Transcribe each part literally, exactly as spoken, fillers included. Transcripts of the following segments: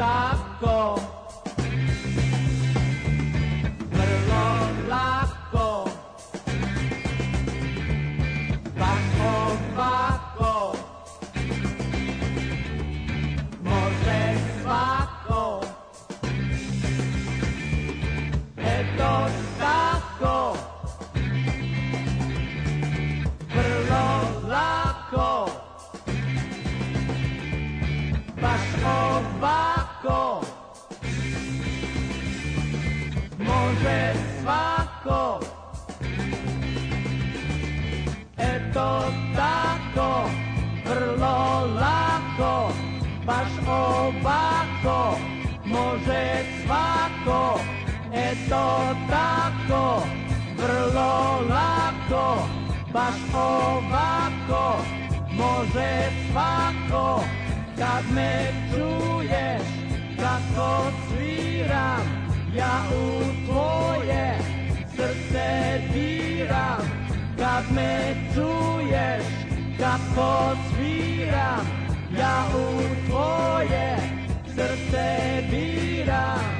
tako, vrlo lako, baš ovako, može svako, eto tako, vrlo lako, baš ovako, može svako, eto tako, vrlo lako, baš ovako, može svako, eto tako, vrlo lako, baš ovako, može svako. Kad me čuješ kako sviram, ja u tvoje srce diram. Kad me čuješ kako sviram, ja u tvoje srce diram.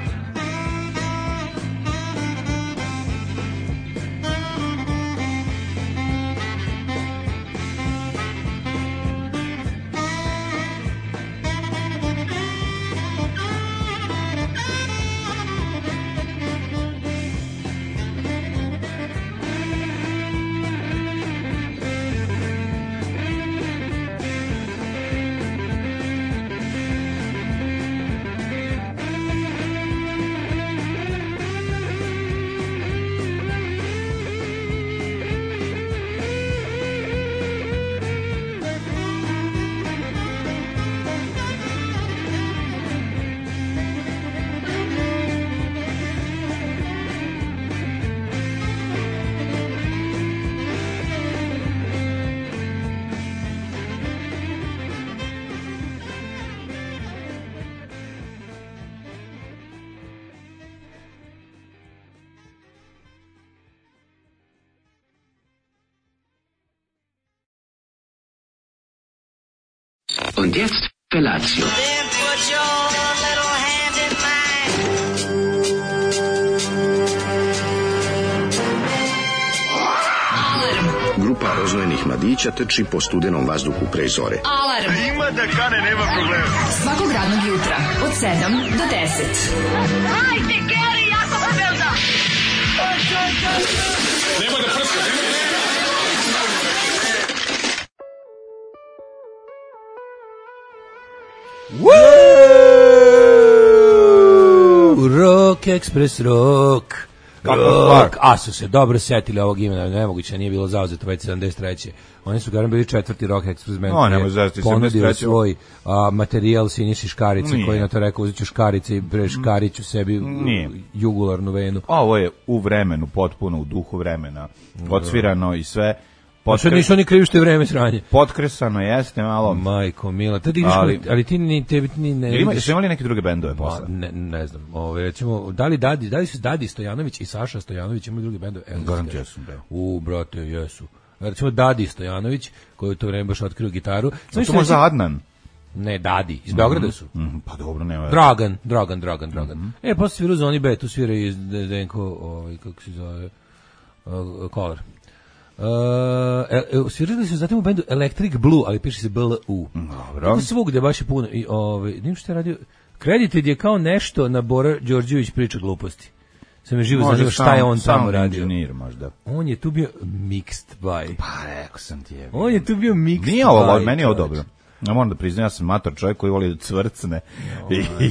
Und jetzt Felatio. Then put your little hand in mine. Grupa roznojenih mladića trči po studenom vazduhu pre zore. Alarm. Ima da kane, nema problema. Svakog radnog jutra od sedam do deset. Hajde, Geri, jako se velda. Nema da prska, nema da prska. Woo! Rock Express Rock. Rock. A su se dobro setili ovog imena, nemoguće, nije bilo zauzeto već sedamdeset treće. Oni su garan bili četvrti Rock Express band. No, nemoj zazeti, ponudio svoj a, materijal Siniši Škarice, nije. koji na to rekao, uzet ću škarice i bre škariću sebi nije. jugularnu venu. Ovo je u vremenu, potpuno u duhu vremena, odsvirano i sve. Pa sad nisu oni krivi što je vreme sranje. Potkresano jeste malo. Majko mila, ali, ali, ali ti ni tebi ni ne. Ima, su imali neke druge bendove posle? Ne, ne znam. Ove recimo da li Dadi, da li su Dadi Stojanović i Saša Stojanović imali druge bendove? Garantiram sam da. U brate, jesu. Recimo Dadi Stojanović, koji u to vreme baš otkrio gitaru. Znači to možda Adnan. Ne, Dadi, iz Beograda su. Mm -hmm, pa dobro, nema. Dragan, Dragan, Dragan, Dragan. Mm -hmm. E, posle svira u Zoni B, tu svira i Denko, ovaj, kako se zove, uh, Kolar. Uh, e, svirali su zatim u bendu Electric Blue, ali piše se B L U. Dobro. Tako svugde baš je puno. I, ovaj, nim što je radio, Credited je kao nešto na Bora Đorđević priča gluposti. Sam je živo zanima šta je on tamo radio. Engineer, možda. On je tu bio mixed by. Pa rekao sam ti je. On je tu bio mixed Nije ovo, by. meni je ovo dobro. Ja moram da priznam, ja sam mator čovjek koji voli da cvrcne.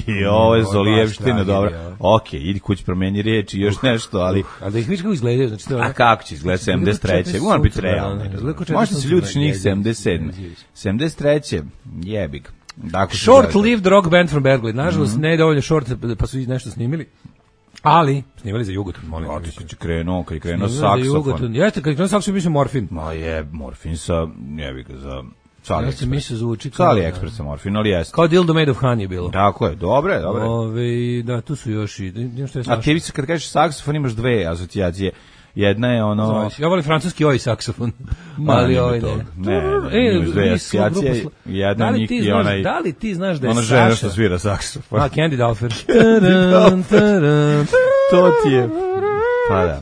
I ovo je Zolijevština, dobro. Ok, idi kući promeni riječ i još nešto, ali... Uh, ali da ih vidiš kako izgledaju, znači to je... A kako će izgledati sedamdeset treće? Moram biti realno. Možda se ljutiš njih sedamdeset sedme. sedamdeset treće jebik. Short-lived rock band from Berkeley. Nažalost, ne je dovoljno short, pa su nešto snimili. Ali, snimali za Jugoton, molim. A ti kad je krenuo, kad je krenuo saksofon. Jeste, kad je krenuo saksofon, mislim morfin. Ma je, morfin sa, jebik, za... Sali ja se misle zvuči kao Sali Express sa morfin, ali jeste. Kao Dildo Made of Honey je bilo. Tako je, dobre, dobre. Ove, da, tu su još i... Što je a ti kad kažeš saksofon imaš dve asocijacije. jedna je ono... Znači, ja volim francuski ovaj saksofon, ali ovaj ne. Ne, ne, ne, dve asocijacije, jedna njih i onaj... Da li ti znaš da je Saša... Ona žena što svira saksofon. A, Candy Dalfer. To ti je... Pa da.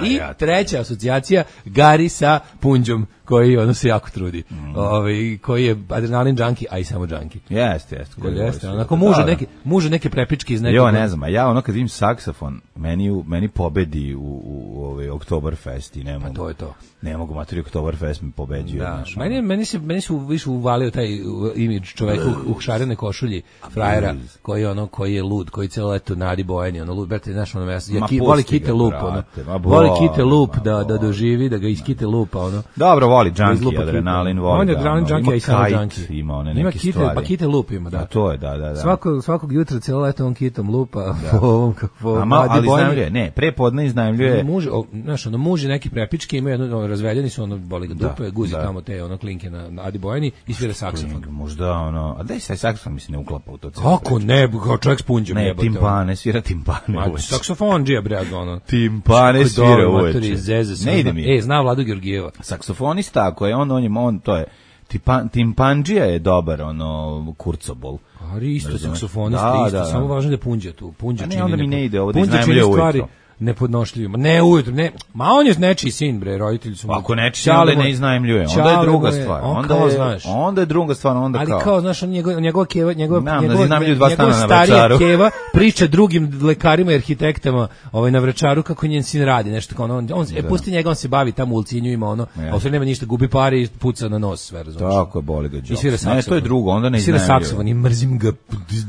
I treća asocijacija, Gari sa punđom, koji ono se jako trudi. Mm. Ovaj koji je adrenalin junkie, a i samo junkie. Jeste, jeste. Koji jeste. Onako muže neke, muže neke prepičke iz nekog. Jo, ne znam, a ja ono kad vidim saksofon, meni meni pobedi u u ovaj Oktoberfest i ne mogu. Pa to je to. Ne mogu materi Oktoberfest mi pobeđuje, da. znaš. Meni meni se meni su više uvalio taj imidž čoveka u, u šarene košulji, frajera, koji ono koji je lud, koji celo leto nadi bojeni, ono lud, brate, znaš, ono ja ki, voli kite lup, ono. Voli kite lup da da doživi, da ga iskite lupa, ono. Dobro, voli junkie, adrenalin, voli. On je adrenalin junkie i samo junkie. Ima one neke kite, stvari. Pa kite lup ima, da. A to je, da, da, da. Svako, svakog jutra celo leto on kitom lupa, po ovom kako ali iznajmljuje, ne, prepodne iznajmljuje. Muž, znaš, ono muži neki prepički imaju jedno razveljeni su, ono boli ga dupe, guzi tamo te ono klinke na, na Adi Bojani i svira saksofon. Možda ono, a daj se saksofon mi se ne uklapa u to celo. Kako ne, kao čovjek s punđom jebote. Ne, timpane, svira timpane. Ma saksofon džija bre ono. Timpane svira uveče. Ne ide mi. E, zna Vladu Georgijeva. Saksofonista, ako je on, on je on, to je Tipan, timpanđija je dobar, ono, kurcobol. Ali isto saksofonista, da, isto, da, samo važno da punđa tu. Punđa čini ne, onda mi ne ide ovo da iznajmljuje ujutro. Nepodnošljivima. Ne ujutro, ne. Ma on je nečiji sin, bre, roditelji su mu. Ako nečiji onda ne iznajmljuje, onda je druga stvar. On onda kao, je, znaš. Onda je druga stvar, onda ali kao. Ali kao, znaš, on njegov, njegova keva, njegov, Nam, njegov, da njegov, njegov starija keva priča drugim lekarima i arhitektama ovaj, na Vračaru kako njen sin radi, nešto kao ono. On, on e, pusti njega, on se bavi tamo u Ulcinju, ima ono, ja. A u sve nema ništa, gubi pare i puca na nos, sve, razumiješ. Tako je, boli ga džok. I svira saksofon. Ne, to je drugo, onda ne iznajmljuje. Svira saksofon i mrzim ga,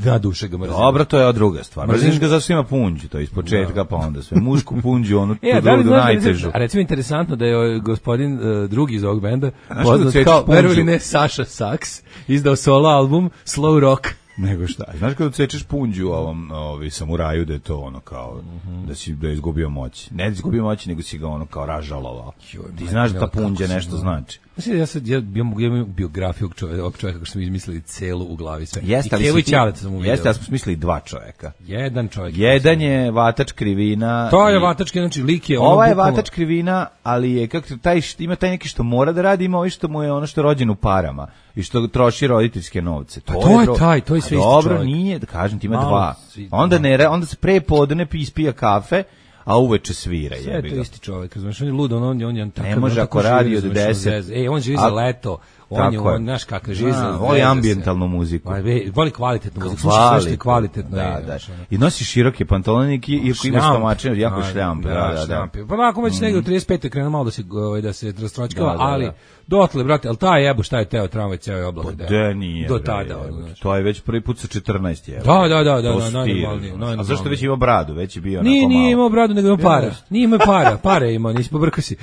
na duše ga mrzim. Dobro, to je druga stvar. Mrziš ga zato što ima punđu, to je ispočetka, pa onda sve mušku punđu, ono e, da li najtežu. A recimo interesantno da je gospodin uh, drugi iz ovog benda poznat kao, verovali ne, Saša Saks, izdao solo album Slow Rock. Nego šta? Znaš kada odsečeš punđu u ovom ovi samuraju da je to ono kao mm-hmm. da si da je izgubio moć. Ne da izgubio moć, nego si ga ono kao ražalovao. Ti znaš da ta punđa nešto znači. Mislim, ja sad ja imam biografiju čovjeka, ovog čovjeka kako smo izmislili celu u glavi sve. Jeste, ali Kevo i Ćalet sam uvidio. Jeste, ali smo smislili dva čovjeka. Jedan čovjek. Jedan je Vatač Krivina. To je Vatač Krivina, znači lik je ono. Ova je Vatač Krivina, ali je kako taj ima taj neki što mora da radi, ima ovo što mu je ono što je rođen u parama i što troši roditeljske novce. To, to je, je taj, to je sve isti čovjek. Dobro, nije, da kažem ti ima Malo, dva. Onda ne, onda se pre podne ispija kafe, a uveče svira, jebi ga. Sve to isti čovjek, znači on je lud, on on on je takav. Ne može ako radi od deset. Ej, on živi za leto. On je, on, znaš kakav živi za... Voli ambijentalnu muziku. Voli kvalitetnu muziku, sluša sve kvalitetno. Da, da. I nosi široke pantalone i iako ima stomačine, jako šljamp. Da, da, pa nakon već negdje u trideset pete krenu malo da se, da se rastročkava, ali dotle, brate, ali taj jebo šta je teo tramvaj ceo je oblak. Da, nije. Do tada. To je već prvi put sa četrnaest jebo. Da, da, da, da, najnormalnije. A zašto već ima bradu? Već je bio onako malo. Nije, nije imao bradu, nego ima para. Nije imao para, pare ima, nisi pobrkao si.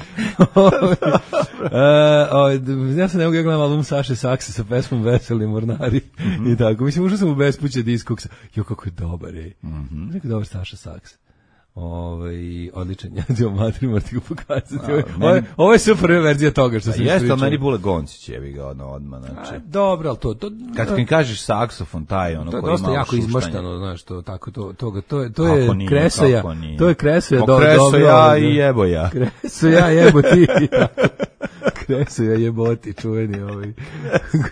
Ja sam ne mogu gledam album Saše Saksa sa pesmom Veseli mornari mm-hmm. i tako. Mislim, ušao sam u bespuće diskoksa. Jo, kako je dobar, ej. Mm-hmm. Kako je dobar Saša Saks. Ovaj odličan, ja ću vam matri morati ga pokazati. Ovo, ovo, ovo je super verzija toga što sam pričao. Jeste, ali meni Bule Goncić jebi ga ono odmah. Znači. A, dobro, ali to... to kad mi kažeš saksofon, taj ono koji ima dosta jako šuštanje. Izmaštano, znaš, to, tako, to, to, to, to je nije, kresoja, to je kresoja. Do, kresoja i jeboja. Kresoja jebo ti. Kresoja jeboti, čuveni ovaj.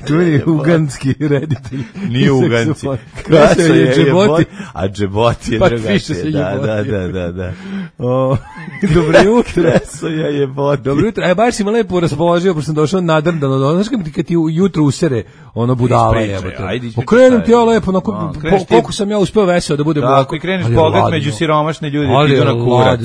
Čuveni uganski reditelj. Nije uganci. Kresoja je jeboti, a džeboti je drugačije. Da, da, da. Da, da. O, dobro jutro. Kresoja je boti. Dobro jutro. E, baš si me lepo raspoložio, pošto sam došao nadrndano. Znaš kad ti jutro usere ono budala jebote. Pokrenem ti ja lepo, onako, koliko sam ja uspeo veseo da budem. Tako, i kreneš bogat među siromašne ljude, ti idu na kurac.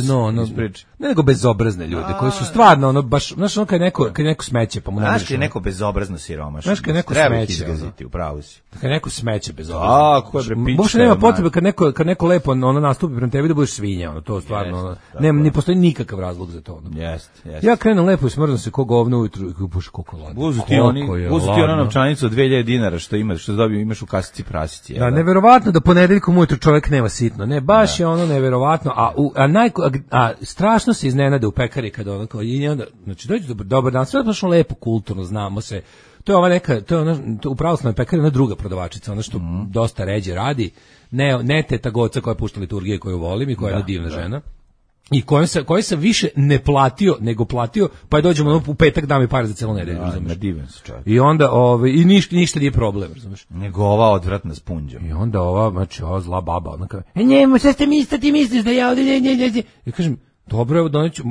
Ne nego bezobrazne ljude, koji su stvarno, ono, baš, znaš, ono kad neko, kad neko smeće, pa mu ne znaš kad je neko bezobrazno siromašno. Znaš kad neko smeće. Izgaziti, upravo si. Kad neko smeće bezobrazno. A, ko je bre pička. Baš nema potrebe kad neko, kad neko lepo ono nastupi prema tebi da budeš svinja, ono, to stvarno, ono, nema, ne postoji nikakav razlog za to. Ono. Jeste, jeste. Ja krenem lepo i smrznem se ko govno ujutru, bože, koliko ladno. Uzu ti oni, uzu ti ona novčanica od dve hiljade dinara što imaš, što dobio, imaš u kasici prasici. Da, neverovatno da ponedeljkom ujutru čovjek nema sitno. Ne, baš da. Je ono neverovatno, a u, a naj a, a strašno se iznenade u pekari kad ono kao i onda, znači dođe dobar, dobar dan, sve baš lepo kulturno, znamo se. To je ova neka, to je ona, to u pravoslavnoj pekari ona druga prodavačica, ona što mm. dosta ređe radi. Ne, ne teta Goca koja pušta liturgije koju volim i koja da, je jedna divna da. žena. i koje sam, koje sam više ne platio nego platio, pa je dođemo ono, u petak da mi pare za celu nedelju, razumeš? I onda ovaj i ništa ništa nije problem, razumeš? Nego ova odvratna spunđa. I onda ova, znači, ova zla baba, ona kaže: "E njemu, šta ste mislite, ti misliš da ja ovdje ne ne ne." Ja kažem: "Dobro, evo doneću,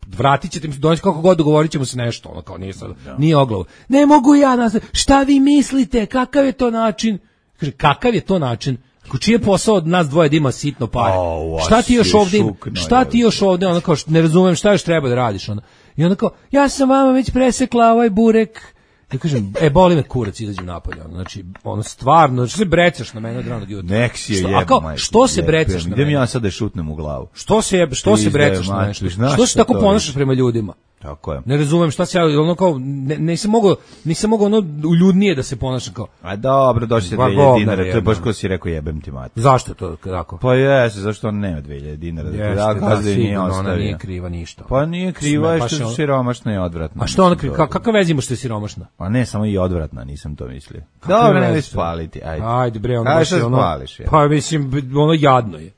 vratit ćete mi se, doneću kako god, dogovorit ćemo se nešto." Ono kao nije sad, nije oglav. "Ne mogu ja, nas, šta vi mislite, kakav je to način?" Kaže: "Kakav je to način? Ko čiji je posao od nas dvoje da ima sitno pare? Oh, šta ti još ovdje, šta ti još ovdje?" Ono kao, ne razumem šta još treba da radiš, ono. I onda kao: "Ja sam vama već presekla ovaj burek." Ja kažem: "E, boli me kurac, izađem napolje." Znači, ono stvarno, znači se brecaš na mene od ranog jutra. Nek si je što, jeb, a kao, majke, što se jeb, brecaš na mene? Idem ja sad da šutnem u glavu. Što se jeb, što se brecaš na mene? Što se tako ponašaš prema ljudima? Tako je. Ne razumem šta se ja, ono kao, ne, nisam mogao, nisam mogao ono uljudnije da se ponašam kao. A dobro, došli se dve hiljade dinara, to je baš ko si rekao jebem ti mati. Zašto to tako? Pa jesi, zašto on nema dve hiljade dinara? Jeste, da, da, da sigurno, ona nije kriva ništa. Pa nije kriva, je što je siromašna i odvratna. A što ona kriva, kakva veza ima što je siromašna? Pa ne, samo i odvratna, nisam to mislio. Dobro, ne spaliti, ajde. Ajde bre, ono baš je ono, spališ, pa mislim, ono jadno je.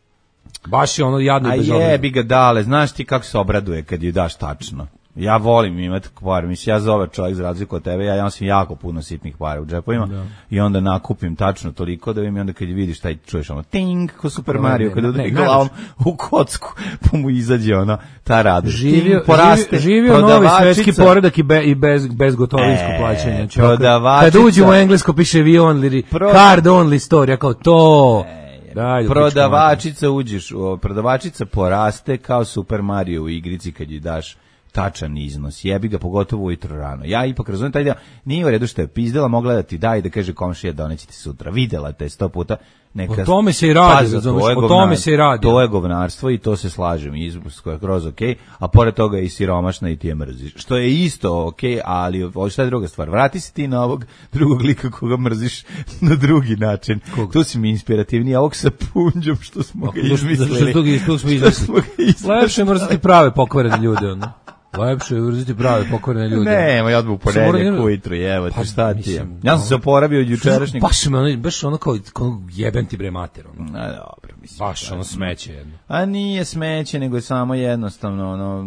Baš je ono jadno i bezobrazno. A jebi ga dale, znaš ti kako se obraduje kad ju daš tačno. Ja volim imati par, mislim, ja zove čovjek za razliku od tebe, ja imam jako puno sitnih para u džepovima da. I onda nakupim tačno toliko da im i onda kad vidiš taj čuješ ono ting, ko Super Mario, kad udari glavom u kocku, pa mu izađe ona ta radost. Živio, poraste, živio novi svetski poredak i, be, i bez, bez gotovinsko e, plaćanje. Kad uđu u englesko piše we only, pro... card only store, ja kao to... E, Da, prodavačica uđeš, prodavačica poraste kao Super Mario u igrici kad ji daš tačan iznos. Jebi ga pogotovo ujutro rano. Ja ipak razumijem taj deo. Nije u redu što je pizdela, mogla da ti da i da kaže komšija doneće ti sutra. Videla te sto puta. Neka... O tome se i radi, razumiješ, o tome se i radi. To je govnarstvo i to se slažem, izbusko je kroz ok, a pored toga je i siromašna i ti je mrziš. Što je isto ok, ali ovo šta je druga stvar. Vrati se ti na ovog drugog lika koga mrziš na drugi način. Kog? Tu si mi inspirativniji, a ovog sa punđom što smo ga izmislili. Što smo izmislili. Lepše mrziti prave pokvarene ljude, ono. Lepše je mrziti prave pokvarene ljude. Ne, moj odbu ponedjeljak ujutru, evo ti šta ti je. Ja sam se oporavio od jučerašnjeg. Baš me ono, baš ono kao, kao jebem ti bre mater. Ono. A dobro, mislim. Baš ono smeće jedno. A nije smeće, nego je samo jednostavno ono,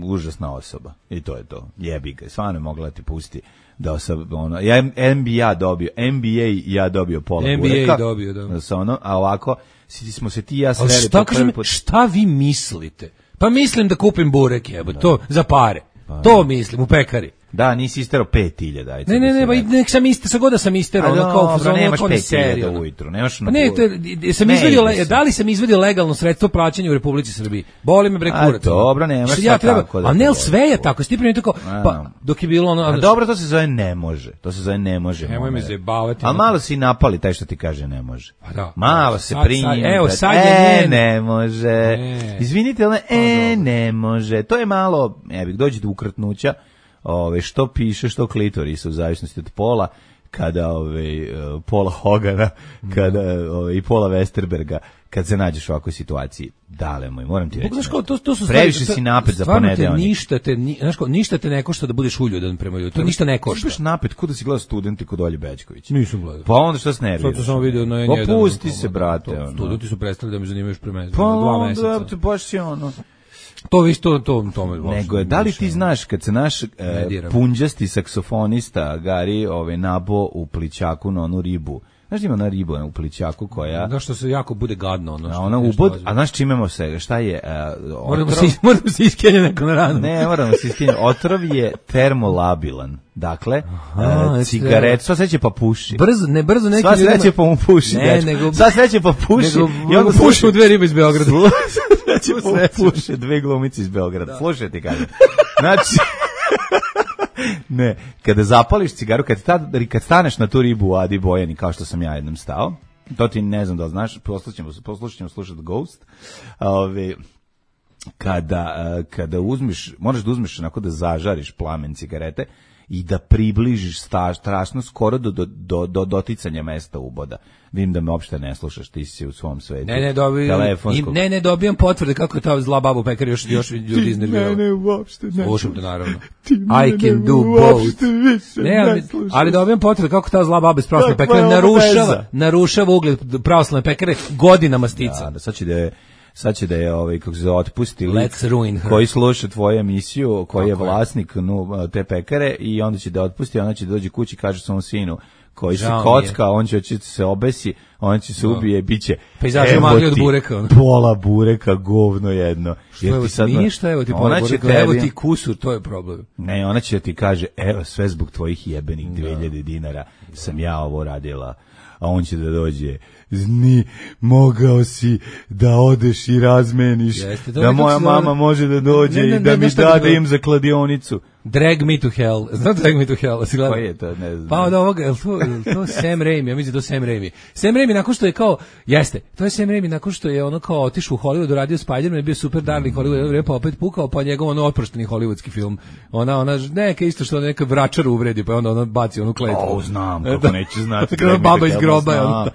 užasna osoba. I to je to. Jebi ga, stvarno je mogla ti pusti da osoba, ono, ja N B A dobio, N B A ja dobio pola bureka. N B A dobio, da. Da ono, a ovako, smo se ti ja sreli po prvi put. Šta vi mislite? Pa mislim da kupim burek, jebo, to za pare. Pa, to mislim u pekari. Da, nisi istero pet hiljada. Ne, ne, ne, ba, nek sam ister, sa god da sam istero, ono kao fazon, nemaš pet hiljada ujutru, nemaš na. Ne, te, sam izvedio, le, da li sam izvedio legalno sredstvo plaćanja u Republici Srbiji? Boli me bre kurac. A dobro, nemaš ja treba, tako da. A ne, sve je tako, stiprim tako, pa dok je bilo ono. A dobro, to se zove ne može. To se zove ne može. Nemoj me zajebavati. A malo si napali taj što ti kaže ne može. Pa da. Malo se primi. Evo, sad je ne može. Izvinite, ali e ne može. To je malo, evo, dođe do ukrtnuća. Ove, što piše, što klitorisa u zavisnosti od pola, kada ove, Pola Hogana, kada ove, i Pola Westerberga, kad se nađeš u ovakvoj situaciji. Dale moj, moram ti reći. Znaš kao, to, to su previše si napet za ponedeljnik. Ništa te, ni, znaš kao, ništa te ne košta da budeš uljudan prema ljudi. To ništa ne košta. Ti napet, kod da si gledao Studenti kod Olje Bećković. Nisam gledao. Pa onda što se nerviraš? Sad to sam vidio na N jedan. Pa pusti se, brate. To, studenti su prestali da me zanimaju još pre mene. Pa onda, te baš si ono... To vi to to tome nego je, da li ti znaš kad se naš e, punđasti saksofonista Gari ovaj nabo u plićaku na onu ribu. Znaš ima na ribu u plićaku koja da što se jako bude gadno ono što. A ona ubod, a znaš čimemo se, šta je? Uh, moramo se moramo se iskenje neko na ranu. Ne, moramo se iskenje. Otrov je termolabilan. Dakle, uh, cigaret, sva sreće pa puši. Brzo, ne brzo neki sva sreće pa mu puši. Ne, nego, sva sreće pa puši. Nego, I on puši u dve ribe iz Beograda. Sreće pa puši dve glumice iz Beograda. Slušaj ti kažem. Znači, ne, kada zapališ cigaru, kad, ta, kad staneš na tu ribu u Adi Bojani, kao što sam ja jednom stao, to ti ne znam da li znaš, poslušćemo, poslušćemo slušati Ghost, ove, kada, kada uzmiš, moraš da uzmeš onako da zažariš plamen cigarete i da približiš sta, strašno skoro do, do, do, do doticanja mesta uboda. Vidim da me uopšte ne slušaš, ti si u svom svetu. Ne, ne, dobijam, ne, ne, dobijam potvrde kako je ta zla baba u pekari još, još ljudi iznervirala. Ne, ne, uopšte ne. Slušam te, naravno. I can do both. Ne, ali, ali dobijam potvrde kako ta zla baba iz pravoslavne pekare narušava, narušava ugled pravoslavne pekare godinama stica. Da, da, sad će da je sad će da je ovaj kako se otpusti lik Let's ruin her. koji sluša tvoju emisiju, koji je Tako je. vlasnik no, te pekare i onda će da otpusti, ona će da dođe kući i kaže svom sinu koji se Žao mi kocka, on će oći se obesi, on će se ubije, biće Pejzaže evo magli od ti bureka, ono. pola bureka, govno jedno. Što evo ti ništa, evo ti ona pola će bureka, tebi, evo ti kusur, to je problem. ne, ona će ti kaže, evo sve zbog tvojih jebenih dve hiljade dinara sam ja ovo radila, a on će da dođe, zni, mogao si da odeš i razmeniš, Jeste, to da je moja kako se mama zove- može da dođe Ne, ne, i da ne, mi nešto da bi da to- im za kladionicu. Drag Me to Hell. Znam Drag Me to Hell? Si gledao? Koji je to, ne znam. Pa od ovoga, je li to, je li to Sam Raimi? Ja mislim da je to Sam Raimi. Sam Raimi nakon što je kao, jeste, to je Sam Raimi nakon što je ono kao otišao u Hollywood, radio Spider-Man, je bio super darling Hollywood, jedno vreme, pa opet pukao, pa njegov ono otprošteni hollywoodski film. Ona, ona, neka isto što neka vračar uvredi, pa onda ona baci onu kletvu. O, znam, kako neću znati. Kako baba iz groba je ono.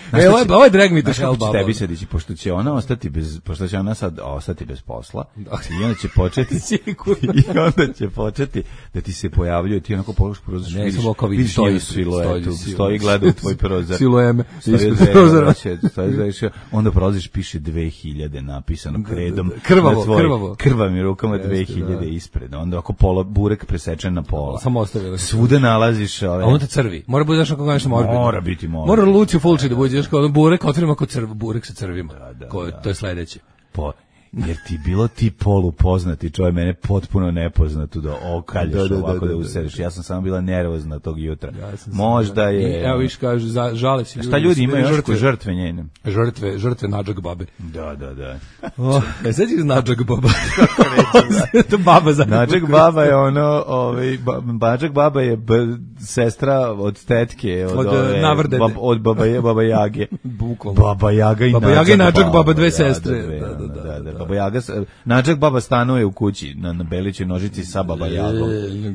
Znaš E, šta ovo je, će- ovo je Drag Me to znaš Hell kako će baba. tebi se dići, pošto će ona ostati bez, pošto će ona sad ostati bez posla, i onda će početi, Sigurno. i onda će početi da ti se pojavljuje, ti onako položiš prozor, Ne, vidiš, samo kao vidi, vidiš stoji njenu ispred, siluetu, stoji, stoji i gleda u tvoj prozor. Silujeme, Stoji ispred u dve- prozora. će- stoji u dve- onda prolaziš, piše dve hiljade napisano kredom. Krvavo, na tvoj- krvavo. Krvavim rukama Jeste, dve hiljade da. ispred. Onda ako pola, burek presečen na pola. Samo ostavio. Svuda nalaziš ove... A onda crvi. Mora bude znaš kako nešto morbidno. Mora biti morbidno. Mora Lucio Fulci da bude, znaš kao ono burek, otvorimo kao crv, burek sa crvima. da, Ko, da. To je sledeće. Po, jer ti bilo ti polu poznati, čovjek mene potpuno nepoznatu da okalješ Da, da, da, ovako da, da, da, useriš. Ja sam samo bila nervozna tog jutra. Ja sam Možda sam- je... I, evo viš kaže, za, žale se. Šta ljudi su imaju bili još žrtve, žrtve njene? žrtve, žrtve Nadžak babe. Da, da, da. Oh, e sad je Nadžak baba. To baba za. Nadžak baba je ono, ovaj, ba, Nadžak baba je b, sestra od tetke, od, Od, ove, Navrdede. bab, od baba, baba Jage. Bukvalno. Baba Jaga i Baba Nadžak Jaga i Nadžak baba, dve da, sestre. dve, Da, da, ono, da, da, da. da. Baba Jaga, s- Nadžak baba stanuje u kući na, na Belićoj nožici sa Baba Jagom.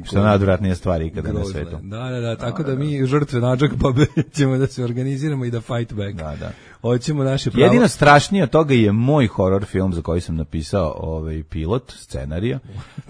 Što je najodvratnija stvar ikada na Grozno je. svetu. Da, da, da, tako da mi žrtve Nadžak babe ćemo da se organiziramo i da fight back. Da, da. Hoćemo naše pravo. Jedino strašnije od toga je moj horor film za koji sam napisao ovaj pilot, scenarija.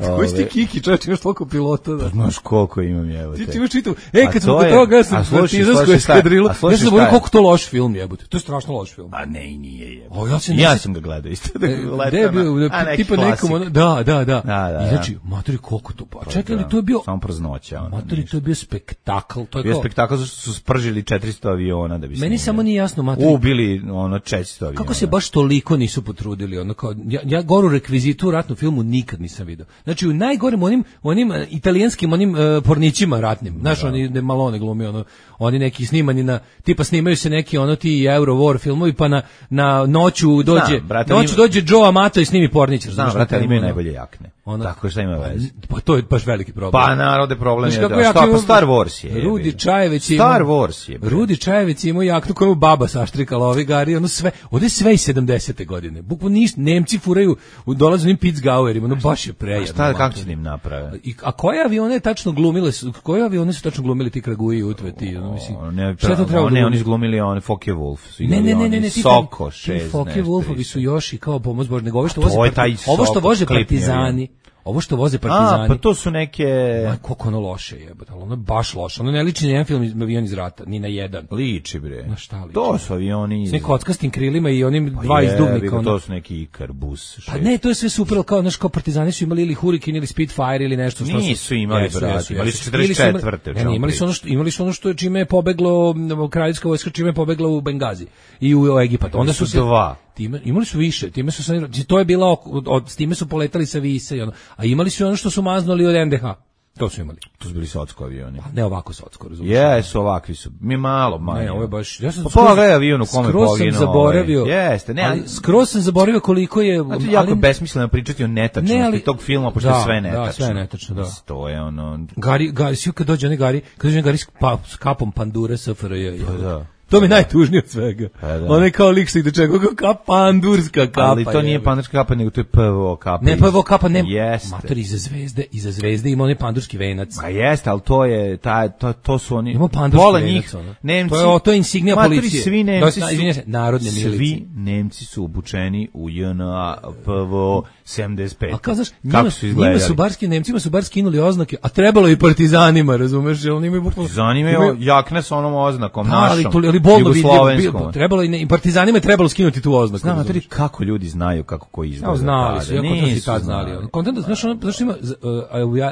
Koji si ti Kiki, čovječ, imaš toliko pilota da... Znaš koliko imam, evo Ti te. ti imaš čitav. E, A kad to smo kod je- toga, ja a sam slušaj, partizansku slušaj šta je- eskadrilu, a slušaj ja sam šta zaboravio je? koliko to loš film jebote. To je strašno loš film. A ne, i nije je. O, ja se ja ne- sam ga gledao isto. Da E, ga gde je bio, letam, a neki tipa klasik. nekom, ono, da, da, da. Da, da, I da. znači, matori, koliko to, pa čekaj li, Da, to je bio, samo praznoća. Ono, matori, ništa. to je bio spektakl, to je Bio kao, spektakl zašto su spržili četiristo aviona da bi meni snimili. samo nije jasno, matori, Ubili ono četiristo aviona. kako se baš toliko nisu potrudili, ono kao, ja, ja goru rekvizitu u ratnom filmu nikad nisam video. Znači, u najgorim onim, onim e, italijanskim, onim e, pornićima ratnim, znaš, oni ne Malone glumi, ono, oni neki snimani na, tipa snimaju se neki, ono, ti Euro War filmovi, pa na, na noću dođe, Znam, brate, noću ima- dođe Joe Amato i snimi pornić, Znam, razumeš, brate, na ali imaju temu, ono. najbolje jakne. Ono- Tako šta ima veze? Pa to je baš veliki problem. Pa narode problem Znaš je kako da. ja Šta, imam- pa Star Wars je. Rudi jebi. Čajeveć je Star imao- Wars je. bre. Rudi Čajevec je imao jaknu koju baba saštrikala ovi gari, ono sve, ovde je sve iz sedamdesete godine. Bukvalno ništa, Nemci furaju, u dolazu onim Pitzgauerima, ono baš je prejedno. Šta, kako mater. će da im naprave? I, a koje avione tačno glumile su, koje avione su tačno glumili ti Kraguji i Utve, ti, ono, mislim, O, ne, šta je to trebalo ne, da oni glumi? su glumili one Focke Wolf. Su Ne, igrali ne, ne, oni ne, ne, ti Soko ti šest. Focke nešto Wolfovi isto. su još i kao pomoć Bože, nego ovo što A voze, to je parti- taj ovo što Soko, voze klipni partizani, ovo što voze A, partizani. pa to su neke... Aj, koliko ono loše jebote, ali ono je baš loše. Ono ne liči ni na jedan film iz avion iz rata, ni na jedan. Liči, bre. Na šta liči? To su avioni... S nekim kockastim krilima i onim Pa dva jebi izduvnika. ga, Ono. To su neki Ikarbus. Pa ne, to je sve super, ali kao, znaš, kao partizani su imali ili Hurricane ili Spitfire ili nešto. Što Nisu imali, brate, imali su četrdeset Ili četvrte, o Ne, čemu ne, imali su ono što, imali su ono što je čime je pobeglo, m, kraljevska vojska čime je pobegla u Bengazi i u Egipat. Onda su su se dva. Time, imali su više, time su sanirali, to je bila, od, od, s time su poletali sa Vise i ono, a imali su ono što su maznuli od en de ha. To su imali. To su bili socko avioni. Ne ovako socko, razumiješ? Jesu, ovakvi su. Mi malo, manje. Ne, ovo je baš, ja sam Pa skroz- pogledaj avion u kome skroz sam poginuo, zaboravio. ovaj. Jeste, ne, ali- ali skroz sam zaboravio koliko je, Znači, jako je besmisleno pričati o netačnosti Ne, ali- tog filma, pošto Da, je sve da, netačno. sve je netačno, da. Mislim, to je ono... Gari, Gari, svi kad dođe onaj Gari, kad dođe onaj Gari s, pa, s kapom pandure S F R J. Pa da. To mi je najtužnije od svega. Pa da. Onaj kao lik što ide čega, kao kap, pandurska kapa. Ali to nije jebe. pandurska kapa, nego to je P V O kapa. Ne, pa evo kapa, ne. Jeste. Mater, iza zvezde, iza zvezde ima onaj pandurski venac. Ma jeste, ali to je, ta, to, to su oni... Ima pandurski Pola venac, njih, ono. Nemci... To je- to je insignia Matori, policije. svi To Nemci je, su... izvinjam se, narodne milicije. Svi Nemci su obučeni u J N A P V O sedamdeset pet. A kao, znaš, Kako njima, su njima izgledali? su barski, Nemcima su bar skinuli oznake, a trebalo i partizanima, razumeš, jer oni imaju bukvalno... Zanimaju imaju- jakne sa onom oznakom, Pa, ali, našom. to, ali bolno vidljivo. Trebalo i partizanima je trebalo skinuti tu oznaku. Znam, a kako ljudi znaju kako ko izgleda. No, znali su, ja kontent si tad znali. Kontent, znaš, ono, znaš, ima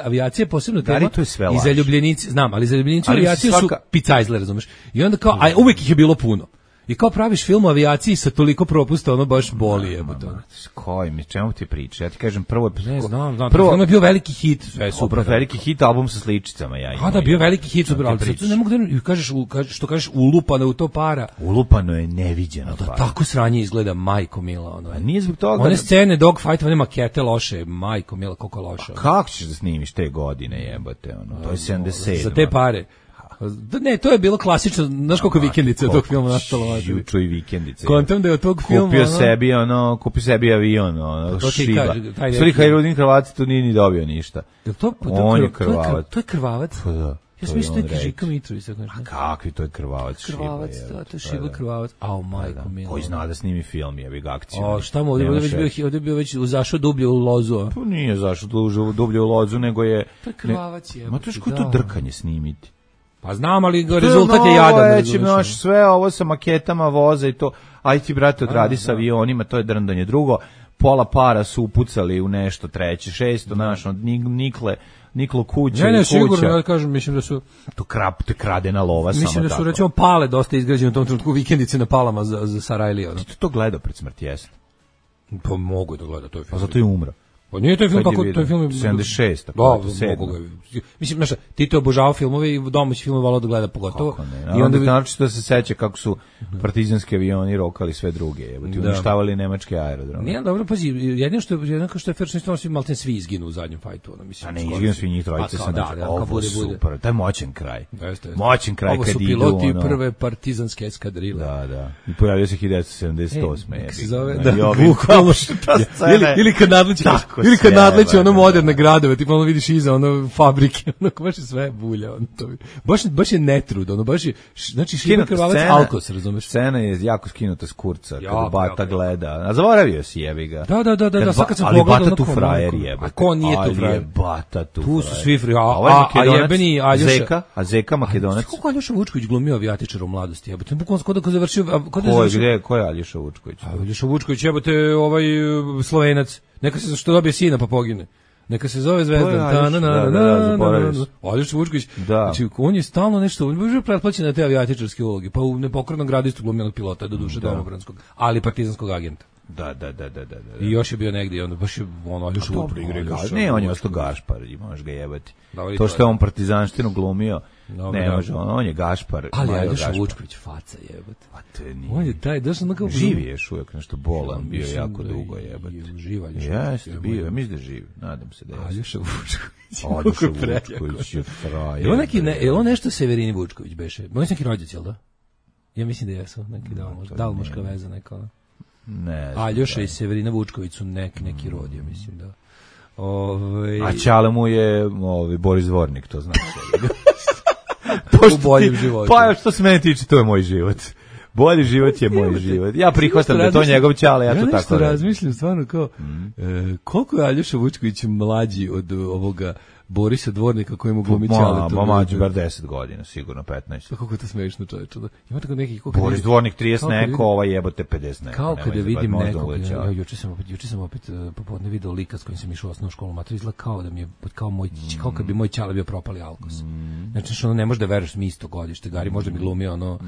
avijacija posebno tema i zaljubljenici, znam, ali zaljubljenici u avijaciju su picajzle, razumeš? I onda kao, a uvek ih je bilo puno. I kao praviš film o avijaciji sa toliko propusta, ono baš boli je. Koji mi, čemu ti priča? Ja ti kažem, prvo... Ne znam, znam, prvo, film je bio veliki hit, sve je super. Veliki hit, album sa sličicama, ja imam. A da, bio veliki hit, super, ali sad ne mogu da kažeš, što kažeš, ulupano u to para. Ulupano je neviđeno para. Tako sranje izgleda, majko mila. Ono. A nije zbog toga... One scene, dogfight, one makete loše, majko mila, koliko loše. Kako ćeš da snimiš te godine, jebate, ono, to je sedamdeset sedam. Za te pare. Ne, to je bilo klasično, znaš koliko vikendice od tog filma nastalo. Juču i vikendice. Kontam da je od tog filma... Kupio sebi, ono, kupio sebi avion, ono, šiba. Stvari, Hajrudin Krvavac tu nije ni dobio ništa. On je Krvavac. To je Krvavac? Pa da. Ja sam mislio da je Žika Mitrović. A kakvi, to je Krvavac šiba. Krvavac, da, to je šiba Krvavac. Au, majko milo. Koji zna da snimi film, jebi ga akciju. O, šta mu, ovdje je bio već zašao dublje u lozu. Pa nije zašao dublje u lozu, nego je... To je Krvavac je. Ma to je što to drkanje snimiti. Pa znam, ali rezultat je jadan. Reći, naš, sve ovo sa maketama voza i to, aj ti, brate, odradi sa avionima, to je drndanje. Drugo, pola para su upucali u nešto, treće, šesto, naš, nikle, niklo kuća ne, ne, i kuća. Sigurno, ja kažem, mislim da su... To krap, te kradena lova, mislim samo tako. Mislim da su, recimo, pale dosta izgrađene u tom trenutku, vikendice na palama za, za Sarajlija. Ti to gledao pred smrti, jesi? Pa mogu da gleda, to je film. A zato je umro. Pa nije to film kako to je film sedamdeset šest Da, mogu ga. Mislim, znaš, Tito je obožavao filmove i domaći film volao da gleda pogotovo. I onda naročito da se seća kako su partizanski avioni rokali sve druge, jebote, uništavali nemačke aerodrome. Nije dobro, pazi, jedino što je jednako što je fair, svi malten svi izginu u zadnjem fajtu, ona mislim. A ne, izginu svi njih trojica sam da, ovo super, taj moćan kraj. Moćan kraj kad idu. Ovo su piloti prve partizanske eskadrile. Da, da. I pojavio se hiljadu devetsto sedamdeset osme Kako se zove? Da, bukvalno ili kad nadleći ili kad nadleći ono moderne gradove, tipa ono vidiš iza ono fabrike, ono baš je sve bulja, ono to. Baš baš je netrud, ono baš je, znači Šiba Krvavac Alkos, razumeš? Scena je jako skinuta s kurca kad Bata gleda. A zaboravio si, jebi ga. Da, da, da, da, sad kad sam pogledao ali Bata tu frajer jebe. A ko nije tu frajer? Bata tu. Tu su svi frajeri. A, a jebeni Aljoša Zeka, a Zeka Makedonac. Kako Aljoša Vučković glumio avijatičara u mladosti, jebote. Bukvalno kod da završio, kod da završio. Ko je, ko je Aljoša Vučković? Aljoša Vučković jebote, ovaj Slovenac. Neka se što dobije sina pa pogine. Neka se zove Zvezdan. Aljoša Vučković. Znači, on je stalno nešto, on je pretplaćen na te avijatičarske uloge, pa u Nepokornom gradu isto glumio pilota, do duše domobranskog, ali partizanskog agenta. Da, da, da, da, da. I još je bio negdje i onda baš je ono Aljoša Vučković. Ne, on je ostao Gašpar, možeš ga jebati. To što je on partizanštinu glumio, ne može, on je Gašpar. Ali Aljoša Vučković faca jebate. Pa te nije. On je taj, daš ono kao... Živi je još uvijek, nešto bolan, bio jako dugo jebate. Živa Aljoša. Jeste, bio, ja mislim da živi, nadam se da je. Aljoša Vučković. Aljoša Vučković je frajer. Je on nešto Severini Vučković beše? On je neki rođac, jel da? Ja mislim da jesu, neki dalmoška veza neka. Ne. Aljoša i Severina Vučković su nek, neki rod, ja mislim da. Ove... A Čale mu je ovaj, Boris Dvornik, to znači. U boljem životu. Pa što se mene tiče, to je moj život. Bolji život je moj život. Ja prihvatam da je to njegov Čale, ja to tako radim. Ja razmišljam stvarno kao, e, koliko je Aljoša Vučković mlađi od ovoga Borisa Dvornika kojemu glumi Čale. Ma, mlađi bar deset godina, sigurno petnaest. Pa kako je to smešno, čoveče. Ima tako neki... Boris Dvornik trideset neko, ovaj jebote pedeset neko. Kao kada vidim nekog, ja, juče sam opet, juče sam opet popodne video lika s kojim sam išao u osnovnu školu, mater izgleda kao da mi je, kao moj, kao kad bi moj Čale bio propali Alkos. Znači što ono ne može da veruješ mi isto godište, Gari možda mi glumi ono,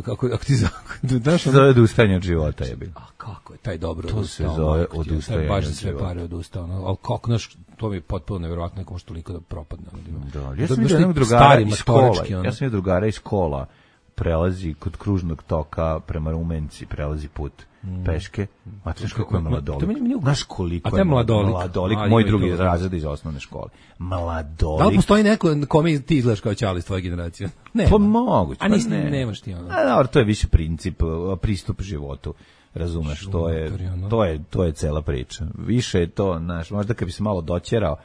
kako, ako ti znaš... To zove odustajanje od života, je bilo. A kako je taj dobro to se zove odustajanje baš za sve pare odustao, ali kako naš, to mi je potpuno nevjerovatno, neko što toliko da propadne. Da, ja sam vidio jednog drugara iz škola, ja sam vidio drugara iz škola, prelazi kod kružnog toka prema Rumenci, prelazi put peške, a znaš kako je mladolik, znaš koliko je mladolik, moj drugi razred iz osnovne škole, mladolik. Da li postoji neko kome ti izgledaš kao Čale iz tvoje generacije? Ne. Pa moguće, a nisi, nemaš ti ono. A dobro, to je više princip, pristup životu. Razumeš, to je, to je, to je cela priča. Više je to, znaš, možda kad bi se malo doćerao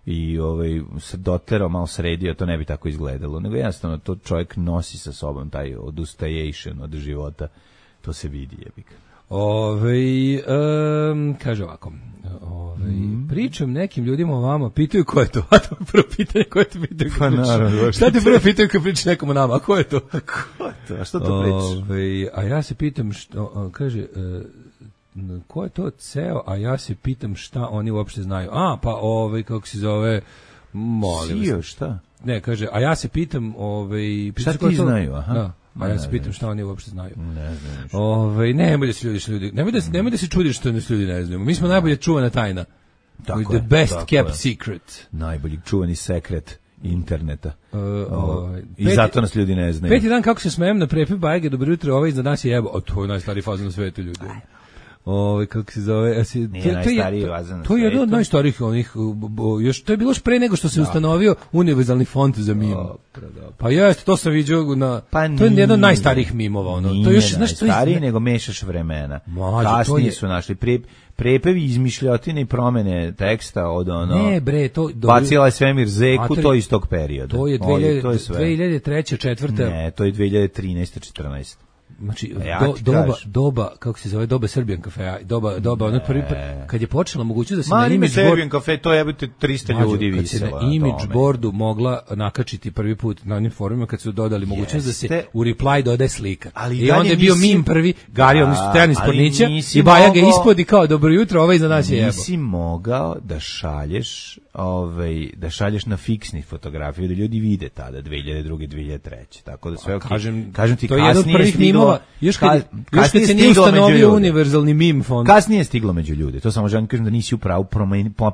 i ovaj, se doterao, malo sredio, to ne bi tako izgledalo. Nego jednostavno to čovjek nosi sa sobom taj odustajation od života To se vidi, jebik. Ove, um, kaže ovako, ove, mm. pričam nekim ljudima o vama, pitaju ko je to, a to je prvo pitanje koje te pitaju. Pa naravno. Šta te prvo pitaju kad pričaš nekom o nama, a ko je to? Ko je to, a što to pričaš? Ove, a ja se pitam, što, kaže, uh, ko je to ceo, a ja se pitam šta oni uopšte znaju. A, pa ovaj, kako se zove, molim. Sio, šta? Ne, kaže, a ja se pitam, ovaj, šta ti znaju, aha. Da. A ja se pitam šta oni uopšte znaju. Ne znam. Ovaj, nemoj da se ljudi, ljudi, nemoj da se, nemoj da se čudiš što nas ljudi ne znaju. Mi smo najbolje čuvana tajna. Tako je, the best kept je. secret. Najbolji čuvani sekret interneta. Uh, ovaj, I peti, zato nas ljudi ne znaju. Peti dan kako se smejem na prepi bajge, dobro jutro, ovaj iznad nas je jebo. O, to je najstariji fazon na svetu, ljudi. Ovaj kako se zove, asi, nije to, najstariji vazan na to je jedno od najstarijih onih, još to je bilo još pre nego što se da. ustanovio univerzalni font za mim. Pa jeste, to sam vidio na pa to je jedno od najstarijih mimova, ono. Nije to je još nešto stariji nego mešaš vremena. Mađu, kasnije je... su našli pre, prepevi izmišljotine i promene teksta od ono. Ne bre, to bacila je svemir zeku, Matori, to iz tog perioda. To je dve hiljade treće, četvrte Ne, to je dve hiljade trinaeste, četrnaeste Znači, ja do, doba, doba, kako se zove, doba Serbian kafea, doba, doba, ono prvi, kad je počela mogućnost da se Ma, na image Serbian board, kafe, to je trista ljudi viselo. Kad se na image boardu mogla nakačiti prvi put na onim forumima, kad su dodali mogućnost Jeste. da se u reply dodaje slika. Ali I onda je bio nisi... mim prvi, Gari, odnosno Stojan iz Pornića, i Baja ga ispod i kao, dobro jutro, ovaj za nas je jebo. Nisi mogao da šalješ, ovaj, da šalješ na fiksni fotografiju, da ljudi vide tada, dve hiljade druge, dve hiljade treće Tako da sve, okay. kažem, kažem ti, to je jedan od prvih mimova, još kad Još kad se nije ustanovio univerzalni meme fond. Kasnije je stiglo među ljude. To samo želim kažem da nisi upravo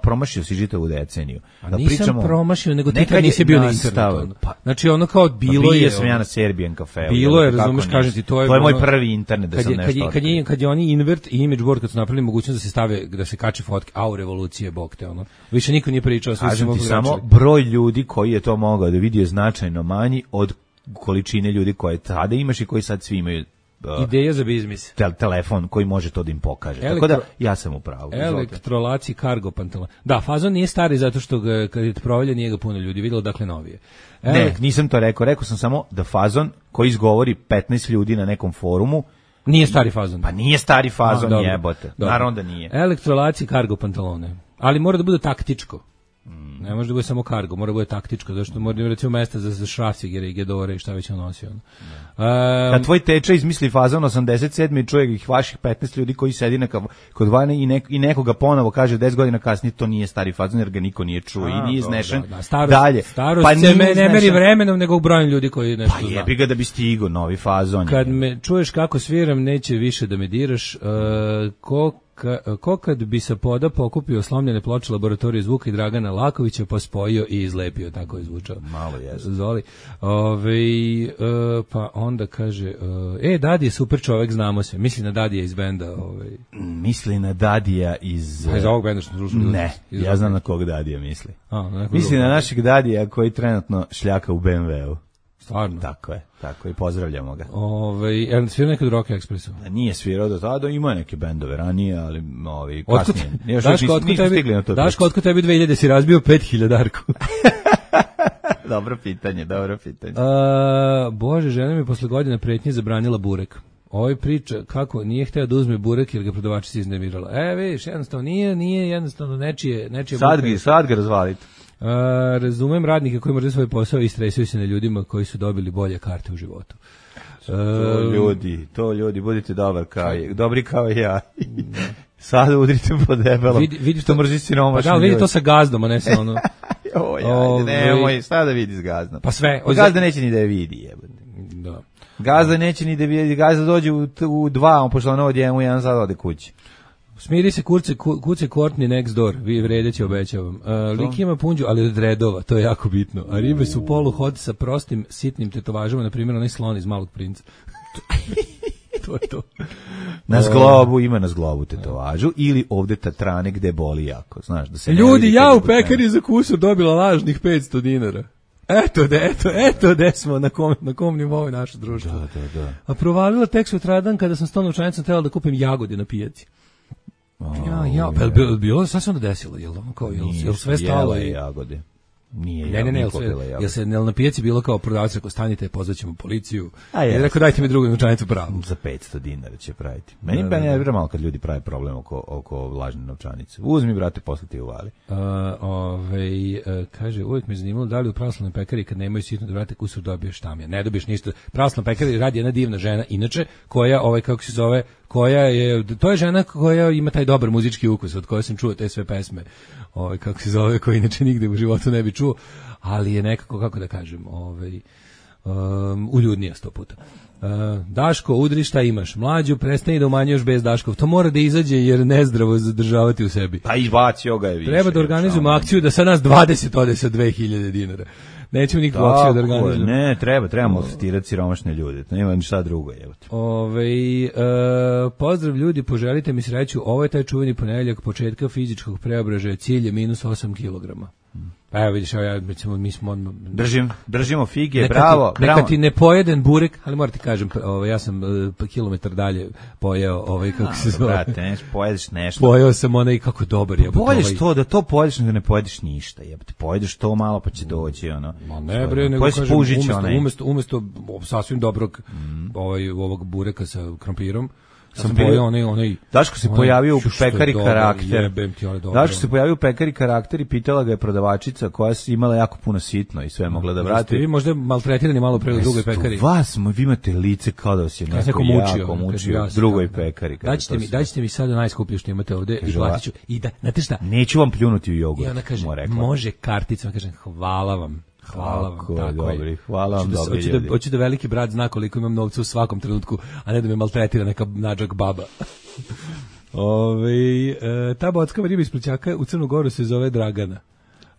promašio si žitavu deceniju. Da nisam pričamo, promašio, nego ti kad nisi bio na internetu. Pa, znači ono kao bilo pa je... Bio sam ja na Serbian kafeu. Bilo je, razumeš, kažem ti, to je... To je moj prvi internet da kad sam je, nešto... Kad je, kad, je, kad je oni invert i image board, kad su napravili mogućnost da se stave, da se kače fotke, au, revolucije, bog te, ono. Više niko nije pričao. Kažem ti, samo broj ljudi koji je to mogao da vidi je značajno manji od količine ljudi koje tada imaš i koji sad svi imaju. Uh, Ideja za biznis. Te, telefon koji može to da im pokaže. Elektro, Tako da ja sam u pravu. Elektrolaci cargo pantalon. Da, fazon nije stari zato što ga, kad je provalja nije ga puno ljudi videlo, dakle novije. Elekt... Ne, nisam to rekao. Rekao sam samo da fazon koji izgovori petnaest ljudi na nekom forumu nije stari fazon. Pa nije stari fazon, A, jebote. Naravno da nije. Elektrolaci cargo pantalone. Ali mora da bude taktičko. Ne može da bude samo kargo, mora da bude taktičko, zato što mora da recimo mesta za, za šrafcigere i gedore i šta već on nosi. Um, Kad tvoj teča izmisli fazon osamdeset sedme i čuje ih vaših petnaest ljudi koji sedi na kod vane i, nek, i nekoga ponovo kaže deset godina kasnije to nije stari fazon jer ga niko nije čuo i nije iznešen. Da, da. Starost, dalje. Starost pa se me, ne meri vremenom nego u brojem ljudi koji nešto Pa jebi ga da bi stigo novi fazon. Kad je. me čuješ kako sviram, neće više da me diraš. Uh, ko Ka, ko kad bi sa poda pokupio slomljene ploče laboratorije zvuka i Dragana Lakovića pa spojio i izlepio, tako je zvučao. Malo je. Zoli. Ove, e, pa onda kaže, e, Dadi je super čovek, znamo se. Misli na Dadija iz benda. Ove. Misli na Dadija iz... A iz ovog benda što slušali? Ne, iz ja znam na kog Dadija misli. A, misli na našeg Dadija koji trenutno šljaka u be em ve u. Stvarno? Tako je, tako je, pozdravljamo ga. Ove, je li svirao nekad Rock Expressu? Nije svirao do tada, ima neke bendove ranije, ali ovi, kasnije. Još Daško, otko tebi, Daško, otko tebi dve hiljade si razbio pet hiljadarku? Dobro pitanje, dobro pitanje. A, Bože, žena mi posle godine pretnje zabranila burek. Ovaj priča kako nije hteo da uzme burek jer ga prodavačica iznervirala. E, vidiš, jednostavno nije, nije jednostavno nečije, nečije sad ga, sad ga razvalite. Uh, razumem radnike koji moraju svoj posao i stresaju se na ljudima koji su dobili bolje karte u životu. To uh, ljudi, to ljudi, budite dobar kao, dobri kao ja. Sad udrite po debelom. Vidi, vidi što mrzi siromašni. Pa da, vidi to sa gazdom, a ne sa ono. Oj, ajde, nemoj, šta da vidi s gazdom. Pa sve. Pa gazda neće ni da je vidi, jebate. Da. Gazda neće ni da vidi, gazda dođe u, u dva, on pošla na odjemu, jedan sad ode kući. Smiri se kurce, kuce Courtney next door, vi vredeći obećavam. Uh, lik ima punđu, ali od redova, to je jako bitno. A ribe su polu hod sa prostim, sitnim tetovažama, na primjer onaj slon iz Malog princa. To je to. Na zglobu, ima na zglobu tetovažu, ili ovde tatrane gde boli jako, znaš. Da se ljudi, ja u pekari za kusur dobila lažnih petsto dinara. Eto de, eto, eto de smo na kom, na kom nivou je naše društvo. Da, da, da. A provalila tek sutradan kada sam stao novčanicom trebala da kupim jagode na pijaci. Oh, ja, ja, pa je bilo, bilo, šta se onda desilo? Jel, kao, jel, jel sve stalo? Jela je jagode. Nije, Ne, ne, ne, jel se, jel se jel na pijaci bilo kao prodavac rekao stanite, pozvaćemo policiju. A je rekao dajte mi drugu novčanicu pravu. Za petsto dinara će praviti. Meni da, ne vjerujem malo kad ljudi prave problem oko oko lažne novčanice. Uzmi brate, posle ti uvali. Uh, ovaj uh, kaže uvijek me zanimalo da li u pravoslavnoj pekari kad nemaju sitno da vrate kusur dobiješ tamja. Ne dobiješ ništa. Pravoslavna pekari radi jedna divna žena inače koja ovaj kako se zove koja je to je žena koja ima taj dobar muzički ukus od koje sam čuo te sve pesme. Ovaj kako se zove koji inače nigde u životu ne bi čuo, ali je nekako kako da kažem, ovaj um, uljudnija sto puta. Uh, Daško, udri šta imaš? Mlađu, prestani da umanjuješ bez Daškov. To mora da izađe jer nezdravo zadržavati u sebi. Pa izbacio ga je više. Treba da organizujemo akciju da sa nas dvadeset ode sa dve hiljade dinara. Nećemo nikakvu akciju da organizujemo. Ne, treba, trebamo testirati siromašne ljude. Nema ništa drugo, evo te. Ovaj uh, pozdrav ljudi, poželite mi sreću. Ovo je taj čuveni ponedeljak početka fizičkog preobražaja, cilj je minus osam kilograma. Pa evo vidiš, ja, recimo, mi smo... Držim, držimo fige, neka bravo, ti, neka bravo. ti ne pojeden burek, ali moram ti kažem, ovaj, ja sam uh, kilometar dalje pojeo, ovaj, kako se zove. Brate, neš, pojedeš nešto. Pojeo sam onaj kako dobar je. Pojedeš ovaj. To, da to pojedeš, nego ne pojedeš ništa, jebate. Pojedeš to malo pa će doći, ono. Ma ne bre, nego kažem, umjesto, umjesto, umjesto sasvim dobrog mm. ovaj, ovog bureka sa krompirom, Ja sam pojao onaj, onaj... Daško se pojavio u pekari dobar, karakter. Ti, Daško se pojavio u pekari karakter i pitala ga je prodavačica koja je imala jako puno sitno i sve mogla da vrati. Vi možda maltretirani malo pre u drugoj pekari. Vas, vi imate lice kao da vas je neko, neko mučio, jako mučio u drugoj pekari. Daćete mi, daćete mi sada najskuplje što imate ovde i platiću. I da, znate šta? Neću vam pljunuti u jogurt. I ona kaže, može karticom, kažem, hvala vam. Hvala vam, tako dobri, hvala vam, dobri hoću ljudi. Da, hoću da veliki brat zna koliko imam novca u svakom trenutku, a ne da me maltretira neka nađak baba. Ove, e, ta bocka riba iz Plućaka u Crnu Goru se zove Dragana.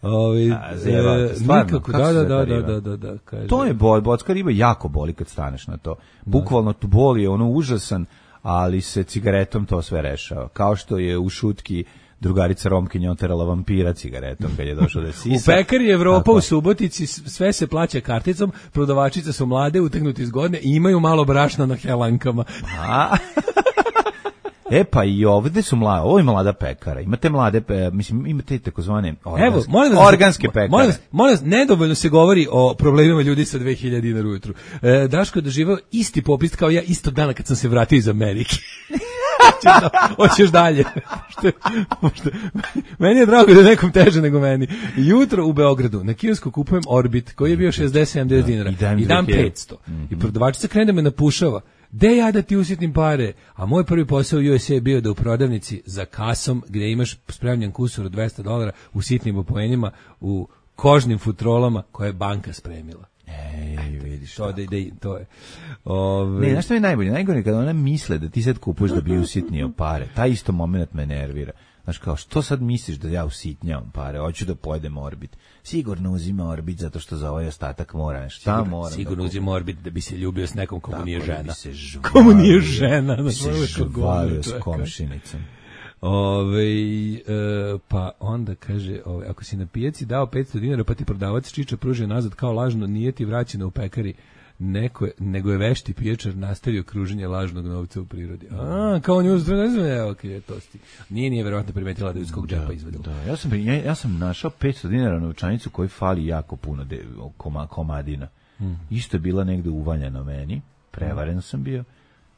Ove, a, zeva, stvarno, nikako, da, da, da, da, da, da, da, kaže. To je bol, bocka riba jako boli kad staneš na to. Bukvalno tu boli, je ono užasan, ali se cigaretom to sve rešava. Kao što je u šutki drugarica Romkinja oterala vampira cigaretom kad je došao da sisa. U pekari Evropa tako. U Subotici sve se plaća karticom, prodavačice su mlade, utegnuti zgodne i imaju malo brašna na helankama. A? E pa i ovde su mlade, ovo je mlada pekara. Imate mlade, pe, mislim, imate takozvane organske, Evo, molim vas, organske pekare. Molim vas, molim vas, nedovoljno se govori o problemima ljudi sa dve hiljade dinara ujutru. E, Daško je doživao isti popis kao ja istog dana kad sam se vratio iz Amerike. Hoćeš dalje. Meni je drago da je nekom teže nego meni. Jutro u Beogradu na kiosku kupujem Orbit koji je bio šezdeset sedamdeset dinara i dam petsto. Mm-hmm. I prodavačica krene da me napušava. De ja da ti usitnim pare? A moj prvi posao u U S A je bio da u prodavnici za kasom gdje imaš spremljen kusur od dvesta dolara u sitnim opojenjima u kožnim futrolama koje je banka spremila. Ej, vidiš. To, da, da, to je. Ove... Ne, znaš što je najbolje? Najgore je kada ona misle da ti sad kupuješ da bi usitnio pare. Taj isto moment me nervira. Znaš kao, što sad misliš da ja usitnjavam pare? Hoću da pojedem Orbit. Sigurno uzima Orbit zato što za ovaj ostatak mora nešto. Šta moram? Sigurno da uzima Orbit da bi se ljubio s nekom komu nije žena. Žvalio, komu nije žena. Da bi se žvalio s komšinicom. Ove, e, pa onda kaže, ove, ako si na pijaci dao petsto dinara pa ti prodavac čiča pružio nazad kao lažno, nije ti vraćeno u pekari, neko je, nego je vešti pijačar nastavio kruženje lažnog novca u prirodi. A, kao nju ne evo, okay, to sti. Nije, nije verovatno primetila da je ljudskog džepa izvedila. Da, ja sam, ja, ja sam našao petsto dinara novčanicu koji fali jako puno de, koma, komadina. Hmm. Isto je bila negde uvaljena meni, prevaren hmm. sam bio.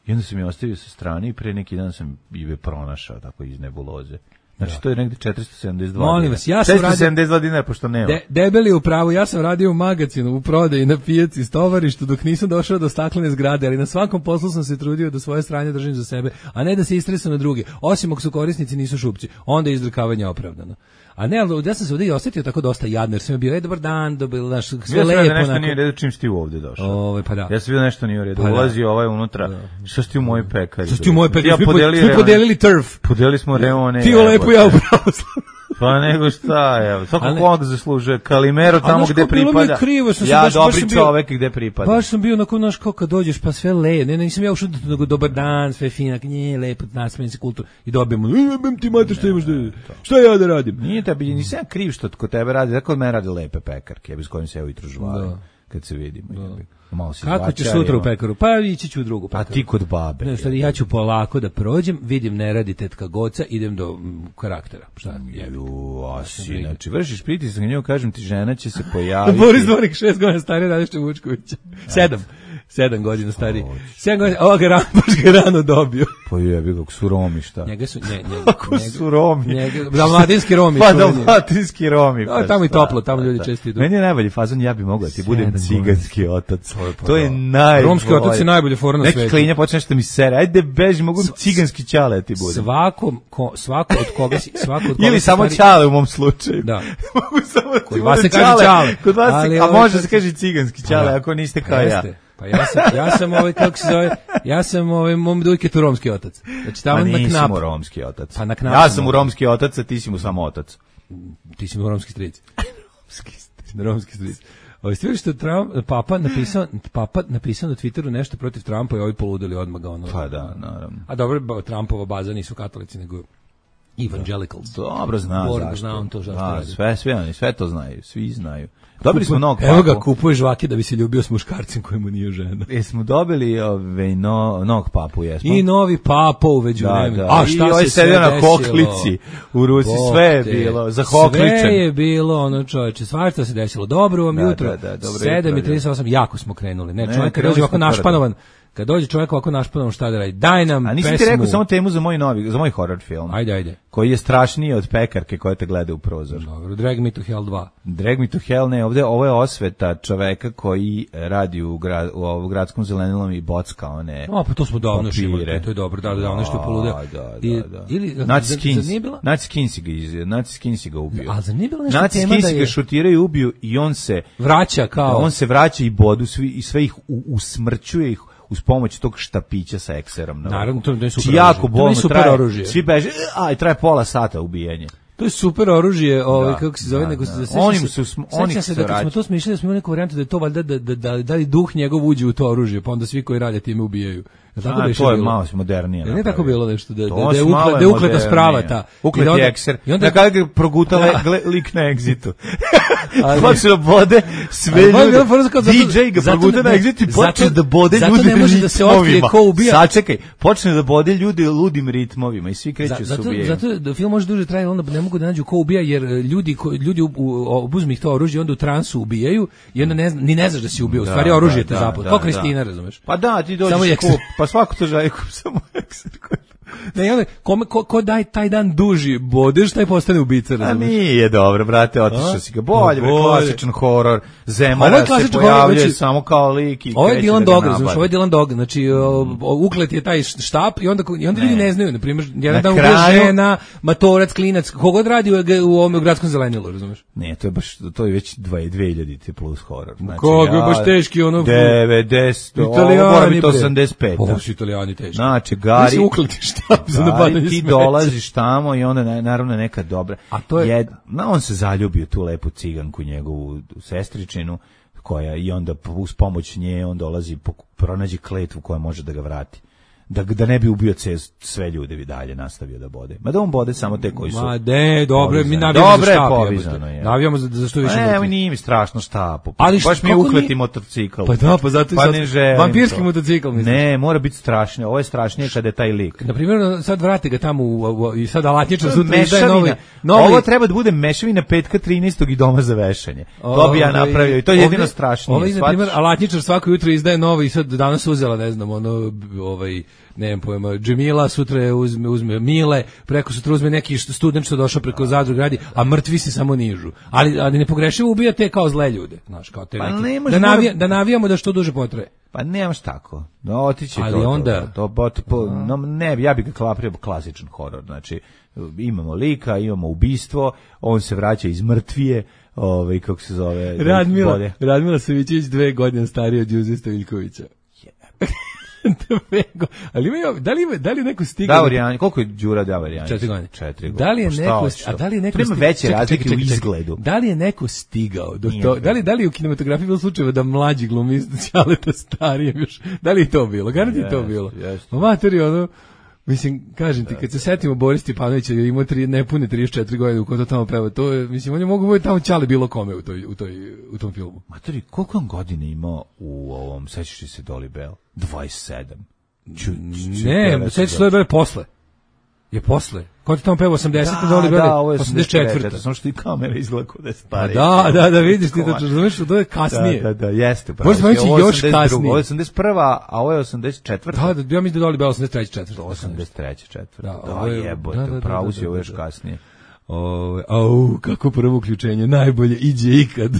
I onda sam je ostavio sa strane i pre neki dan sam je pronašao tako iz nebuloze. Znači, da. To je negde četiristo sedamdeset dva Molim vas, ja sam četiristo sedamdeset dva dinara, pošto nema. De, debeli u pravu, ja sam radio u magazinu, u prodaji, na pijaci, stovarištu, dok nisam došao do staklene zgrade, ali na svakom poslu sam se trudio da svoje stranje držim za sebe, a ne da se istresam na druge. Osim ako su korisnici nisu šupci, onda je izdrkavanje opravdano. A ne, ali ja sam se ovdje i osjetio tako dosta jadno, jer sam bio, e, dobar dan, dobil, naš, sve ja lepo. Ja sam nešto nije redu čim si ti ovdje došao. Ove, pa da. Ja sam vidio nešto nije u redu, pa ulazio ovaj unutra, da. Što si ti u mojoj pekari? Što si ti u mojoj pekari? Ja svi, podelili, svi podelili turf. Podelili smo reone. Ti lepo, ja upravo sam. Pa nego šta, ja, svako ne... kog zaslužuje, Kalimero tamo gde pripada, krivo, sam ja baš, dobri baš čovek gde pripada. Baš sam bio onako, naš, kao kad dođeš pa sve le, ne, ne, nisam ja ušao nego dobar dan, sve finak, nije lepo, nasmeni se kultur i dobijemo, jebem ti mate što imaš da, šta ja da radim? Nije tebi, nisam ja kriv što kod tebe radi, tako od mene radi lepe pekarke, bez kojim se ja ujutru žvalim. kad se vidimo. Da. Malo se kako ćeš sutra u pekaru? Pa ići ću u drugu pekaru. A ti kod babe. Ne, stvari, ja ću polako da prođem, vidim ne radi tetka Goca, idem do m, karaktera. Šta jebi? Ju, asi, znači vršiš pritisak na nju, kažem ti, žena će se pojaviti. Boris Dvorik, šest godina stariji, Radešte Vučkovića. Sedam. Sedam godina stariji. Sedam godina, ovo ga rano, baš ga rano dobio. Pa jebi, kako su Romi, šta? Njega su, nje, njega, kako su Romi? Njega, dalmatinski Romi. Pa dalmatinski Romi. Pa, tamo i toplo, tamo ljudi često idu. Meni je najbolji fazon, ja bi mogao da ti budem ciganski otac. To je najbolje. Romski otac je najbolje fora na svetu. Neki klinja počne nešto mi sere. Ajde beži, mogu ciganski ćale da ti budem. Svako, ko, svako od koga si, svako od koga ili samo stari... ćale u mom slučaju. Da. Mogu samo kod vas se kaže ćale. Kod vas ali, a ovaj, može se kaže ciganski ćale ako niste kao ja. Pa ja sam, ja sam ovaj, kako se zove, ja sam ovaj, mom dujketu romski otac. Znači tamo pa na knap. nisi mu romski otac. Pa na knap. Ja sam mu romski otac, a ti si mu samo otac. Ti si mu romski stric. romski stric. Romski stric. Ovo ste vidjeli što Trump, papa napisao, papa napisao na Twitteru nešto protiv Trumpa i ovi poludeli odmah ga ono. Pa da, naravno. A dobro, Trumpova baza nisu katolici, nego evangelicals. Dobro zna Borg, zašto. zna on to zašto da, radi. sve, sve oni, sve to znaju, svi znaju. Dobili smo nog papu. Evo ga, kupuje žvake da bi se ljubio s muškarcem kojemu nije žena. Jesmo dobili ove, no, nog papu, jesmo? I novi papo uveđu da, vremenu. Da. A šta I se sve desilo? na hoklici u Rusi, Bog sve je te. bilo, za hokličem. Sve je bilo, ono čoveče, svašta se desilo. Dobro vam da, jutro. Da, da, dobro sedam i trideset osam, jako smo krenuli. Ne, ne čovjek kad dođe ovako našpanovan, kad dođe čovjek ovako našpanovan, šta da radi? Daj nam pesmu. A nisam ti rekao samo temu za moj novi, za moj horror film. Ajde, ajde. Koji je strašniji od pekarke koja te gleda u prozor. Dobro, Drag Me to Hell dva. Drag Me to Hell, ne, ovde, ovo je osveta čoveka koji radi u, grad, u, u gradskom zelenilom i bocka one O, pa to smo davno šimali, to je dobro, da, da, da, nešto je poludeo. Da, da, I, da. ili, Naci Skins, bila... Naci Skins ga, iz, Naci Skins ga ubio. A za nije bilo nešto Naci tema Skins da je... ga šutiraju i ubiju i on se... Vraća kao... On se vraća i bodu svi, i sve ih u, usmrćuje ih uz pomoć tog štapića sa ekserom. Naravno, to je super jako bolno traje, oružje. Svi beže, aj, traje pola sata ubijenje. To je super oružje, ovaj kako se zove, da, nego da. se Oni se su sm, oni se da kad smo to smišljali, da smo imali neku varijantu da je to valjda da da da da li duh njegov uđe u to oružje, pa onda svi koji rade time ubijaju. Ja, tako da to je malo modernije. Ne tako bilo nešto da to da je uklet da ukleta sprava ta. Uklet je ekser. I onda kada ga progutala lik na egzitu. Počne da bode sve ljude. D J ga proguta na egzitu i počne da bode ljude. Zato ne može da se otkrije ko ubija. Sačekaj, počne da bode ljude ludim ritmovima i svi kreću se ubijaju. Zato da film može duže traje, onda ne mogu da nađu ko ubija jer ljudi ljudi obuzmu ih to oružje onda u transu ubijaju i onda ne zna, ni ne znaš da si ubio. U stvari oružje te zapad. Kao Kristina, razumeš? Pa da, ti dođeš pa svako to želi kup samo ekser. Ne, onda, kome, ko, ko daj taj dan duži bodeš, taj postane ubica, razumiješ? A nije dobro, brate, otišao si ga. Bolje, bre, klasičan horor, Zemara se pojavljuje znači, samo kao lik i ovo je Dylan Dog, znači, ovo je Dylan Dog, znači, mm. uklet je taj štap i onda, i onda ljudi ne znaju, na primjer, jedan na dan kraju... ubije žena, matorac, klinac, kogod radi u, u ovom gradskom zelenilu, razumiješ? Ne, to je baš, to je već dve hiljadite plus horor. Znači, Koga je baš teški, ono... devedeset, ovo mora biti osamdeset pet. Ovo su Italijani teški. Znači, Gari... Ukleti štap za nabadanje ti dolaziš tamo i onda naravno neka dobra. A to je Jed, no, on se zaljubio tu lepu ciganku njegovu sestričinu koja i onda uz pomoć nje on dolazi pronađe kletvu koja može da ga vrati. Da, da ne bi ubio sve ljude i dalje nastavio da bode. Ma da on bode samo te koji su... Ma ne, dobro, mi navijamo za štap. Povizano je. Navijamo za, za što više mrtvi. Ne, nije mi strašno štap. Ali baš što, mi je ukleti ni... motocikl. Pa da, pa zato pa ne želim. Vampirski to. Motocikl, mislim. Ne, mora biti strašnije. Ovo je strašnije kada je taj lik. Na primjer, sad vrate ga tamo u, u, i sad alatničar sutra izdaje novi, novi... Ovo treba da bude mešavina petka trinaestog i doma za vešanje. To bi ja napravio i to je jedino strašnije. Ovo je, na primjer, alatničar svako jutro izdaje novi i sad danas uzela, ne znam, ono, ovaj... nemam pojma, Džemila, sutra uzme, uzme Mile, preko sutra uzme neki student što došao preko Zadrug radi, a mrtvi se samo nižu. Ali, ali ne pogrešivo ubija te kao zle ljude, znaš, kao te pa neki. Da, navija, da navijamo da što duže potraje. Pa nemaš tako. No, otići ali to, onda... To, to, to, to, no, ne, ja bih ga klaprio klasičan horor. Znači, imamo lika, imamo ubistvo, on se vraća iz mrtvije, ovaj, kako se zove... Radmila, Radmila Savićević dve godine stariji od Đuze Stojiljkovića. Ali ima, da li ima, da li je neko stigao? Davor Janjić, koliko je Đura Davor Janjić? Četiri godine. Četiri godine. Da li je neko, a da li je neko stigao? Veće razlike u izgledu. Da li je neko stigao do to? Da li da li u kinematografiji bilo slučajeva da mlađi glumi Ćaleta starijem još? Da li je to bilo? Garanti yes, to bilo. Yes. Materi ono Mislim, kažem ti, kad se setimo Boris Stipanovića, je imao tri, nepune trideset četiri godine u ko to tamo peva, to je, mislim, on je mogu biti tamo ćale bilo kome u, toj, u, toj, u tom filmu. Matori, koliko on godine imao u ovom, sećaš li se Dolly Bell? dvadeset sedam. Ču, ču, ne, sećaš se Dolly Bell posle. Je posle. Ko ti tamo peva osamdeset da, Dolly Bell? Da, ovo je osamdeset četvrta. Samo što i kamera izgleda kod da je stariji. Da, da, da, vidiš ti to, razumiješ, to je kasnije. Da, da, da, jeste. Možda smo reći još kasnije. Ovo je osamdeset prva, a ovo je osamdeset četvrta. Da, da, ja mislim da Dolly Bell osamdeset treća četvrta. osamdeset treća četvrta. Da, da jebote, da, da, pravo da, da, si ovo još da, da. kasnije. Ove, au, kako prvo uključenje, najbolje iđe ikad.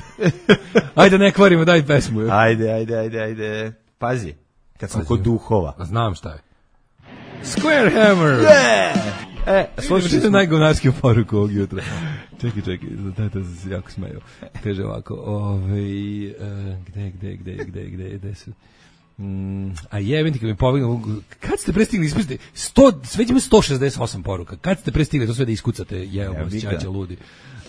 Ajde, ne kvarimo, daj pesmu. Jo. Ajde, ajde, ajde, ajde. Pazi, kad sam kod duhova. Znam šta je. Square Hammer! Yeah! E, slušaj, što je najgovnarskiju poruku ovog jutra. Čekaj, čekaj, da se jako smeju. Kaže ovako, ovaj, uh, gde, gde, gde, gde, gde, gde su... Mm, a jebim ti kad mi povignu, kad ste prestigli ispustiti sto, sve ima sto šezdeset osam poruka, kad ste prestigli to sve da iskucate, jeo vas ćaća ludi.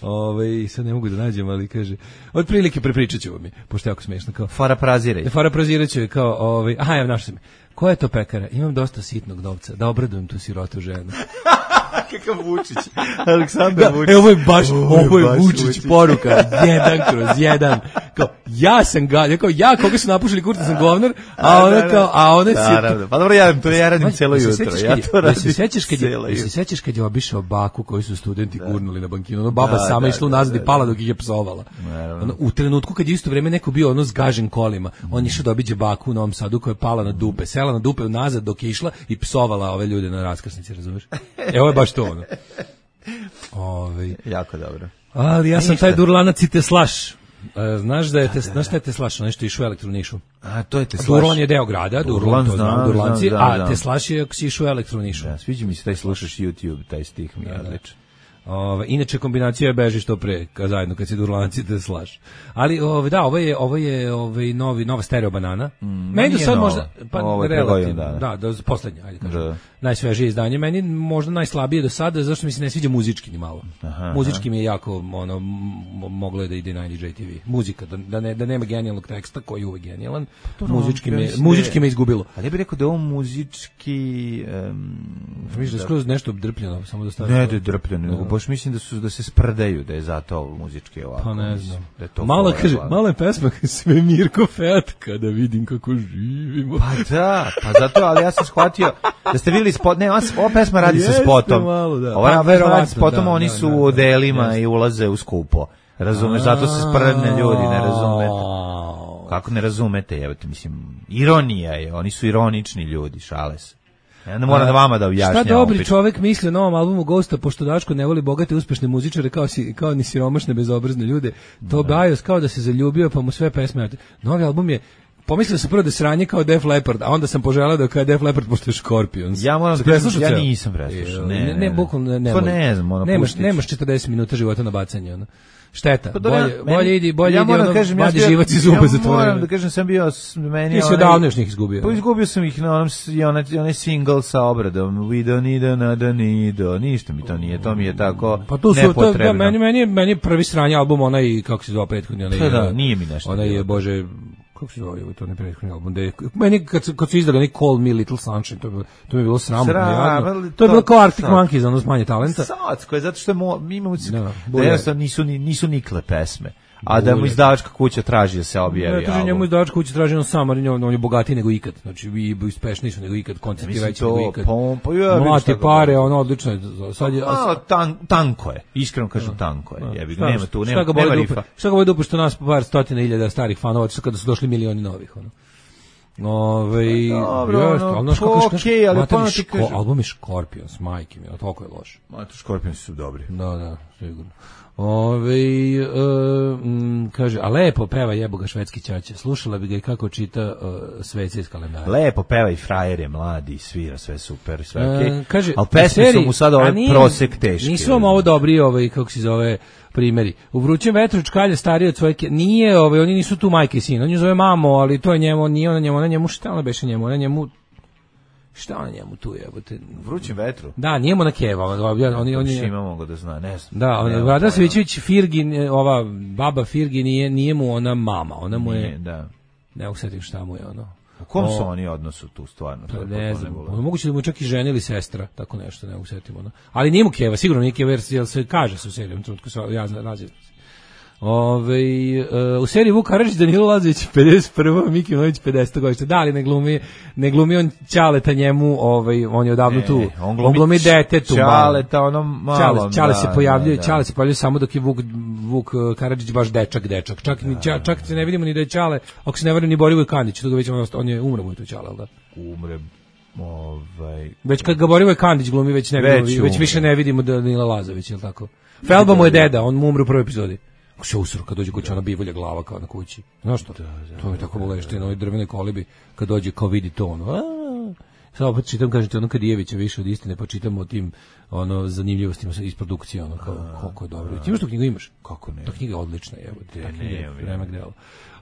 Ove, sad ne mogu da nađem, ali kaže, od prilike prepričat ću vam je, pošto je jako smiješno. Kao, Fara praziraj. Fara prazirat ću je kao, ovaj, aha, ja našao sam je. Koja je to pekara? Imam dosta sitnog novca, da obradujem tu sirotu ženu. Kakav Vučić, Aleksandar da, Vučić. E, ovo je baš, ovo je, ovo je Vučić, Vučić poruka, jedan kroz jedan. Kao, ja sam ga, ja kao, ja koga su napušili kurta sam govnar, a ona kao, a ona si... Pa dobro, ja, to ja radim celo jutro. Ja to radim se sećaš kad je, se sećaš kad je obišao baku koju su studenti gurnuli na bankinu, ono baba sama išla nazad i pala dok ih je psovala. Ono, u trenutku kad je isto vreme neko bio ono zgažen kolima, on išao da obiđe baku u Novom Sadu koja je pala na dupe, sela na dupe nazad dok je išla i psovala ove ljude na raskrsnici, razumeš? E, ovo je baš to ono. Ove, jako dobro. Ali ja sam Ništa. taj Durlanac i Teslaš. Znaš da je te, znaš šta je Teslaš, nešto išao u Elektronišu. A to je Teslaš. Durlan je deo grada, Durlan, to znam, Durlanci, znam, znam, a Teslaš je ako si išao u Elektronišu. Da, sviđa mi se taj slušaš YouTube, taj stih mi je odličan. Ove, inače kombinacija je beži što pre, ka zajedno kad si Durlanci te slaš. Ali ove, da, ovo je ovo je ovaj novi nova stereo banana. Mm, meni do sad možda pa ovo relativno, da, da, da poslednje, ajde kažem. Da. Najsvežije izdanje, meni možda najslabije do sada, zašto mi se ne sviđa muzički ni malo. Aha, muzički aha. mi je jako ono moglo je da ide na N D J T V. Muzika da, da ne da nema genijalnog teksta koji je uvek genijalan. Pa muzički me muzički me izgubilo. Ali ja bih rekao da je on muzički um, mislim da skroz nešto drpljeno, samo da stavim. Ne, da je drpljeno, baš mislim da su da se sprdaju, da je zato muzički ovako. Pa ne znam. Da je to mala kaže, mala je pesma sve Mirko Fet kada vidim kako živimo. Pa da, pa zato, ali ja sam shvatio da ste videli spot, ne, ova pesma radi sa spotom. Malo, da. Ova verovatno spotom, da, oni su da, da, u odelima da, i ulaze u skupo. Razumeš, zato se sprdne ljudi, ne razumete. Kako ne razumete, jebote, mislim, ironija je, oni su ironični ljudi, šale se. Ja ne moram da vama da objašnjam. Šta dobri čovjek misli o novom albumu Ghosta, pošto Daško ne voli bogate uspešne muzičare kao, si, kao ni siromašne bezobrazne ljude. To Bajos kao da se zaljubio pa mu sve pesme. Novi album je, pomislio sam prvo da sranje kao Def Leppard, a onda sam poželeo da kao Def Leppard pošto je Scorpions. Ja moram da kažem, ja nisam preslušao. Ne, ne, ne, bukvalno ne. To ne znam, ono nemaš, nemaš četrdeset minuta života na bacanje, ono. Šteta. Pa bolje, meni, bolje idi, bolje ja idi ono, kažem, vadi ja živac iz zuba ja zatvoren. Moram da kažem, sam bio, meni... Ti si odavno još njih izgubio. Pa izgubio sam ih na onom, onaj, onaj single sa obradom, we don't need another need, ništa mi to nije, to mi je tako pa tu su, nepotrebno. To, da, meni, meni, meni je prvi sranje album, onaj, kako se zove prethodni, onaj... Pa da, nije mi nešto. Onaj je, bože... kako se zove, to ne prethodni album, de, meni kad, kad su izdali neki Call Me Little Sunshine, to, to mi je bilo sramotno. Sram, to, to je bilo kao Arctic Monkeys, ono smanje talenta. Sacko je, zato što je mo, mi imamo, da, da jednostavno nisu, nisu nikle pesme. A da mu izdavačka kuća traži da se objavi. Ne, traži njemu izdavačka kuća traži on sam, ali on je bogatiji nego ikad. Znači, vi uspešniji su nego ikad, koncerti veći nego ikad. Pa, ja, mlate pare, ono odlično je. Sad je a, tan, tanko je, iskreno kažem tanko je. Jebi, nema tu, nema, šta nema rifa. Šta ga boli dupe što nas par stotina hiljada starih fanova, što kada su došli milioni novih, ono. Ove, dobro, još, ono, ali po, okej, ali pa ti kažem. Album je Scorpions, majke mi, toliko je loš. Mato, Scorpions su dobri. Da, da, sigurno. Ove, uh, m, kaže, a lepo peva jebo ga švedski ćaća. Slušala bi ga i kako čita uh, svece iz kalendara. Lepo peva i frajer je mladi, svira sve super, sve okej. Okay. Uh, kaže, ali pesme su mu sad ovaj prosek teški. Nisu vam ovo dobri, ovaj, kako se zove, primjeri. U vrućem vetru čkalja stariji od svoje, nije, ovaj, oni nisu tu majke i sin, on je zove mamo, ali to je njemu, nije ona njemu, ona njemu, šta ona beše njemu, ona njemu, šta ona njemu tu jebote? Vrućem vetru. Da, nije mu na keva, oni oni oni ima mogu da zna, ne znam. Da, ona Vlada Savićević Firgin, ova baba Firgin nije nije mu ona mama, ona mu je da. Ne usetim šta mu je ono. U kom su oni odnosu tu stvarno? Pa ne znam, moguće da mu čak i žena ili sestra, tako nešto, ne usetimo. No. Ali nije mu Keva, sigurno nije Keva, jer se kaže se u seriji, u trenutku se ja razim. Ove, uh, u seriji Vuk Karadžić, Danilo Lazović pedeset prva, Miki Nović pedeset godište. Da li ne glumi, ne glumi on Ćaleta njemu, ovaj, on je odavno ne, tu. On glumi, on glumi detetu. Ćaleta, ono malo. Ćale se pojavljuje, Ćale se pojavljuje samo dok je Vuk, Vuk Karadžić baš dečak, dečak. Čak, da, čak, čak se ne vidimo ni da je Ćale, ako se ne varam ni Borivoj Kandić, to ga već on, on je umre mu je to Ćale, al da? Umre. Ovaj već kad ga Borivoj Kandić glumi, već ne vidimo, već, već više ne vidimo Danila Lazović, je l' tako? Felba mu je deda, on mu umre u prvoj epizodi. Ako se usro, kad dođe kući, ona bivolja glava kao na kući. Znaš što? Da, da, to je tako bolešti na ovoj drvenoj kolibi, kad dođe kao vidi to ono. Sad opet čitam, kažete, ono Kadijevića više od istine, pa čitamo o tim ono, zanimljivostima iz produkcije, ono, kao, koliko je dobro. Ti imaš tu knjigu, imaš? Kako ne? Ta knjiga je odlična, evo. Ta knjiga je vremek dela.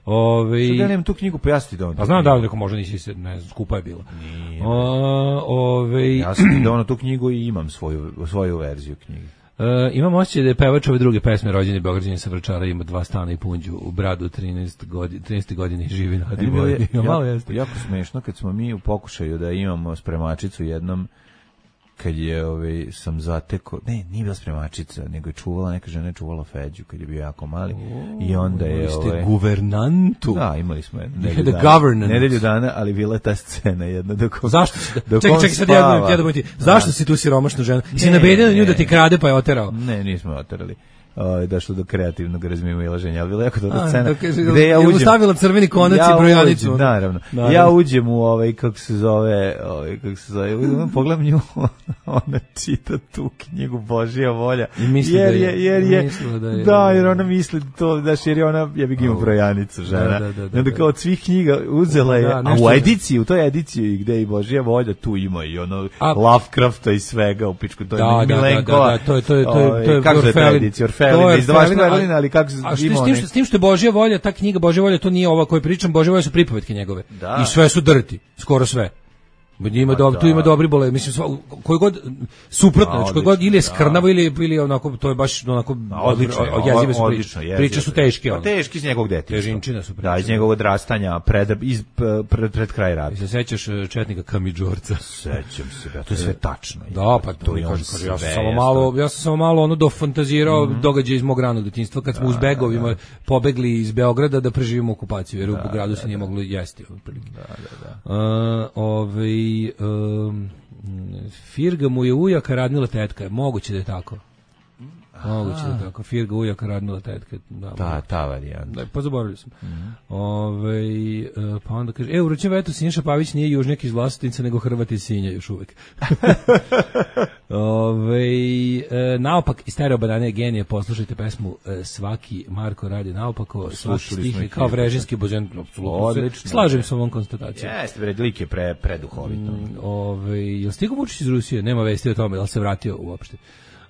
Ove... Što da nemam tu knjigu, pojasni da on. A znam da li neko možda nisi se, ne znam, skupa je bila. Nije. O, ove... Ja sam da ono tu knjigu i imam svoju, svoju verziju knjige. Uh, imam osjećaj da je pevač ove druge pesme Rođeni Beograđanin sa Vračara, ima dva stana i punđu u Bradu, trinaeste godine, trinaeste godine živi na Adiboji. Malo jeste. Jako smešno kad smo mi u pokušaju da imamo spremačicu jednom, kad je ovaj sam zatekao, ne, nije bila spremačica, nego je čuvala, neka žena je čuvala Feđu kad je bio jako mali. O, i onda je ovaj ste guvernantu. Da, imali smo nedelju dana. Nedelju dana, ali bila je ta scena jedna dok. Zašto si? Čekaj, čekaj sad ja ja da ti. Zašto si tu siromašnu ženu? Si nabedio na nju da ti krade pa je oterao? Ne, nismo oterali. Ovaj došlo do kreativnog razmimoilaženja, ali bila je jako dobra scena. Gde ja uđem, stavila crveni konac i brojanicu. Naravno. naravno. Ja uđem u ovaj kako se zove, ovaj kako se zove, udem pogledam nju, ona čita tu knjigu Božja volja. Jer je jer je da, je, da jer ona misli to da jer je ona ja bih ima brojanicu žena. Da, da, da, da, onda kao od svih knjiga uzela je, da, a u ediciji, u toj ediciji gde i Božja volja tu ima i ono a, Lovecrafta i svega u pičku, to je da, Milenkova. Da, da, da, to je to je to je to je kako je ta edicija Orfelina, izdavaštva Orfelina, ali kako se a što s tim što s tim što je Božja volja, ta knjiga Božja volja, to nije ova koju pričam, Božja volja su pripovetke njegove. Da. I sve su drti, skoro sve. Ima dobro, tu ima dobri bole, mislim sva, koji god suprotno, znači koji god ili je skrnavo ili ili onako to je baš onako odlično, jezive su priče. Priče su teške, ono. Teški iz njegovog detinjstva. Težinčina su priče. Da, iz njegovog odrastanja, pred iz pred, pred kraj rata. Se sećaš četnika Kamidžorca? Sećam se, da, to je sve tačno. Da, pa to mi kaže, kaže ja sam samo malo, ja sam samo malo ono dofantazirao događaje iz mog ranog detinjstva kad smo uz begovima pobegli iz Beograda da preživimo okupaciju, jer u gradu se nije moglo jesti otprilike. Da, da, da. Ovaj Um, Firga mu je ujaka, Radmila tetka. Moguće da je tako. Moguće da je tako. Firga ujaka, Radmila tetka. Da, ta, ta varijanta. Da, pa zaboravili sam. Mm-hmm. Ove, pa onda kaže, e, u Ručem vetu Siniša Pavić nije južnjak iz Vlasotinca, nego Hrvat iz Sinja još uvek. Ove, e, naopak, iz Stereo Banane genije, poslušajte pesmu e, Svaki Marko radi naopako, svaki stih je kao vrežinski božan. Odlično. Slažem se ovom konstatacijom. Jeste, bre, lik je pre, preduhovito. Mm, ove, je stigo Vučić iz Rusije? Nema vesti o tome, da li se vratio uopšte?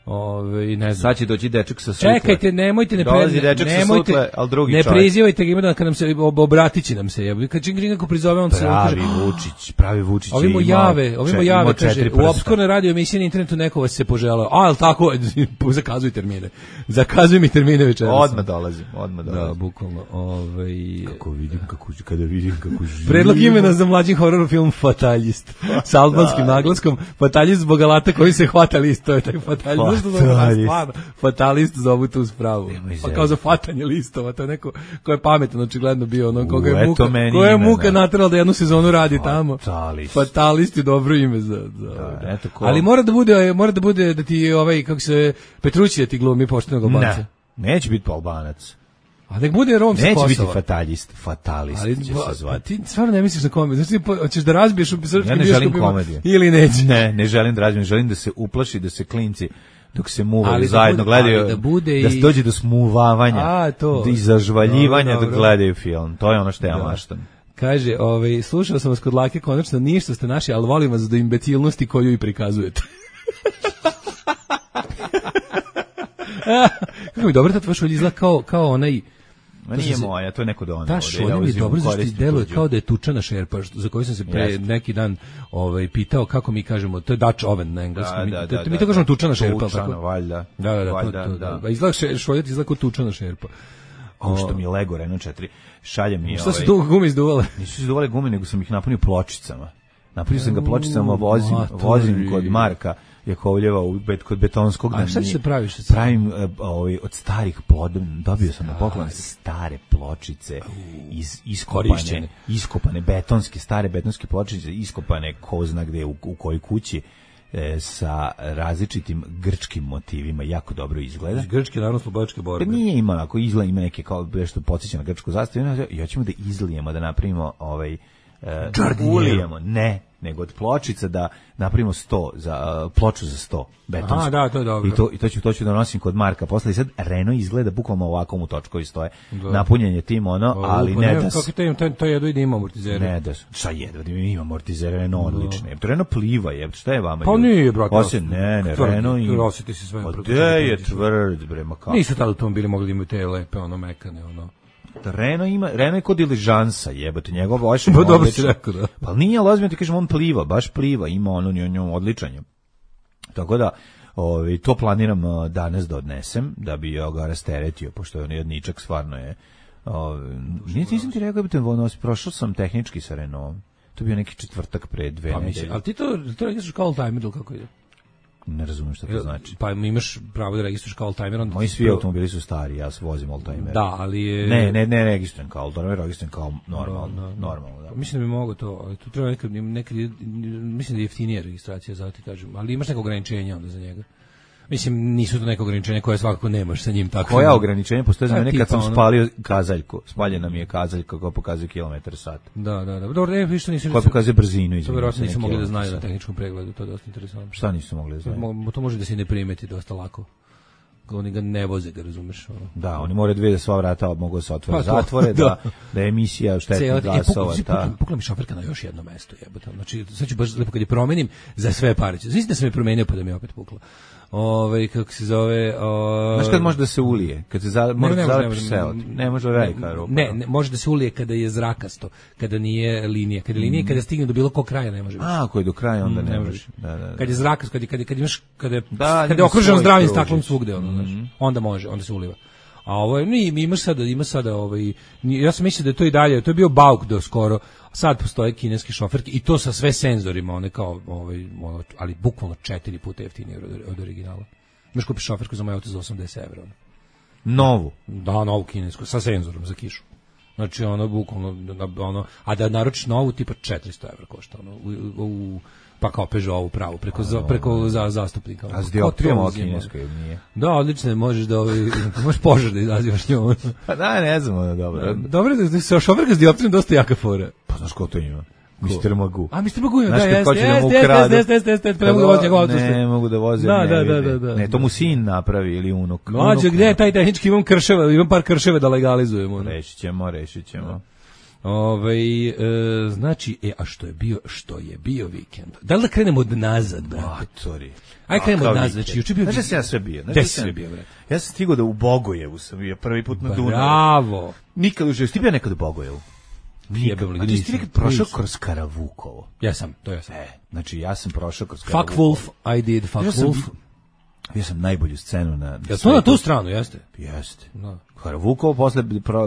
Ove, ne znam. Sad će doći dečak sa sutle. Čekajte, nemojte ne Dolazi dečak nemojte, sa sutle, al drugi ne čovjek. prizivajte ga, ima da kad nam se obratići nam se, jebi. Kad čim kako prizove on se pravi Vučić, pravi Vučić. Ovimo jave, ovimo jave kaže u opskurne radio emisije na internetu neko vas se poželeo. A, al tako, zakazuj termine. Zakazuj mi termine večeras. Odmah dolazim, odmah dolazim. Da, bukvalno. Ovaj kako vidim kako kada vidim kako živi. Predlog imena za mlađi horor film Fatalist. Sa albanskim naglaskom Fatalist zbog alata koji se hvata list, to je taj Fatalist. Stvarno, fatalist zovu tu spravu. Pa kao za fatanje listova, to je neko ko je pametan, očigledno bio ono koga je muka, ko je muka naterala da jednu sezonu radi tamo. Fatalist. Fatalist je dobro ime za, za da, eto ko. Ali mora da bude, mora da bude da ti ovaj kako se Petrući da ti glumi poštenog Albanca. Ne, neće biti Albanac. A nek bude Rom sa Kosova. Neće biti fatalist, fatalist ali, će se zvati. Ti stvarno ne misliš na komediju? Znači, hoćeš da razbiješ u srpskim ja ne želim komediju. Ili neće? Ne, ne želim da razbijem, želim da se uplaši, da se klinci dok se muvaju zajedno, gledaju, da, bude da se dođe do smuvavanja, a, to. I zažvaljivanja dok gledaju film. To je ono što ja da. maštam. Kaže, ovaj, slušao sam vas kod Lake, konačno ništa ste naši, ali volim vas do imbecilnosti koju i prikazujete. Kako mi dobro, ta tvoja šolja izgleda kao, kao onaj... Ma nije se, moja, to je neko dono. Ta šolja mi dobro zašto deluje kao da je tučana šerpa, za koju sam se pre Jeste. neki dan ovaj, pitao kako mi kažemo, to je Dutch oven na engleskom. Da, da, da, mi, mi to kažemo tučana šerpa. Tučana, valjda. Da, da, da. Valjda, to, to, da. da. Izgleda šolja, izgleda kao tučana šerpa. A što mi je Lego Renault četiri, šalje mi Šta ovaj... su tu gume izduvale? Nisu izduvale gume, nego sam ih napunio pločicama. Napunio sam ga pločicama, vozim, vozim kod Marka Jakovljeva u bet, kod betonskog. A šta će se praviš? Pravim uh, ovaj, od starih pod, dobio sam na poklon stare pločice iz iskopane, iskopane betonske, stare betonske pločice, iskopane ko zna gde, u, u kojoj kući, e, sa različitim grčkim motivima, jako dobro izgleda. Grčke narodno-slobodačke borbe. Pa nije ima, ako izgleda, ima neke kao nešto podsjeća na grčku zastavu, i hoćemo da izlijemo, da napravimo ovaj, uh, ulijemo, ne, nego od pločica da napravimo sto za uh, ploču za sto betonsku. Aha, da, to je dobro. I to i to ću to ću da nosim kod Marka. Posle i sad Renault izgleda bukvalno ovako mu točkovi stoje. Da. Napunjen je tim ono, o, ali ne, ne da kako to to to jedno ide ima amortizere. Ne da, šta jedva da ima amortizere, Renault odlične. To Renault pliva je, šta je vama? Pa nije, brate. Osim ne, ne, Renault i osjeti se sve. Gde je tvrd, bre, ma kako. Nisu tada automobili mogli da imaju te lepe ono mekane ono. Renault ima, Renault je kod diližansa, jebote, njegov baš pa dobro si rekao, da. Pa nije lozim, ti kažem, on pliva, baš pliva, ima ono njom odličan je. Tako da, ovaj, to planiram danas da odnesem, da bi ga rasteretio, pošto je on jedničak, stvarno je. Ovaj, nisam ti rekao, jebote, ono, prošao sam tehnički sa Renaultom. To je bio neki četvrtak pre dve pa nedelje. Ali ti to, to registruješ kao oldtimer ili kako ide? Ne razumem šta to znači. Pa imaš pravo da registruješ kao oldtimer. Onda moji svi automobili su stari, ja vozim oldtimer. Da, ali je... Ne, ne, ne registrujem kao oldtimer, registrujem kao normalno. No, no, no. normalno da. Mislim da bi mogo to, ali tu treba nekad, nekad, mislim da je jeftinija registracija, zato ti kažem, ali imaš neko ograničenje onda za njega. Mislim, nisu to neko ograničenje koje svakako nemaš sa njim. Tako koja ograničenja postoje za mene kad sam ono... spalio kazaljku? Spaljena mi je kazaljka koja pokazuje kilometar sat. Da, da, da. Dobro, ne, više nisu... Koja pokazuje brzinu, izvinite. To vjerojatno nisu mogli da znaju na tehničkom pregledu, to je dosta interesantno. Šta nisu mogli da znaju? To može da se ne primeti dosta lako. Oni ga ne voze, ga razumeš. Ono. Da, oni moraju dve da sva vrata mogu da se otvore, pa, zatvore, da, da, da je emisija štetnih glasova. E, pukla mi šoferka na još jedno mesto, jebote. Znači, sad ću baš lepo kad je promenim za sve pare. Znači da sam je promenio pa da mi opet pukla. Ove, kako se zove... O... Znaš kad može da se ulije? Kad se za, može da zalepiš seo? Ne može da velika rupa. Ne, ne, može da se ulije kada je zrakasto, kada nije linija. Kada je linija, mm. kada stigne do bilo kog kraja ne može. A, ako je do kraja onda mm, ne, ne može. Da, da, da. Kad je zrakasto, kad, kad, kad imaš, kada je, da, kada je okružen zdravim staklom svugde, ono, mm. znaš, onda može, onda se uliva. A ovo je, ni imaš sada, ima sada ovaj, ja sam mislio da je to i dalje, to je bio bauk do skoro. Sad postoje kineski šoferke i to sa sve senzorima, one kao ovaj, ono, ali bukvalno četiri puta jeftinije od, od originala. Možeš kupiš šoferku za moj auto za osamdeset evra. Novu? Da, novu kinesku, sa senzorom za kišu. Znači, ono, bukvalno, ono, a da naručiš novu, tipa četiristo evra košta, ono, u, u, pa kao Peugeot pravu, preko, za, preko za, zastupnika. A s dioptrijom ovo kinesko ili nije? Da, odlično, možeš da, ovaj, možeš požar da izazivaš njom. Pa da, ne znam, ono, dobro. Dobro, da se šoferka s dioptrijom dosta jaka fora. Pa znaš ko to ima? mister Magu. A mister Magu, da, jeste, jeste, jeste, jeste, jeste, ne mogu da vozi njegov auto. Ne mogu da vozi, da, ne da, vide. Da, da, da. Ne, to mu sin napravi ili unuk. Mlađe, gde je taj tehnički, imam krševe, imam par krševe da legalizujemo. Rešit ćemo, rešit ćemo. Ove, e, znači, e, a što je bio, što je bio vikend? Da li da krenemo od nazad, brate? Matori. Aj krenemo od nazad, znači, juče bio... Znači, ja sve bio. Gde si sve bio, brate? Ja sam stigao da u Bogojevu sam bio prvi put na Dunavu. Bravo! Nikad u životu, ti bio nekad u Bogojevu? Nikad. A ti si nekad prošao kroz Karavukovo? Ja sam, to ja sam. E, znači, ja sam prošao kroz Karavukovo. Fuck Wolf, I did, fuck Wolf. Bio sam najbolju scenu na... Ja to na tu stranu, jeste? Jeste. Da. Karavukovo, posle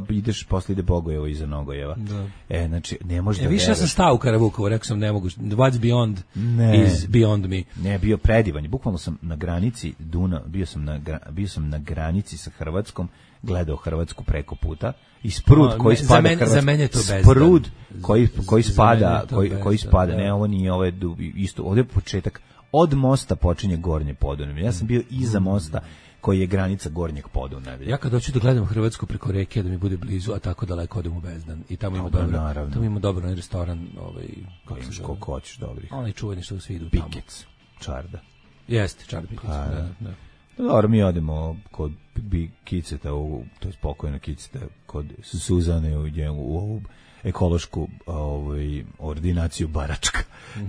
ideš, posle ide Bogojevo iza Nogojeva. Da. E, znači, ne može da... E, više ja sam stao u Karavukovo, rekao sam ne mogu, what's beyond ne. is beyond me. Ne, bio predivan. Bukvalno sam na granici Duna, bio sam na, bio sam na granici sa Hrvatskom, gledao Hrvatsku preko puta i sprud A, koji ne, spada za mene, za mene je to bezdan. Sprud koji, koji spada, koji, bezdan, koji spada, da. ne, ovo nije, ovo je isto, ovdje je početak. Od mosta počinje Gornje Podunavlje. Ja sam bio iza mosta koji je granica Gornjeg Podunavlja. Ja kad hoću da gledam Hrvatsku preko reke da mi bude blizu, a tako daleko odem u Bezdan i tamo ima dobro, naravno. Tamo ima dobro onaj restoran, ovaj kako se zove, koliko hoćeš dobrih. Onaj čuveni što svi idu tamo. Pikec, Čarda. Jeste, Čarda Pikec, pa, da, da. Dobro, mi odemo kod bi Kiceta, u, to je spokojno Kiceta, kod Suzane u, u ovu ekološku ovaj, ordinaciju Baračka.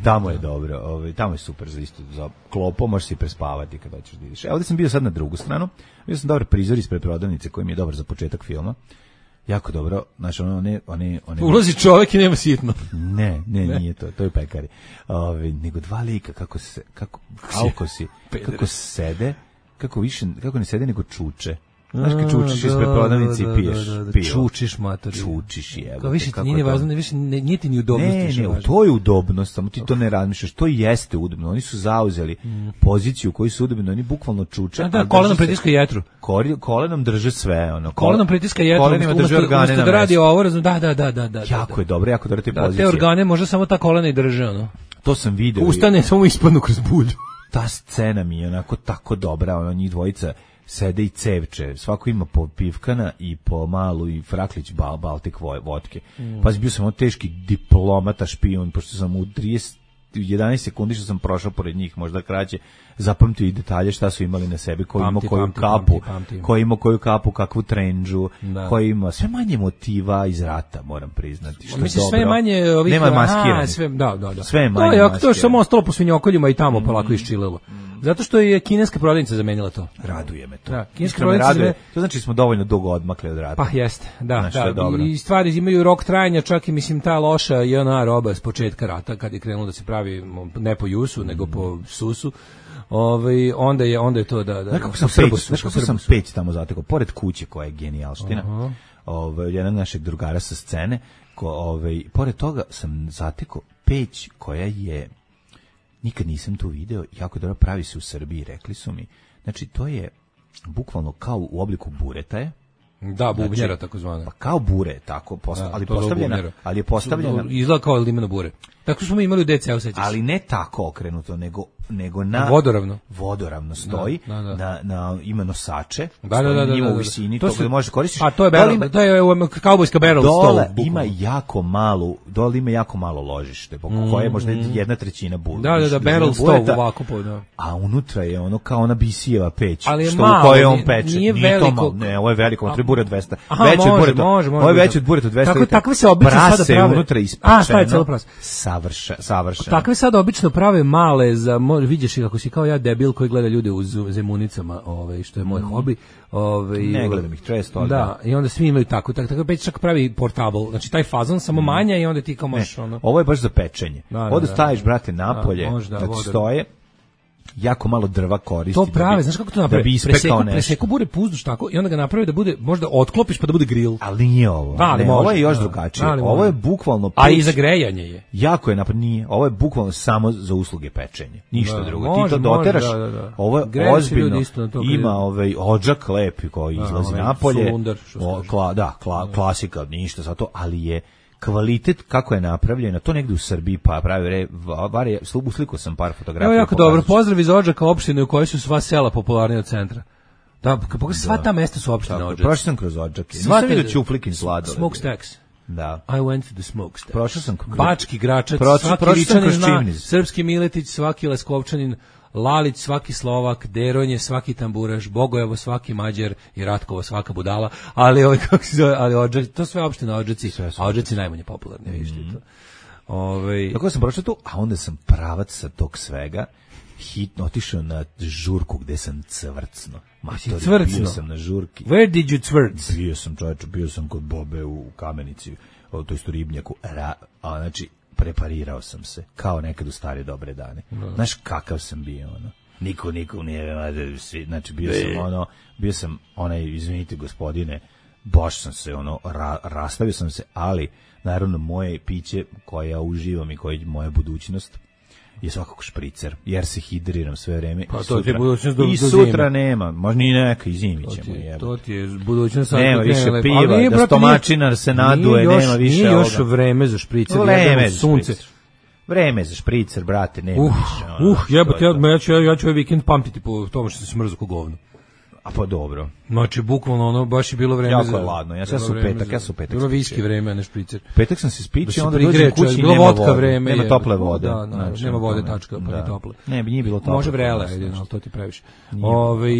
Tamo je dobro, ovaj, tamo je super za isto, za klopo, možeš si prespavati kad hoćeš da ideš. Evo da sam bio sad na drugu stranu, bio sam dobar prizor ispred prodavnice koji mi je dobar za početak filma. Jako dobro, znači ono, one, one, one... Ulazi čovjek i nema sitno. Ne, ne, ne, nije to, to je pekari. Ove, nego dva lika, kako se, kako, kako si, kako sede, kako više, kako ne sede nego čuče. Znaš kad čučiš ispred prodavnice i piješ pivo. Čučiš, mater. Čučiš, jebote. Kao više ti nije važno, više nije ti ni udobnost. Ne, ne, to je udobnost, samo ti to ne razmišljaš. To jeste udobno. Oni su zauzeli poziciju koju su udobno, oni bukvalno čuče. Da, da, kolenom pritiska jetru. Kolenom drže sve, ono. Kolenom pritiska jetru. Kolenima drže organe na da radi ovo, razum, da, da, da, da, da. Jako je dobro, jako dobro te pozicije. Te organe možda samo ta kolena i drže, ono. To sam video. Ustane, samo ispadnu kroz bulju. Ta scena mi je onako tako dobra, ono, njih dvojica sede i cevče, svako ima po pivkana i po malu i fraklić bal, Baltik vodke. Mm. Pa bio sam on teški diplomata špijun, pošto sam u trideset, jedanaest sekundi što sam prošao pored njih, možda kraće, zapamtio i detalje šta su imali na sebi, ko ima koju pamti, kapu, pamti, pamti. ko ima koju kapu, kakvu trendžu, da. Ko ima sve manje motiva iz rata, moram priznati. Što mislim, dobro. Sve manje ovih... Nema maskiranih. Sve, da, da, da. Sve je manje no, maskiranih. To je samo ostalo po svinjokoljima i tamo mm. polako iščililo. Zato što je kineska prodavnica zamenila to. Raduje me to. Da, kineska prodavnica raduje. To znači smo dovoljno dugo odmakli od rata. Pa jeste, da, znači, da. dobro. I stvari imaju rok trajanja, čak i mislim ta loša J N A roba s početka rata kad je krenulo da se pravi ne po jusu, mm. nego po susu. Ovaj onda je onda je to da da. Znaš kako sam peć, znaš kako sam peć tamo zatekao pored kuće koja je genijalština. Uh-huh. Ovaj jedan našeg drugara sa scene, ko ovaj pored toga sam zatekao peć koja je nikad nisam tu video, jako dobro pravi se u Srbiji, rekli su mi. Znači to je bukvalno kao u obliku bureta je. Da, bubnjera znači, takozvana. Pa kao bure, tako, posta, da, ali postavljena, ali je postavljena. Izgleda kao limeno bure. Tako smo mi imali u D C-u, sećaš se. Ali ne tako okrenuto, nego nego na vodoravno. Vodoravno stoji, da, da, da. na na ima nosače, da, da, da, da, ima da, u visini, to to se može koristiti. A to je barrel, ima, to je kaubojska barrel dole stol. Ima jako malu, dole ima jako malo ložište, po mm, koje možda mm. jedna trećina bude. Da, da, da, barrel stol ovako po, da. A unutra je ono kao ona bisijeva peć, što u kojoj on peče. Nije veliko. Ne, ovo je veliko, treba bure od dvesta. Veće od bureta. Ovo je veće od bureta od dvesta. Tako takve se obično sada prave. Unutra ispečeno. A, šta je celo prase? Savršeno, savršeno. Takve sad obično prave male za vidiš ih kako si kao ja debil koji gleda ljude u zemunicama, ovaj što je moj mm. hobi. Ovaj ne gledam ih često, ali da, da. I onda svi imaju tako, tako tako peć čak pravi portable. Znači taj fazon samo mm. manja i onda ti kao možeš ono. Ovo je baš za pečenje. Da, da, onda staviš brate napolje, da, možda, znači stoje. Jako malo drva koristi. To prave, znaš kako to napravi? Da bi ispekao nešto. Preseku bure puzduš tako i onda ga napravi da bude, možda otklopiš pa da bude grill. Ali nije ovo. Da, ali ne, može, ovo je još da, drugačije. Da, ovo je bukvalno peć. A i za grejanje je. Jako je napad, nije. Ovo je bukvalno samo za usluge pečenja. Ništa da, drugo. Može, ti to doteraš. Može, da, da, da. Ovo je Greje ozbiljno. To ima ovaj odžak lepi koji izlazi da, napolje. Sulundar, o, kla, da, kla, klasika, ništa za to, ali je kvalitet kako je napravljeno, to negde u Srbiji pa pravi re, var je, sliku sam par fotografija. Evo jako dobro, pozdrav iz Odžaka, opštine u kojoj su sva sela popularnije od centra. Da, pogledaj, sva ta mesta su opštine Odžaka. Prošao sam kroz Odžake, nisam vidio Ćuflikin sladoled. Smokestacks. Da. I went to the smokestack. Prošao sam kroz... Bački Gračac, prošao, svaki prošao Ličanin kroz zna, Čimniz. Srpski Miletić, svaki Leskovčanin, Lalić, svaki Slovak, Deronje, svaki tamburaš, Bogojevo, svaki Mađar i Ratkovo, svaka budala, ali ovaj kako se zove, ali Odžaci, to sve opštine Odžaci, a Odžaci najmanje popularni, vidiš mm. to. Ovaj tako sam prošao tu, a onda sam pravac sa tog svega hitno otišao na žurku gde sam cvrcno. Matori, bio sam na žurki. Where did you cvrc? Bio sam, čovječe, bio sam kod Bobe u Kamenici, o toj isto ribnjaku, ra, a znači preparirao sam se, kao nekad u stare dobre dane. No. Znaš kakav sam bio, ono. Niko, niko nije, znači bio ne. sam ono, bio sam onaj, izvinite gospodine, baš sam se ono, ra, rastavio sam se, ali naravno moje piće koje ja uživam i koje je moja budućnost je svakako špricer, jer se hidriram sve vreme. Pa i to sutra, je budućnost do, i do sutra nema, možda ni neka, i zimi ćemo. To ti, to ti je budućnost. Nema više piva, nije, da stomačinar se naduje, još, nema više nije ovoga. Još vreme za špricer, vreme za sunce. Špricer. Vreme za špricer, brate, nema uh, više. Ono, uh, jebote, ja, ja ću ja, ja ću ovaj vikend pamtiti po tome što se smrzu ko govno. A pa dobro. Znači, bukvalno ono, baš je bilo vreme jako za... Jako je ladno, ja sam u petak, ja sam u petak. Bilo viski vreme, a ne špricer. Petak sam se spičio, da onda dođem kući i nema vodka vode. Vreme, nema je, tople vode. Da, da, znači, nema vode, tačka, pa da. ni tople. Ne, bi nije bilo tople. Može vrela, jedino, ali to ti previše. Ove,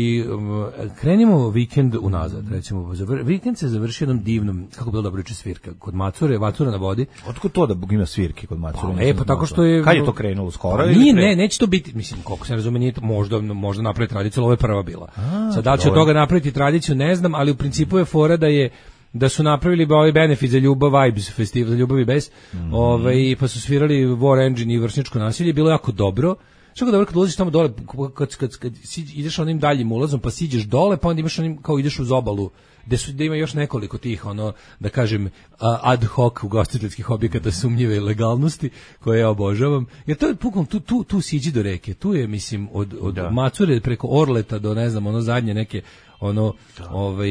krenimo vikend unazad, recimo. Vikend se završi jednom divnom, kako bilo dobro juče svirka, kod Macure, Vacura na vodi. Otkud to da ima svirke kod Macure? Pa, e, pa tako što je... Kad je to krenulo, skoro? Pa, nije, ne, neće to biti, mislim, koliko se razume, nije to, možda, možda napraviti tradiciju, ali ovo je prva bila. A, sad, da li će od toga napraviti tradiciju, ne znam, ali u principu je fora da je da su napravili ovaj benefit za ljubav vibes festival za ljubav i bes, mm. ovaj pa su svirali War Engine i vršničko nasilje, bilo jako dobro. Što dobro kad ulaziš tamo dole, kad, kad, kad ideš onim daljim ulazom, pa siđeš dole, pa onda imaš onim, kao ideš uz obalu, gde su, gde ima još nekoliko tih, ono, da kažem, ad hoc ugostiteljskih objekata sumnjive legalnosti, koje ja obožavam. Jer to je pukom, tu, tu, tu siđi do reke, tu je, mislim, od, od da. Macure preko Orleta do, ne znam, ono zadnje neke, ono da. ovaj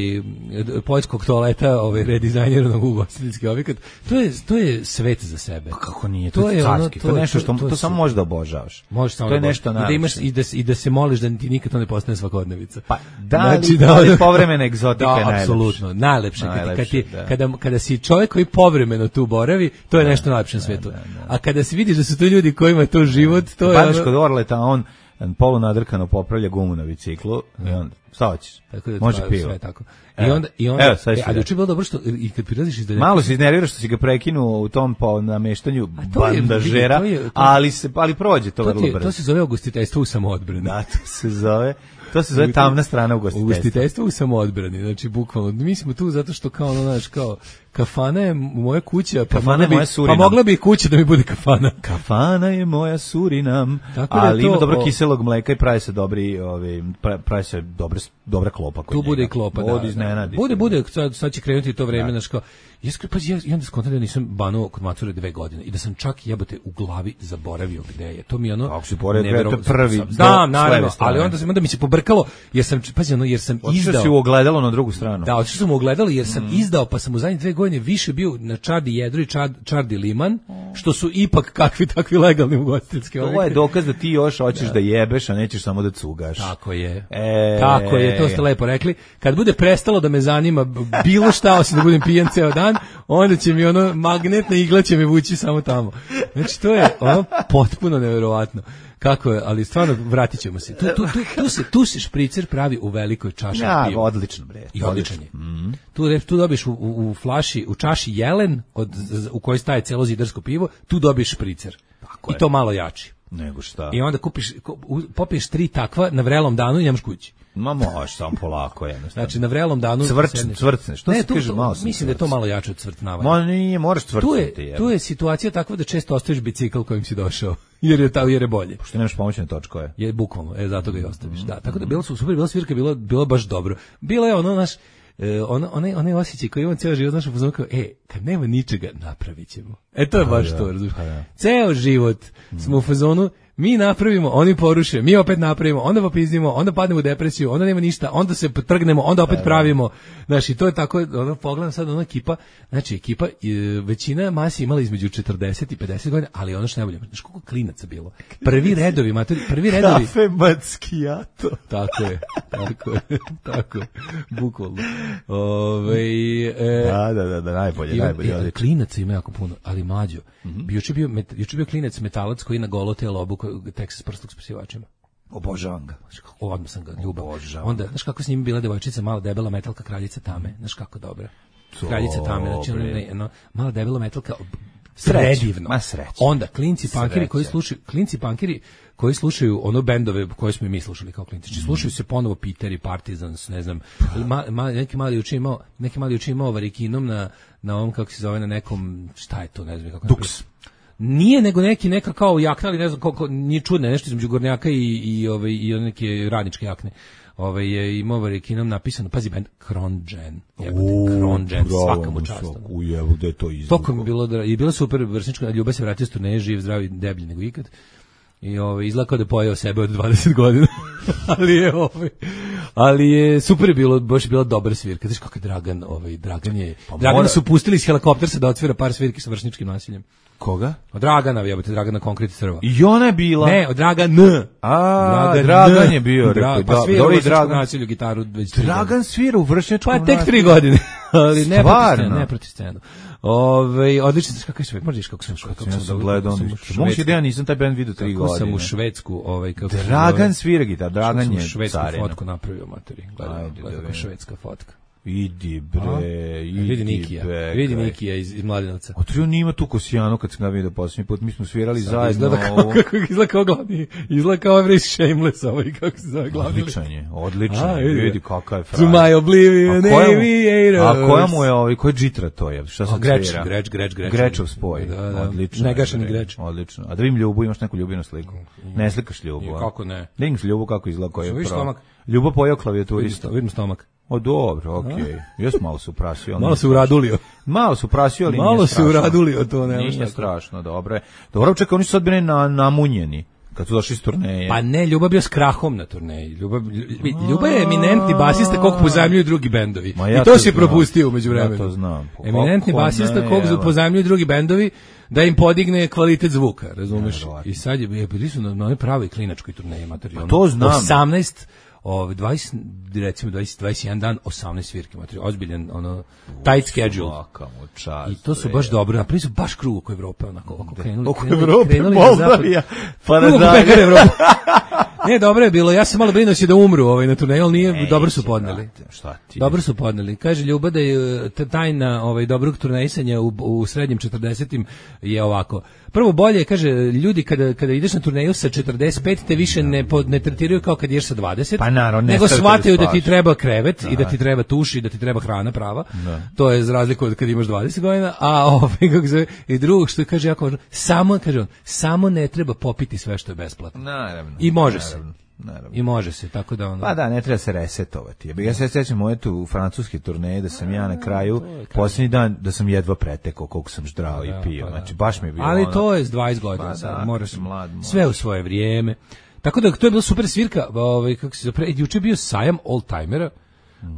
poljskog toaleta, ovaj redizajniranog ugostiteljski objekat, to je to je svet za sebe. Pa kako nije, to, to je carski, ono, to, to je nešto što to, to, to samo možeš da obožavaš. Možeš samo to je da nešto i da imaš i da i da se moliš da ti nikad to ne postane svakodnevica. Pa da, znači, da, ali povremena egzotika da, je najlepše. Apsolutno, najlepše, najlepše kad ti da. kada kada si čovjek koji povremeno tu boravi, to je da, nešto najlepše na da, svetu. Da, da. A kada se vidiš da su to ljudi kojima je to život, to je Padneš kod Orleta, on polu nadrkano popravlja gumu na biciklu i on šta hoćeš? Tako da može pivo. Sve tako. I onda i onda evo, e, a juče bilo dobro što i kad prilaziš iz malo se iznerviraš što si ga prekinuo u tom po nameštanju bandažera, to je, to je, ali se ali prođe to, to vrlo brzo. To se zove ugostiteljstvo u samoodbrani. Da, to se zove To se zove tamna strana ugostiteljstva. Ugostiteljstvo u samoodbrani, znači bukvalno mi smo tu zato što kao ono, znaš, kao kafana je moja kuća, pa kafana je moja Surinam. Pa mogla bi i kuća da mi bude kafana. Kafana je moja Surinam, ali to, ima dobro kiselog mleka i pravi se dobri, ovaj pravi se dobre dobra klopa kod tu njega. Bude i klopa, da. Od iznenadi. Bude, bude, sad, sad će krenuti to vreme, znaš kao, Jeskri, pa ja, ja onda skontam da nisam banuo kod mature dve godine i da sam čak jebote u glavi zaboravio gde je. To mi je ono... Ako si pored dve, prvi... Da, naravno, ali onda, onda mi se pobrkalo, jer sam, pazi, ono, jer sam otišao izdao... si u ogledalo na drugu stranu. Da, otišao sam u ogledalo jer sam mm. izdao, pa sam u zadnje dve godine više bio na Čardi Jedru i Čard, Čardi Liman, što su ipak kakvi takvi legalni ugostiteljski objekti. Ovo je dokaz da ti još hoćeš da, da jebeš, a nećeš samo da cugaš. Tako je. E... Tako je, to ste lepo rekli. Kad bude prestalo da me zanima bilo šta, osim da budem pijan ceo dan, onda će mi ono magnetna igla će me vući samo tamo. Znači to je ono potpuno neverovatno. Kako je, ali stvarno vratit ćemo se. Tu, tu, tu, tu, se, tu se špricer pravi u velikoj čaši ja, piva. Odlično, bre. I odličan je. Mm. Tu, tu dobiš u, u, u flaši, u čaši jelen, od, u kojoj staje celo zidarsko pivo, tu dobiš špricer. Tako I je. To malo jači. Nego šta. I onda kupiš, popiješ tri takva na vrelom danu i nemaš kući. Ma možeš samo polako jednostavno. Znači na vrelom danu Cvrč, cvrcne. Što ne, se tu, kaže to, malo? Mislim da je to malo jače od cvrtnavanja. Ma nije, moraš cvrtnuti. Tu je, tu je situacija takva da često ostaviš bicikl kojim si došao. Jer je ta jer je bolje. Pošto nemaš pomoćne točkove. Je bukvalno, e zato ga i ostaviš. Mm. Da, tako da bilo su super, bila svirka, bilo bilo baš dobro. Bilo je ono naš e, ono onaj onaj osjećaj koji imam ceo život, znaš, pozvao kao, e, kad nema ničega, napravićemo. E to je baš pa, to, razumiješ. Pa, ceo život mm. smo u fazonu, mi napravimo, oni poruše, mi opet napravimo, onda popizdimo, onda padnemo u depresiju, onda nema ništa, onda se trgnemo, onda opet pravimo. Znači, to je tako, ono, pogledam sad, ono ekipa, znači, ekipa, većina masi imala između četrdeset i pedeset godina, ali ono što najbolje, znači, koliko klinaca bilo. Prvi redovi, matori, prvi redovi. Kafe Macchiato. Tako je, tako je, tako je, bukvalno. Ove, e, da, da, da, da, najbolje, ima, najbolje. E, klinaca ima jako puno, ali mlađo. Mm-hmm. Juče bio, juče bio klinac metalac koji na golo telo obuka Texas prstog s prisivačima. Obožavam ga. Odmah sam ga ljubao. Onda, znaš kako s njim bila devojčica, mala debela metalka, kraljica tame. Znaš kako dobra. Kraljica tame, znači ono, ono, mala debela metalka, predivno. Ma sreće. Onda, klinci pankiri koji slušaju, klinci pankiri koji slušaju ono bendove koje smo i mi slušali kao klinci. Znači, slušaju se ponovo Peter i Partisans, ne znam, ma, ma, neki mali uči imao, neki mali uči imao varikinom na, na ovom, kako se zove, na nekom, šta je to, ne znam kako. Dux. Nije nego neki neka kao jakna, ali ne znam koliko, nije čudno, nešto između gornjaka i i ove i neke radničke jakne. Ove je imao varikinom napisano, pazi bend Kronđen. Jebote, Kronđen, svaka mu čast. U jebu da je to izvuko. Toliko mi bilo da je bilo super vršničko, Ljuba se vratio s turneje, živ, zdravi, deblji nego ikad. I ovaj izlako da pojeo sebe od dvadeset godina. ali je ovaj ali je super je bilo, baš je bila dobra svirka. Znaš kako je Dragan, ovaj Dragan je pa Dragana mora... su pustili iz helikoptera da otvira par svirki sa vršničkim nasiljem. Koga? Od Dragana, jebote, Dragana konkretni crva. I ona je bila. Ne, od Dragan N. A, Dragan, Dragan je bio, rekao, pa svira dobro u Dragan nasilju gitaru već. Dragan svira u vršničkom nasilju. Pa tek tri godine. ali ne proti scenu, ne proti scenu. Ove, odlično, znaš kako je Švedska, možeš kako sam kako sam, sam gledao, moguće da ja nisam taj band vidio tri godine. Kako sam u Švedsku, ovaj, kako Dragan svira gitar, Dragan je švedsku carina. fotku napravio, materi, gledaj, gledaj kako švedska fotka. Idi bre, idi vidi Nikija, bre. vidi Nikija iz, iz Mladenovca. A to nima tu Kosijanu kad sam ga vidio posljednji put, mi smo svirali Sad zajedno. Izgleda kao, kako izgleda kao glavni, izgleda kao Every Shameless, ovaj, kako se zove glavni. Odličan je, odličan A, je, vidi. vidi kakav je To frajer. my oblivion, A koja mu- aviators. A koja mu je ovaj, koji džitra to je? Šta A, sam Greč, svira? Greč, Greč, Greč. Grečov spoj. Da, da. Odlično. Negašeni je, Greč. Odlično. A da vidim Ljubu, imaš neku Ljubinu sliku? Ne slikaš Ljubu, a? Kako ne? Da imaš Ljubu kako izgleda koji je Vidiš pro. stomak? Ljubo pojao Vidim, klavijaturista. sto- vidim stomak. O dobro, okej. Jes malo su prasio. ali Malo nije se uradulio. Malo su prasio, ali Malo nije se strašno. uradulio, to nema Nije šta. strašno, dobro je. Dobro, čekaj, oni su sad bili na, namunjeni kad su došli s turneje. Pa ne, Ljubav bio s Krahom na turneji. Ljubav, Ljubav je eminentni basista kog pozajmljuju drugi bendovi. Ma ja I to, to si znam. propustio umeđu vremenu. Ja to znam. Pa Eminentni kako basista ne, kog evo. pozajmljuju drugi bendovi da im podigne kvalitet zvuka, razumeš? Nevjerovatno. I sad je, je bili su na, na onoj pravoj klinačkoj turneji materijalno. to znam. osamnaest Ove, dvadeset, recimo dvadeset, dvadeset jedan dan, osamnaest svirke, materijal, ozbiljan, ono, tight schedule. Svaka mu čast, I to su bre. baš dobro, napravili su baš krug oko Evrope, onako, oko krenuli. Oko krenuli, Evrope, krenuli na Moldavija, zapad. pa Krug oko nadalje. pekare Evrope. Ne, dobro je bilo, ja sam malo brinuo će da umru ovaj, na turneju, ali nije, Neće, dobro su podneli. brate, šta ti? Dobro su podneli. Kaže Ljuba da je t- tajna ovaj, dobrog turnejsanja u, u srednjim četrdesetim je ovako. Prvo bolje, kaže, ljudi kada, kada ideš na turneju sa četrdeset pet te više ne, pod, ne tretiraju kao kad ideš sa dvadeset, Pa naravno, ne nego stavite shvataju da da ti spavaš. treba krevet i da ti treba tuš i da ti treba hrana prava. To je za razliku od kad imaš dvadeset godina, a ovaj, kako se zove, i drugog što kaže jako važno, samo, kaže on, samo ne treba popiti sve što je besplatno. Naravno. I može se. naravno, Naravno. I može se, tako da ono... Pa da, ne treba se resetovati. Ja se sjećam moje tu francuske turneje da sam ja na kraju posljednji dan da sam jedva pretekao koliko sam ždrao i pio. Znači baš mi je bilo. Ali ono- to je s dvadeset godina, Pa sad, da, moraš si mlad, moraš. sve u svoje vrijeme. Tako da to je bila super svirka, ovaj kako se zove, juče je bio sajam oldtimera.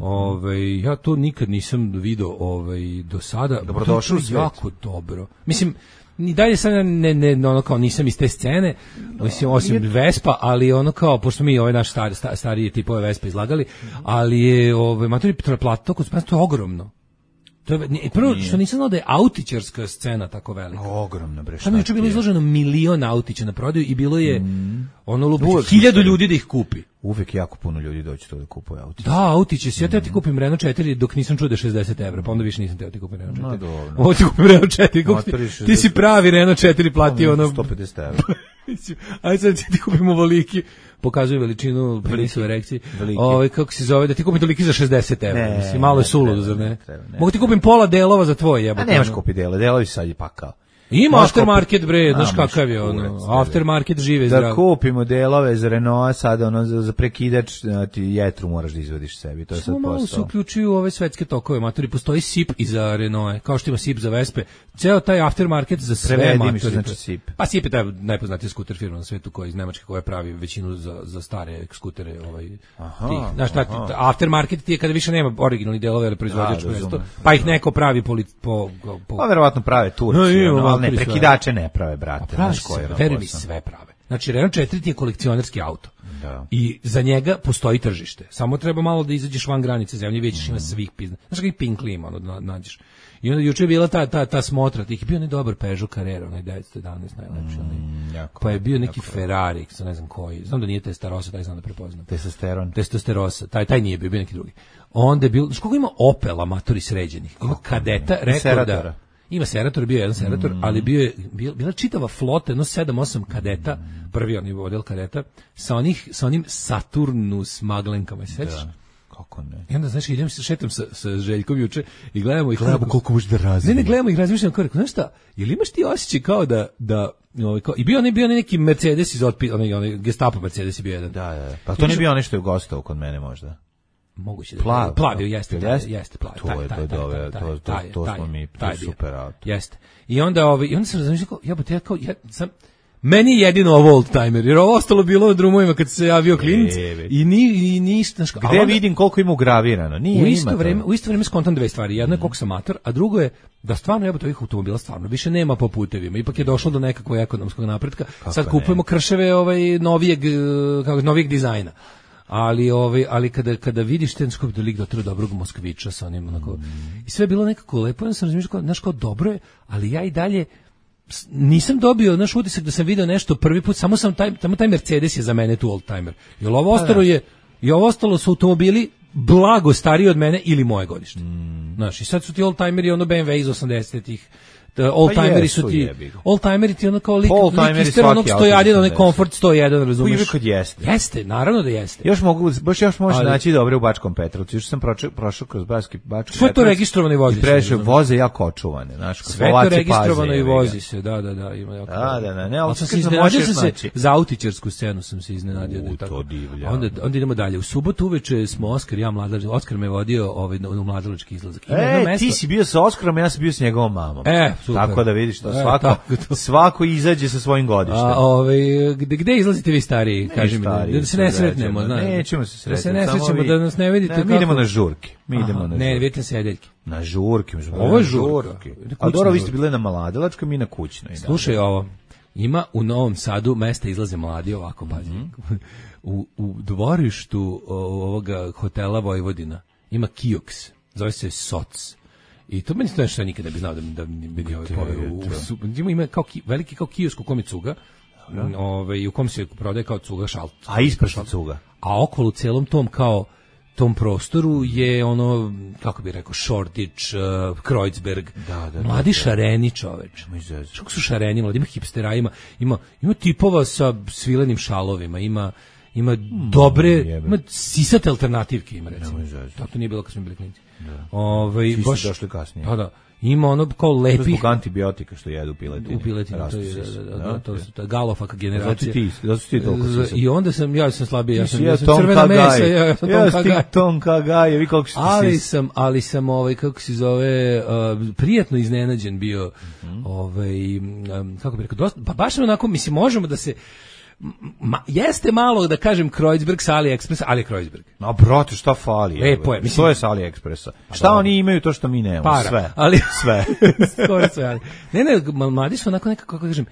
Ovaj ja to nikad nisam video ovaj do sada. Dobrodošao u To je svet. jako dobro. Mislim ni dalje sad ne ne ono kao nisam iz te scene, mislim osim Vespa, ali ono kao pošto mi ovaj naš stari sta- stariji tipove Vespa izlagali, ali je ovaj matori plato kod nas to je ogromno. To je ne, prvo što nisam znao da je autičarska scena tako velika. Ogromno bre. Tamo je juče šta bilo ti je? izloženo milion autića na prodaju i bilo je ono lupić Uvek hiljadu isto. ljudi da ih kupi. Uvek jako puno ljudi doći to da kupuje auto. Da, autiće, ja teo ti kupim Renault četiri dok nisam čuo da je šezdeset evra, pa onda više nisam teo ti kupim Renault četiri. No, dobro. Ovo ti kupim Renault četiri, kako ti, Otvoriš ti si pravi Renault četiri platio ono... sto pedeset evra. Ajde sad ti kupimo voliki, pokazuje veličinu penisu erekciji. Veliki. Ovaj kako se zove da ti kupim toliki za šezdeset evra. Ne, Mislim malo je ne suludo, treba, zar ne? ne treba, ne Mogu ti kupim pola delova za tvoj A jebote. nemaš ono. kupi dele, delovi su sad je pakao. Ima Možeš aftermarket kupiti- bre, A, znaš možeš kakav je kurac, ono. tebe. Aftermarket žive Da zdravo. kupimo delove za Renault, sad ono za, za prekidač, a, ti jetru moraš da izvadiš sebi, to je sad Samo malo se posao. uključuju u ove svetske tokove, matori, postoji S I P i za Renault, kao što ima S I P za Vespe. Ceo taj aftermarket za sve Prevedi mi matori. što znači S I P. Pa S I P je taj najpoznatiji skuter firma na svetu koja iz Nemačke koja pravi većinu za, za stare skutere. Ovaj, Aha, tih. Znaš, šta ti- aha. aftermarket ti je kada više nema originalnih delova ili proizvođačko Da, mesto, razumem. pa ih neko pravi po... po, po Pa verovatno prave Turci, No, ima ono, ali ne, matori sve. prekidače ne prave, brate. Pa pravi znaš koji je sve, ono veruj mi, posao. sve prave. Znači, Renault četiri ti je kolekcionarski auto. Da. I za njega postoji tržište. Samo treba malo da izađeš van granice zemlje, vidjet ćeš ima svih pizna. Znaš kakvi Pinkli ima, ono, da nađeš. I onda juče je bila ta, ta, ta smotra, tih je bio onaj dobar Peugeot Carrera, onaj devetsto jedanaest najlepši, onaj. jako, Pa je bio neki Ferrari, sa ne znam koji, znam da nije Testarossa, taj znam da prepoznam. Testosteron. Testosterosa, taj, taj nije bio, bio neki drugi. Onda je bilo, znaš koliko ima Opela matori sređenih? Ima kadeta, rekorda. Seratora. Ima Serator, bio je jedan Serator, ali bio je bio, bila čitava flota, jedno sedam osam kadeta, prvi onaj model kadeta, sa onih sa onim Saturnus maglenkama, se sećaš? Da. Kako ne? I onda, znaš, idem se šetam sa, sa Željkom juče i gledamo ih. Gledamo koliko može da razvije. Ne, ne, gledamo ih, razmišljam kao, rekao, znaš šta, jel imaš ti osjećaj kao da, da ovaj, kao, i bio onaj, bio onaj neki Mercedes iz otpi, onaj, onaj Gestapo Mercedes je bio jedan. Da, da. Pa to nije bio onaj što je gostao kod mene možda. Moguće da Plav, plavio to- jeste, jel da, jeste? jeste plav. To je, to je dobro, to- to- to smo mi, to je super auto. Jeste. I onda ovaj i onda sam razmišljao kao jebote ja kao ja sam meni je jedino ovo old timer, jer ovo ostalo bilo na drumovima kad se javio klinac Ebe. i ni i ništa, znaš, a Gde onda- vidim koliko ima ugravirano? Nije, u ima isto to. vreme, u isto vreme skontam dve stvari. Jedno je koliko sam mator, a drugo je da stvarno jebote ovih automobila stvarno više nema po putevima. Ipak je došlo do nekakvog ekonomskog napretka. Sad ne? kupujemo krševe ovaj novijeg eh, kako novijeg dizajna. Ali ovaj ali kada kada vidiš ten skop da lik dotra dobrog Moskvića sa onim onako i sve je bilo nekako lepo, ja sam razmišljao kao znaš kao dobro je, ali ja i dalje s- nisam dobio naš utisak da sam video nešto prvi put, samo sam taj, samo taj Mercedes je za mene tu old timer. Jer ovo ostalo je i ovo ostalo su automobili blago stariji od mene ili moje godište. Mm. Znaš, i sad su ti oldtimeri ono B M W iz osamdesetih. Oldtimeri su ti, oldtimeri ti ono kao lik, lik ister onog sto jedan, onaj Comfort sto jedan, razumiješ? Uvijek kad jeste. Jeste, naravno da jeste. Još mogu, baš još možeš naći dobre u Bačkom Petrovcu, još sam prošao, prošao kroz Bački, Bački Sve to registrovano i vozi se. I prešao, voze jako očuvane, znaš, sve to registrovano i vozi se, da, da, da, ima jako. Da, da, da, ne, ali sam se iznenadio sam se, za autičarsku scenu sam se iznenadio da je tako. Onda, onda idemo dalje. U subotu uveče smo Oskar, ja mladalački, Oskar me vodio ovaj, u mladalački izlazak. E, ti si bio sa Oskarom, ja sam bio s njegovom mamom. E, super. Tako da vidiš to, svako, e, svako izađe sa svojim godištem. A, ovaj, gde, gde izlazite vi stariji? Kaži mi, da se ne sretnemo. Zna, nećemo se sretati. Da se ne srećemo, da nas ne vidite. Ne, mi idemo na žurke. Mi Aha, idemo na žurke. Ne, vidite sedeljke. Na žurke. Ovo je žurka. A dobro, vi ste bile na Mladalačkoj, mi na kućnoj. Slušaj ovo. Ima u Novom Sadu mesta izlaze mladi ovako, pazi. Mm-hmm. U, u dvorištu ovoga hotela Vojvodina ima kioks. Zove se Soc. I to meni to nešto ja nikad ne bi znao da da bi bio ovaj poveo. Ima ima kao ki, veliki kao kiosk u kom je cuga. Ovaj u kom se prodaje kao cuga šalt. A ispred cuga. A okolo celom tom kao tom prostoru je ono, kako bih rekao, Šordić, uh, Kreuzberg, da, da, mladi da, da. šareni čoveč. Što su šareni, mladi, ima hipstera, ima, ima, ima tipova sa svilenim šalovima, ima ima dobre, mm, ima sisate alternativke, ima recimo. Tako nije bilo kad smo bili klinici. Ovaj baš došli kasnije. Pa da. Ima ono kao lepi zbog antibiotika što jedu piletine. U piletini, to je, da, da, da, to su ta galofaka generacija. Znači ti, da su ti toliko sisat. I onda sam, ja sam slabiji, ja sam, ja sam crvena mesa, ja sam ja sam Tonka Gaj, vi koliko ste ali sam, ali sam, ovaj, kako se zove, uh, prijatno iznenađen bio, mm-hmm. ovaj, um, kako bih rekao, dosta, pa baš onako, mislim, možemo da se, Ma, jeste malo da kažem Kreuzberg sa AliExpressa, ali Kreuzberg. No, brate, šta fali? Lepo je, mislim. To je sa AliExpressa. Pa šta dobro. Oni imaju to što mi nemamo? Para, sve. Ali, sve. Skoro sve, ali. Ne, ne, mladi su onako nekako, kako kažem,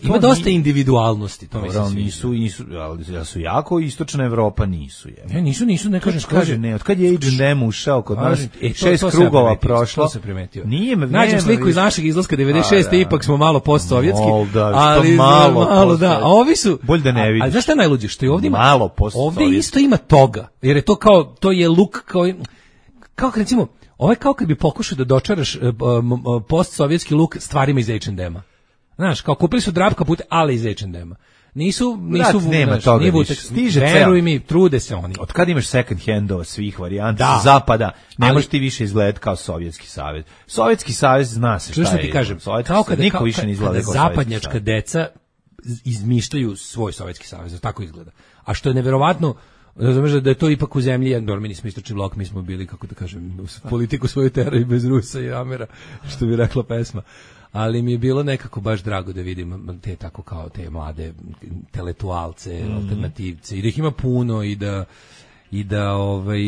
ima dosta ni... individualnosti, to mislim svi. Nisu, nisu, ali su jako istočna Evropa nisu je. Ne, nisu, nisu, ne kažeš, kaže, ne, od kad je H and M ušao kod nas, e, šest to, to krugova prošlo. To se primetio. Nije me, nađem sliku iz našeg izlaska devedeset šeste, da. Ipak smo malo postsovjetski, da, ali malo, malo da, a ovi su, bolje da ne vidiš. A, a znaš šta je najluđe, što je ovdje ima, malo postsovjetski. Ovdje isto ima toga, jer je to kao, to je luk, kao, kao recimo, ovo je kao kad bi pokušao da dočaraš uh, uh, postsovjetski luk stvarima iz H and M-a. Znaš, kao kupili su drap kapute, ali iz H and M-a. Nisu, nisu, Brat, nema znaš, toga nisu, stiže veruj mi, trude se oni. Od kad imaš second handova svih varijanta, da. Zapada, ne možeš ti više izgledati kao Sovjetski savez. Sovjetski savez zna se šta, šta je. Ti kažem, kao kada, niko kao, više ne izgleda kao zapadnjačka deca izmišljaju svoj Sovjetski savez, tako izgleda. A što je neverovatno, razumeš da je to ipak u zemlji, jer mi nismo istočni blok, mi smo bili, kako da kažem, politiku svoju teraju bez Rusa i Amera, što bi rekla pesma. Ali mi je bilo nekako baš drago da vidim te tako kao te mlade intelektualce, mm. alternativce i da ih ima puno i da i da ovaj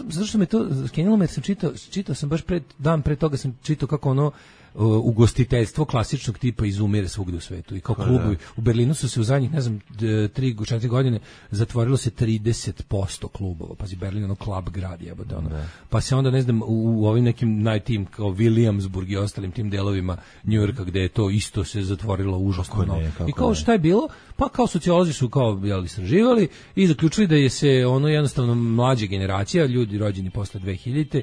zašto me to skenilo me sam čitao čitao sam baš pred dan pre toga sam čitao kako ono ugostiteljstvo klasičnog tipa izumire svugde u svetu i kao klubovi u Berlinu su se u zadnjih ne znam tri do četiri godine zatvorilo se trideset posto klubova, pazi Berlin ono klub grad jebote ono. Pa se onda ne znam u, u ovim nekim najtim kao Williamsburg i ostalim tim delovima Njujorka gde je to isto se zatvorilo užasno ne, i kao šta je bilo, pa kao sociolozi su kao jel istraživali i zaključili da je se ono jednostavno mlađa generacija, ljudi rođeni posle dve hiljadite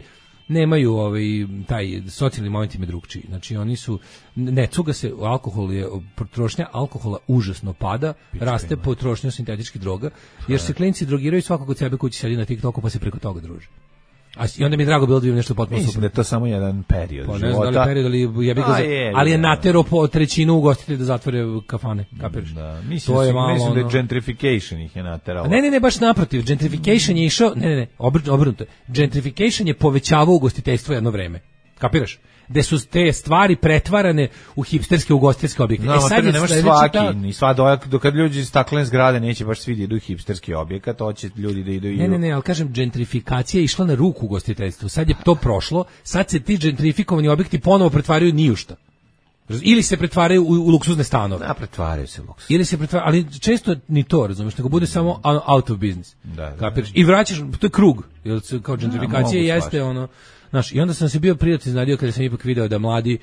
nemaju ovaj taj socijalni moment im je drugčiji. Znači oni su ne cuga se alkohol je potrošnja alkohola užasno pada, Pička raste ima. Potrošnja sintetičkih droga, jer se klinci drogiraju svakog od sebe kući sedi na TikToku pa se preko toga druže. A i onda mi je drago bilo da vidim nešto potpuno super. Mislim da je to samo jedan period pa, života. Ne znam da li period, ali, ja bih ga, je, ali je natero po trećinu ugostitelja da zatvore kafane, kapiraš? Da, mislim, to je malo, mislim da je gentrification ih je nateralo. Ne, ne, ne, baš naprotiv. Gentrification je išao, ne, ne, ne, obrnuto. Gentrification je povećavao ugostiteljstvo jedno vreme. Kapiraš? Gde su te stvari pretvarane u hipsterske ugostiteljske objekte. No, e sad je ne može svaki, ta... sva dojak, dok kad ljudi iz staklene zgrade neće baš svi da idu u hipsterski objekat, hoće ljudi da idu i... Ne, ne, ne, ali kažem, gentrifikacija je išla na ruku ugostiteljstvu. Sad je to prošlo, sad se ti gentrifikovani objekti ponovo pretvaraju ni u šta. Ili se pretvaraju u, u luksuzne stanove. Da, pretvaraju se luksuz. Ili se pretvaraju, ali često ni to, razumiješ, nego bude samo out of business. Da, da, kapiraš? I vraćaš, to je krug, jer kao gentrifikacija da, jeste ono... Znaš, i onda sam se bio prijatno iznenadio kada sam ipak video da mladi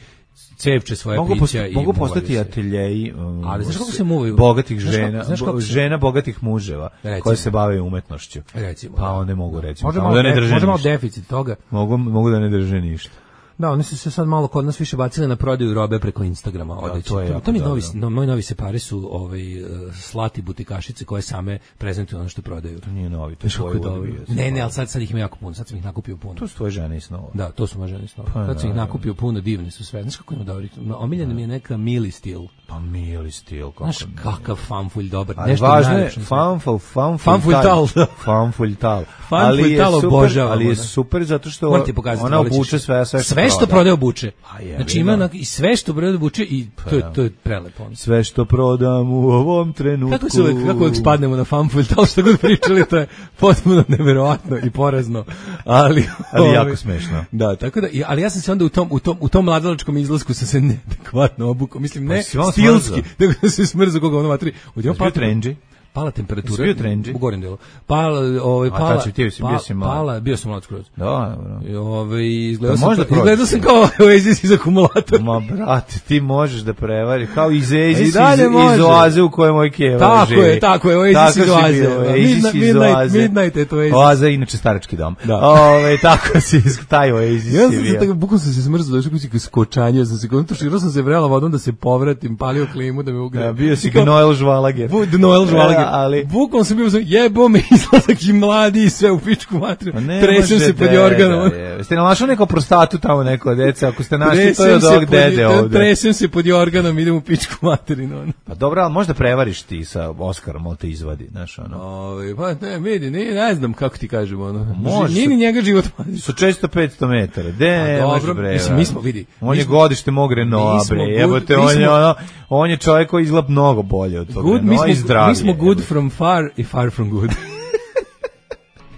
cepče svoje mogu pića posta, i mogu postati muvaju se. ateljeji um, Ali znaš kako se muvaju? bogatih Znaš kako- žena, znaš kako bo- se- žena bogatih muževa Recimo. koje se bave umetnošću. Recimo, Pa da. onda mogu reći, Možda samo malo, da ne de- drže možda malo ništa. deficit toga. Mogu, mogu da ne drže ništa. Da, oni su se sad malo kod nas više bacili na prodaju robe preko Instagrama. Odeće. to je to, jako to mi je novi, dobro. no, moji novi separi su ovaj, uh, slati butikašice koje same prezentuju ono što prodaju. To nije novi, to je Znaš kako tvoj je dobro. uvijek. Ne, ne, ali sad, sad ih ima jako puno, sad sam ih nakupio puno. To su tvoje žene i snova. Da, to su moje žene snova. Pa, Sad sam ih da, nakupio puno, divni su sve. Znaš kako ima dobrih? Omiljena mi je neka Mili stil. Pa mili stil, kako Znaš ne. kakav fanfulj dobar. Ali Nešto važno je najlepše na svetu. fanful, fanful, Fanful tal, da. fanful tal. Fanful Ali je tal super, obožavamo, ali je da. super zato što Moram ti pokazati, ona volit ćeš. obuče sve, sve što sve što proda. prodaje obuče. A jebi Znači ima ga. na, i sve što prodaje obuče i to je da. to je prelepo. ono. Sve što prodam u ovom trenutku. Kako se uvek, kako uvek spadnemo na fanfulj, to što god pričali, to je potpuno neverovatno i porazno, ali, Ali ovaj, jako smešno. Da, tako da, i- ali ja sam se onda u tom, u tom, u tom mladalačkom izlasku sam se neadekvatno obukao, mislim, ne Pa si on stilski, smrzao? nego sam se smrzao koga ono matri. Odjednom Jesi bio pala- trendži? Pala temperatura. Jesi bio trendži? U gornjem delu. Pala, ovaj, A pala, tad si ti, si bio pa- si mlad. pala, bio sam mlad skroz. Da, dobro. I, ovaj, izgledao, Pa sam, možda kao- izgledao prođeš. sam kao Oasis iz akumulatora. Ma brate, ti možeš da prevari kao iz A i Oasis iz, dalje može. iz oaze u kojoj moj keva Tako živi. je, tako je, Oasis Tako iz si oaze. bio, Oasis Midnight- iz Midnight- oaze. Midnight je to Oasis. Oaza je inače starački dom. Da. Ove, tako si iz- taj Oasis Ja si sam se bio. tako, bukvalno sam se smrzao, došao kući kao skočanje, sam se kontuširao sam se vrela vodom da se povratim, palio klimu da me ugreje. Ja, bio si kao Noel Žvalager. Bu- Noel Žvalager. Ja, ali- Bukvalno sam bio sam, jebo me izlazak i mladi i sve u pičku materiju. Pa ne Tresem može se pod deda, jorganom. je. Jeste našli neko prostatu tamo neko dece? Ako ste našli, to je Tresem od se ovog pod- dede ovde. Tresem se pod jorganom, idem u pičku materinu. ono. Pa dobro, ali možda prevariš ti sa Oskarom, on te izvadi, znaš, ono. Ovaj, pa ne, vidi, ne, ne znam kako ti kažem, ono. Može Nije se- ni njega život mladi. Sa često petsto metara. De, A ne, dobro, može bre. mislim, mi smo, vidi, On mi je smo- godište mog Renaulta, mi smo bre. good- Jebote, mi on je smo- ono, on je čovjek koji izgleda mnogo bolje od toga. Good, mi no, i smo, zdravije, mi smo good jebote. from far i far from good.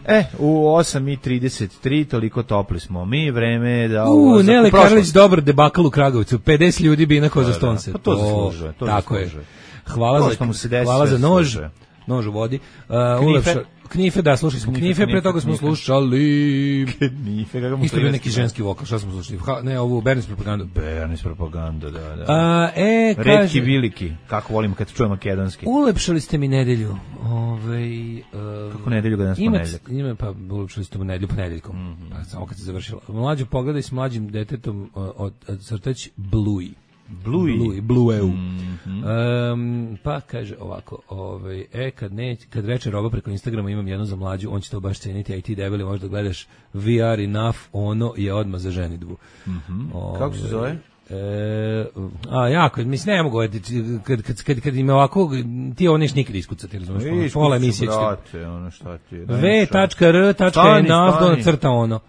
E, u osam i trideset tri toliko topli smo mi, vreme je da... U, ovo za Nele prošlost. Karlić, dobar debakl u Kragovicu. pedeset ljudi bi inako za stonce. Pa to zaslužuje, to tako je. zaslužuje. Hvala To za, što mu se desi, hvala sve za nož. zaslužuje. Nož u vodi. Uh, Knife? ulepša, knife, da, slušali smo Knife, knife, pre knife, toga smo knife. slušali... Nife, kako mu Isto bio klimac neki gleda. ženski vokal, šta smo slušali? Ha, ne, ovu Bernis propagandu. Bernis propaganda, da, da. A, e, Retki kaže... viliki, kako volim kad čujem makedonski. Ulepšali ste mi nedelju. Ove, uh, Kako nedelju ga danas ima, ponedeljak? ima, pa ulepšali ste mu nedelju ponedeljkom. Mhm. Pa, samo kad se završila. Mlađu pogledaj s mlađim detetom uh, od, od crtać Bluey. Bluey? Bluey, Blueu. Mhm. Um, pa kaže ovako, ovaj, e, kad, ne, kad reče roba preko Instagrama imam jednu za mlađu, on će to baš ceniti, a i ti debeli možda gledaš V R enough, ono je odmah za ženidbu. Ovaj, Kako se zove? E, a jako, mislim ne mogu kad kad kad kad im je ovako ti ovo neš nikad iskucati, razumeš? Ono, pola emisije ćete brate, ono šta ti je. v tačka r tačka Stani, enough stani. do crta ono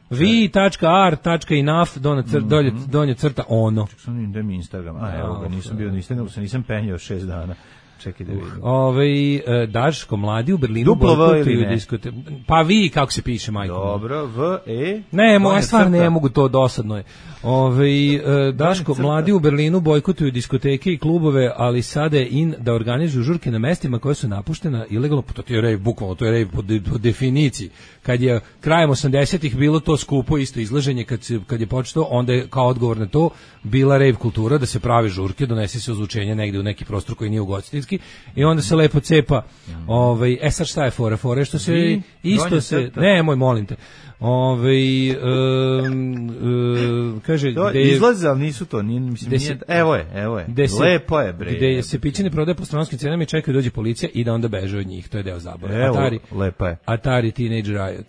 v tačka r tačka enough do cr, dolje donje crta ono. Sam da mi Instagram. A evo ga, nisam bio, nisam, nego se nisam penjao šest dana. Čekaj da vidim. Ovaj e, Daško mladi u Berlinu Duplo V ili bojkotuju ne? diskote. Pa vi kako se piše, majko? Dobro, V, E. Ne, moja donja stvar crta. ne mogu, to dosadno je. Ove, e, Daško, crta. mladi u Berlinu bojkotuju diskoteke i klubove, ali sada je in da organizuju žurke na mestima koje su napuštena ilegalno, to ti je rave, bukvalno, to je rave po, de, po definiciji. Kad je krajem osamdesetih bilo to skupo isto izlaženje, kad, se, kad je počelo, onda je kao odgovor na to bila rave kultura, da se pravi žurke, donese se ozvučenje negde u neki prostor koji nije ugostiteljski i onda se lepo cepa. Ovaj, e sad šta je fora? Fora je što se Vi, isto donja se, crta. ne, moj, molim te. Ovaj um, um, kaže To gde je- izlaze, ali nisu to, nije, mislim, Gde nije, se- evo je, evo je, gde se- lepo je, bre. gde se piće ne prodaje po stranačkim cenama i čekaju da dođe policija i da onda beže od njih, to je deo zabave. Evo, Atari, lepa je. Atari Teenage Riot.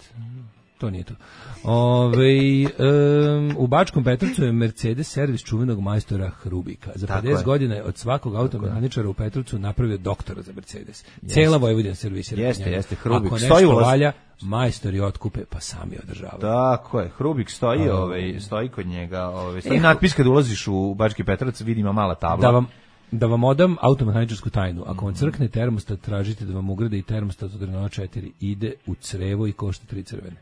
To nije to. Ove, um, u Bačkom Petrovcu je Mercedes servis čuvenog majstora Hrubika. Za Tako pedeset je. godina je od svakog automehaničara u Petrovcu napravio doktora za Mercedes. Cela Vojvodina servisira. Jeste, njega. jeste, Hrubik. Ako Stoji nešto ulaz. valja, majstori otkupe, pa sami održavaju. Tako je, Hrubik stoji, A, ovaj, stoji kod njega, ovaj, stoji E, natpis kad ulaziš u Bački Petrovac, vidi ima mala tabla. Da vam da vam odam automehaničarsku tajnu. Ako vam crkne termostat, tražite da vam ugrade i termostat od Renault četiri. Ide u crevo i košta tri crvene.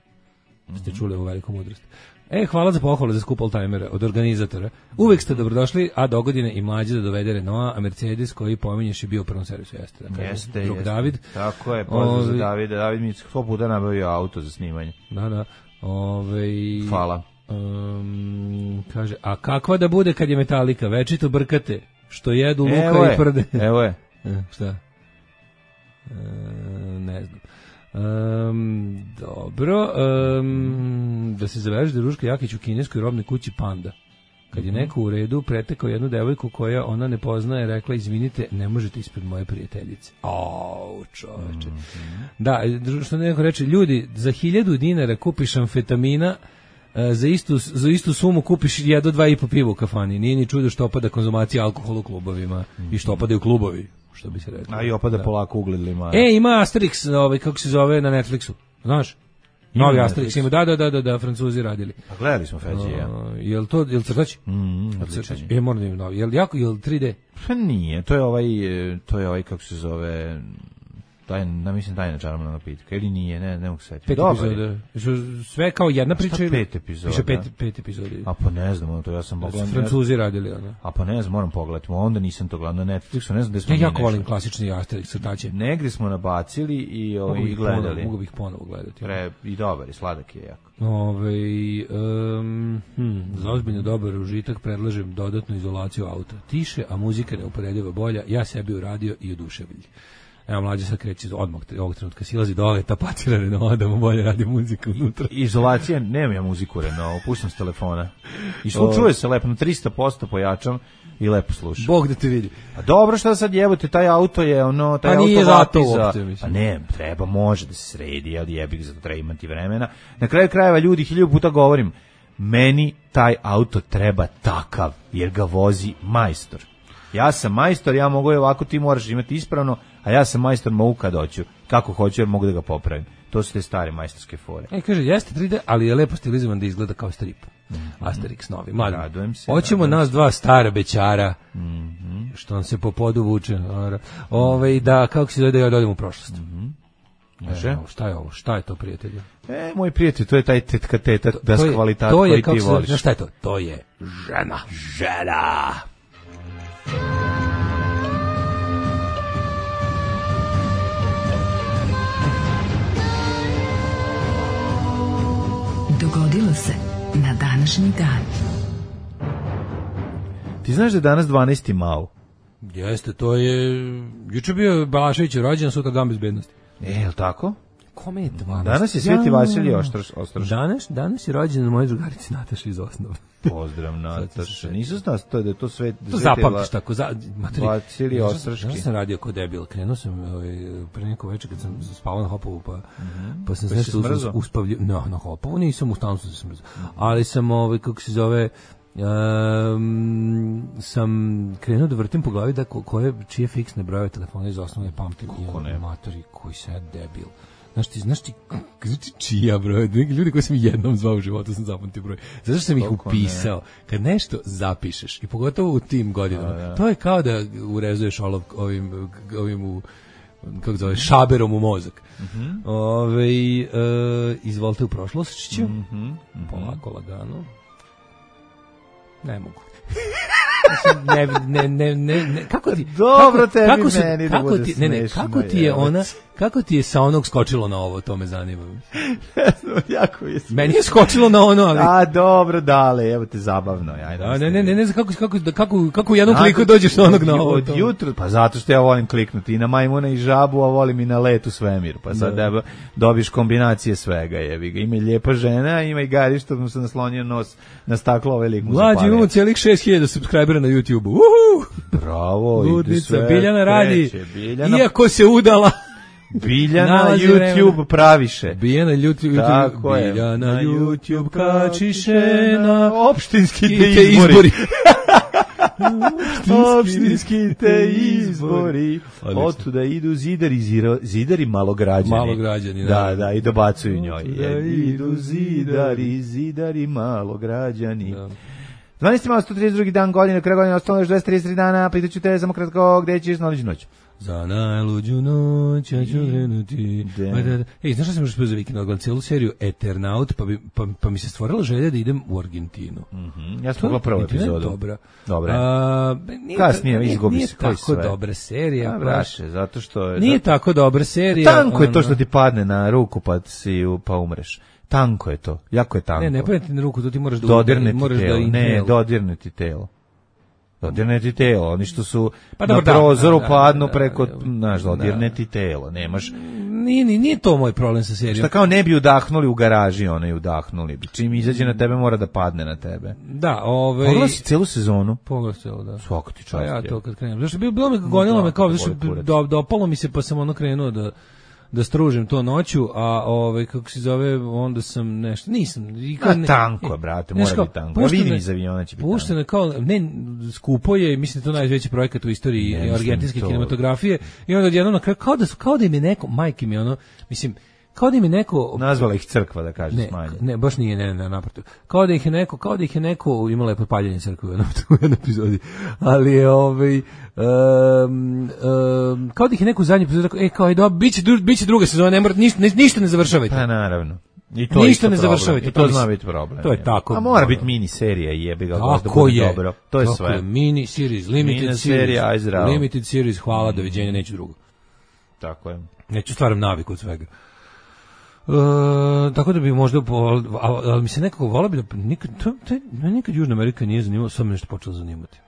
Ste čuli ovu veliku mudrost. E, hvala za pohvale za skup oldtimera od organizatora. Uvek ste dobrodošli, a dogodine i mlađe da dovede Renault, a Mercedes koji pominješ je bio u prvom servisu. Jeste, da kažem. Jeste, Drug jeste. David. Tako je, pozdrav za Ovi- Davida. David mi sto puta nabavio auto za snimanje. Da, da. Ove, Hvala. Um, kaže, a kakva da bude kad je Metallica? Večito brkate, što jedu luka Evo je, i prde. Evo je. E, šta? E, ne znam. Um, dobro. Um, da se zaveže da Ruška Jakić u kineskoj robnoj kući Panda. Kad je neko u redu pretekao jednu devojku koja ona ne poznaje, rekla, izvinite, ne možete ispred moje prijateljice. Au, čoveče. Mm-hmm. Da, što neko reče, ljudi, za hiljadu dinara kupiš amfetamina, za istu, za istu sumu kupiš jedno dva i po piva u kafani. Nije ni čudo što opada konzumacija alkohola u klubovima mm-hmm. i što opadaju klubovi, što bi se reklo. A i opada da. polako ugled lima. E, ima Asterix, ovaj, kako se zove, na Netflixu, znaš? Novi Asterix ima, da, da, da, da, da, Francuzi radili. Pa gledali smo Feđi, ja. Uh, jel to, jel crtač? Mm, crtač. E, moram da im novi. Jel jako, jel tri D? Pa nije, to je ovaj, to je ovaj, kako se zove, taj, da mislim, tajna čarobna napitka, ili nije, ne, ne mogu se setiti. Pet epizoda. Sve kao jedna priča ili? Pet epizoda. Piše pet, pet epizoda. A pa ne znam, to ja sam pogledao. Francuzi radili, ono. A pa ne znam, moram pogledati, onda nisam to gledao na Netflixu, ne znam da smo ja jako volim klasični Asterix crtače. Negdje smo nabacili i ovaj mogu gledali. Mogu bih ponovo gledati. Pre, i dobar, i sladak je jako. Ove, um, hm, za ozbiljno dobar užitak predlažem dodatnu izolaciju auta. Tiše, a muzika neuporedivo bolja, ja sebi uradio i oduševlji. Evo, mlađe sad kreće odmah ovog trenutka, silazi dole, tapacira Renault, da mu bolje radi muzika unutra. Izolacija, nemam ja muziku Renault, puštam s telefona. I čuje se lepo, na tristo posto pojačam i lepo slušam. Bog da te vidi. A dobro, šta sad jebote, taj auto je ono, taj pa auto nije zato za... uopće, mislim. A ne, treba, može da se sredi, jel jebik, zato treba imati vremena. Na kraju krajeva, ljudi, hiljadu puta govorim, meni taj auto treba takav, jer ga vozi majstor. Ja sam majstor, ja mogu je ovako, ti moraš imati ispravno, a ja sam majstor, mogu kad hoću, kako hoću, jer mogu da ga popravim. To su te stare majstorske fore. E, kaže, jeste tri D, ali je lepo stilizovan da izgleda kao strip. Mm-hmm. Asterix novi. Mladim. Radujem se. Hoćemo radujem nas se. dva stara bećara, Mm-hmm. što nam se po podu vuče. Ove, da, kako se zove da ja dođem u prošlost. Mm-hmm. E, šta je ovo? Šta je to, prijatelju? E, moj prijatelj, to je taj tetka teta, to, das to je, kvalitat to je, koji kako ti se, voliš. Znaš šta je to? To je žena. Žena. Dogodilo se na današnji dan. Ti znaš da je danas dvanaesti Mao? Jeste, to je... Juče bio Balašević rođen, sutra dan bezbednosti. E, je li tako? Kome je dvanaest? Danas je Sveti Vasilij Ostroš. Danas, danas je rođen na mojoj drugarici Nataši iz osnove. Pozdrav, Nataša. Nisam znao to da je to sve... To zapamtiš tako. Za, Vasilij Ostroški. Danas sam radio kod debil. Krenuo sam ovaj, pre neko večer kad sam spavao na Hopovu, pa, mm-hmm. pa sam pa nešto us, uspavljio. No, na Hopovu nisam, u stanu sam se smrzao. Mm-hmm. Ali sam, ovaj, kako se zove... Um, sam krenuo da vrtim po glavi da ko, koje, čije fiksne brojeve telefona iz osnovne pamtim. Kako ne? Matori, koji sad debil. Znaš ti, znaš ti, znači čija broj, ljudi koji sam jednom zvao u životu sam zapamtio broj. Zato što sam ih upisao. Kad nešto zapišeš, i pogotovo u tim godinama, a, ja. To je kao da urezuješ olov ovim, ovim u, kako zove, šaberom u mozak. Mm-hmm. Ove, e, izvolite u prošlošću, mm-hmm. mm-hmm. polako, lagano. Ne mogu. ne, ne, ne, ne, ne, kako ti... Dobro kako, tebi kako su, meni kako da bude ti, ne, ne, smešno. kako ti je ona, kako ti je sa onog skočilo na ovo, to me zanima. jako je smešno. Meni je skočilo na ono, ali... A, dobro, dale, evo te zabavno. Ajde, da, ne, ne, ne, ne znam kako, kako, kako, kako u jednom kliku dođeš na onog na ovo. Od jutro, pa zato što ja volim kliknuti i na majmuna i žabu, a volim i na let u svemir. Pa sad da. Dobiš kombinacije svega, jevi ga. Ima i lijepa žena, ima i gari što mu se naslonio nos na staklo, ovaj lik mu zapalio. Mlađi, imamo cijelih šest hiljada subscribera na YouTube-u. Uhu! Bravo, Ludnica, Biljana radi, kreće, Biljana... iako se udala. Biljana YouTube vremena. Praviše. Biljana YouTube, Tako je. Biljana na YouTube kačiše na opštinski te izbori. izbori. Opštinski te izbori. Otuda idu zidari, ziro, zidari malograđani. Malograđani, da. Da, da, i dobacuju njoj. Idu zidari, zidari malograđani. Da. dvanaesti Mao, sto trideset drugi dan godine, kraj godine, ostalo još dvesta trideset tri dana, pitaću te samo kratko, gde ćeš na luđu noć? Za najluđu noć, ja ću krenuti. Ej, znaš šta sam još spio za vikend, odgledam cijelu seriju Eternaut, pa, bi, pa, pa mi se stvorila želja da idem u Argentinu. Mm-hmm. Ja sam pogledao prvu epizodu. Dobra. Dobra. A, nije, kasnije izgubi nije se. Nije tako sve. dobra serija. A, braše, zato što je... Nije zato... tako dobra serija. Tanko je to ono... što ti padne na ruku pa, si, pa umreš. Tanko je to, jako je tanko. Ne, ne padne ti na ruku, to ti moraš da dodirne ti moraš telo. da Ne, dodirne ti telo. Dodirne ti telo, oni što su pa na dobro, prozoru da, da, padnu da, preko, da, znaš, dodirne ti telo, nemaš... Nije, nije, nije to moj problem sa serijom. Šta kao ne bi udahnuli u garaži, one udahnuli bi. Čim izađe na tebe, mora da padne na tebe. Da, ovaj... Pogledao si celu sezonu? Pogledao si celu, da. Svako ti čast. Pa ja to kad krenem. Zašto bi bilo mi gonilo me kao, zašto do, dopalo mi se, pa sam ono krenuo da da stružim to noću, a ovaj kako se zove, onda sam nešto, nisam. I kad ne, tanko je, brate, mora biti tanko. Ja vidim iz aviona će biti. Pušteno kao, ne, skupo je, mislim to najveći projekat u istoriji ne, argentinske to... kinematografije. I onda odjednom na kraju kao da kao da im je neko, majke mi ono, mislim kao da im je neko nazvala ih crkva da kaže ne, smanje. Ne, baš nije, ne, ne, naprotiv. Kao da ih je neko, kao da ih je neko imala je potpaljenje crkve u jednom, u jednom epizodi. Ali je ovaj um, um, kao da ih je neko u zadnji epizodi rekao, e kao je dobro, biće biće druga sezona, ne mora ništa ne, ništa ne završavajte. Pa naravno. I to ništa ne završavajte, to, to zna biti problem. To je tako. A mora biti mini serija i jebi ga da bude dobro. To je sve. Mini series, limited mini series, serija, limited series, hvala, mm. doviđenja, neću drugo. Tako je. Neću stvaram naviku od svega. Uh, tako da bi možda ali, ali mi se nekako volio bi da nikad, to, to, nikad Južna Amerika nije zanimalo, sam nešto počelo zanimati.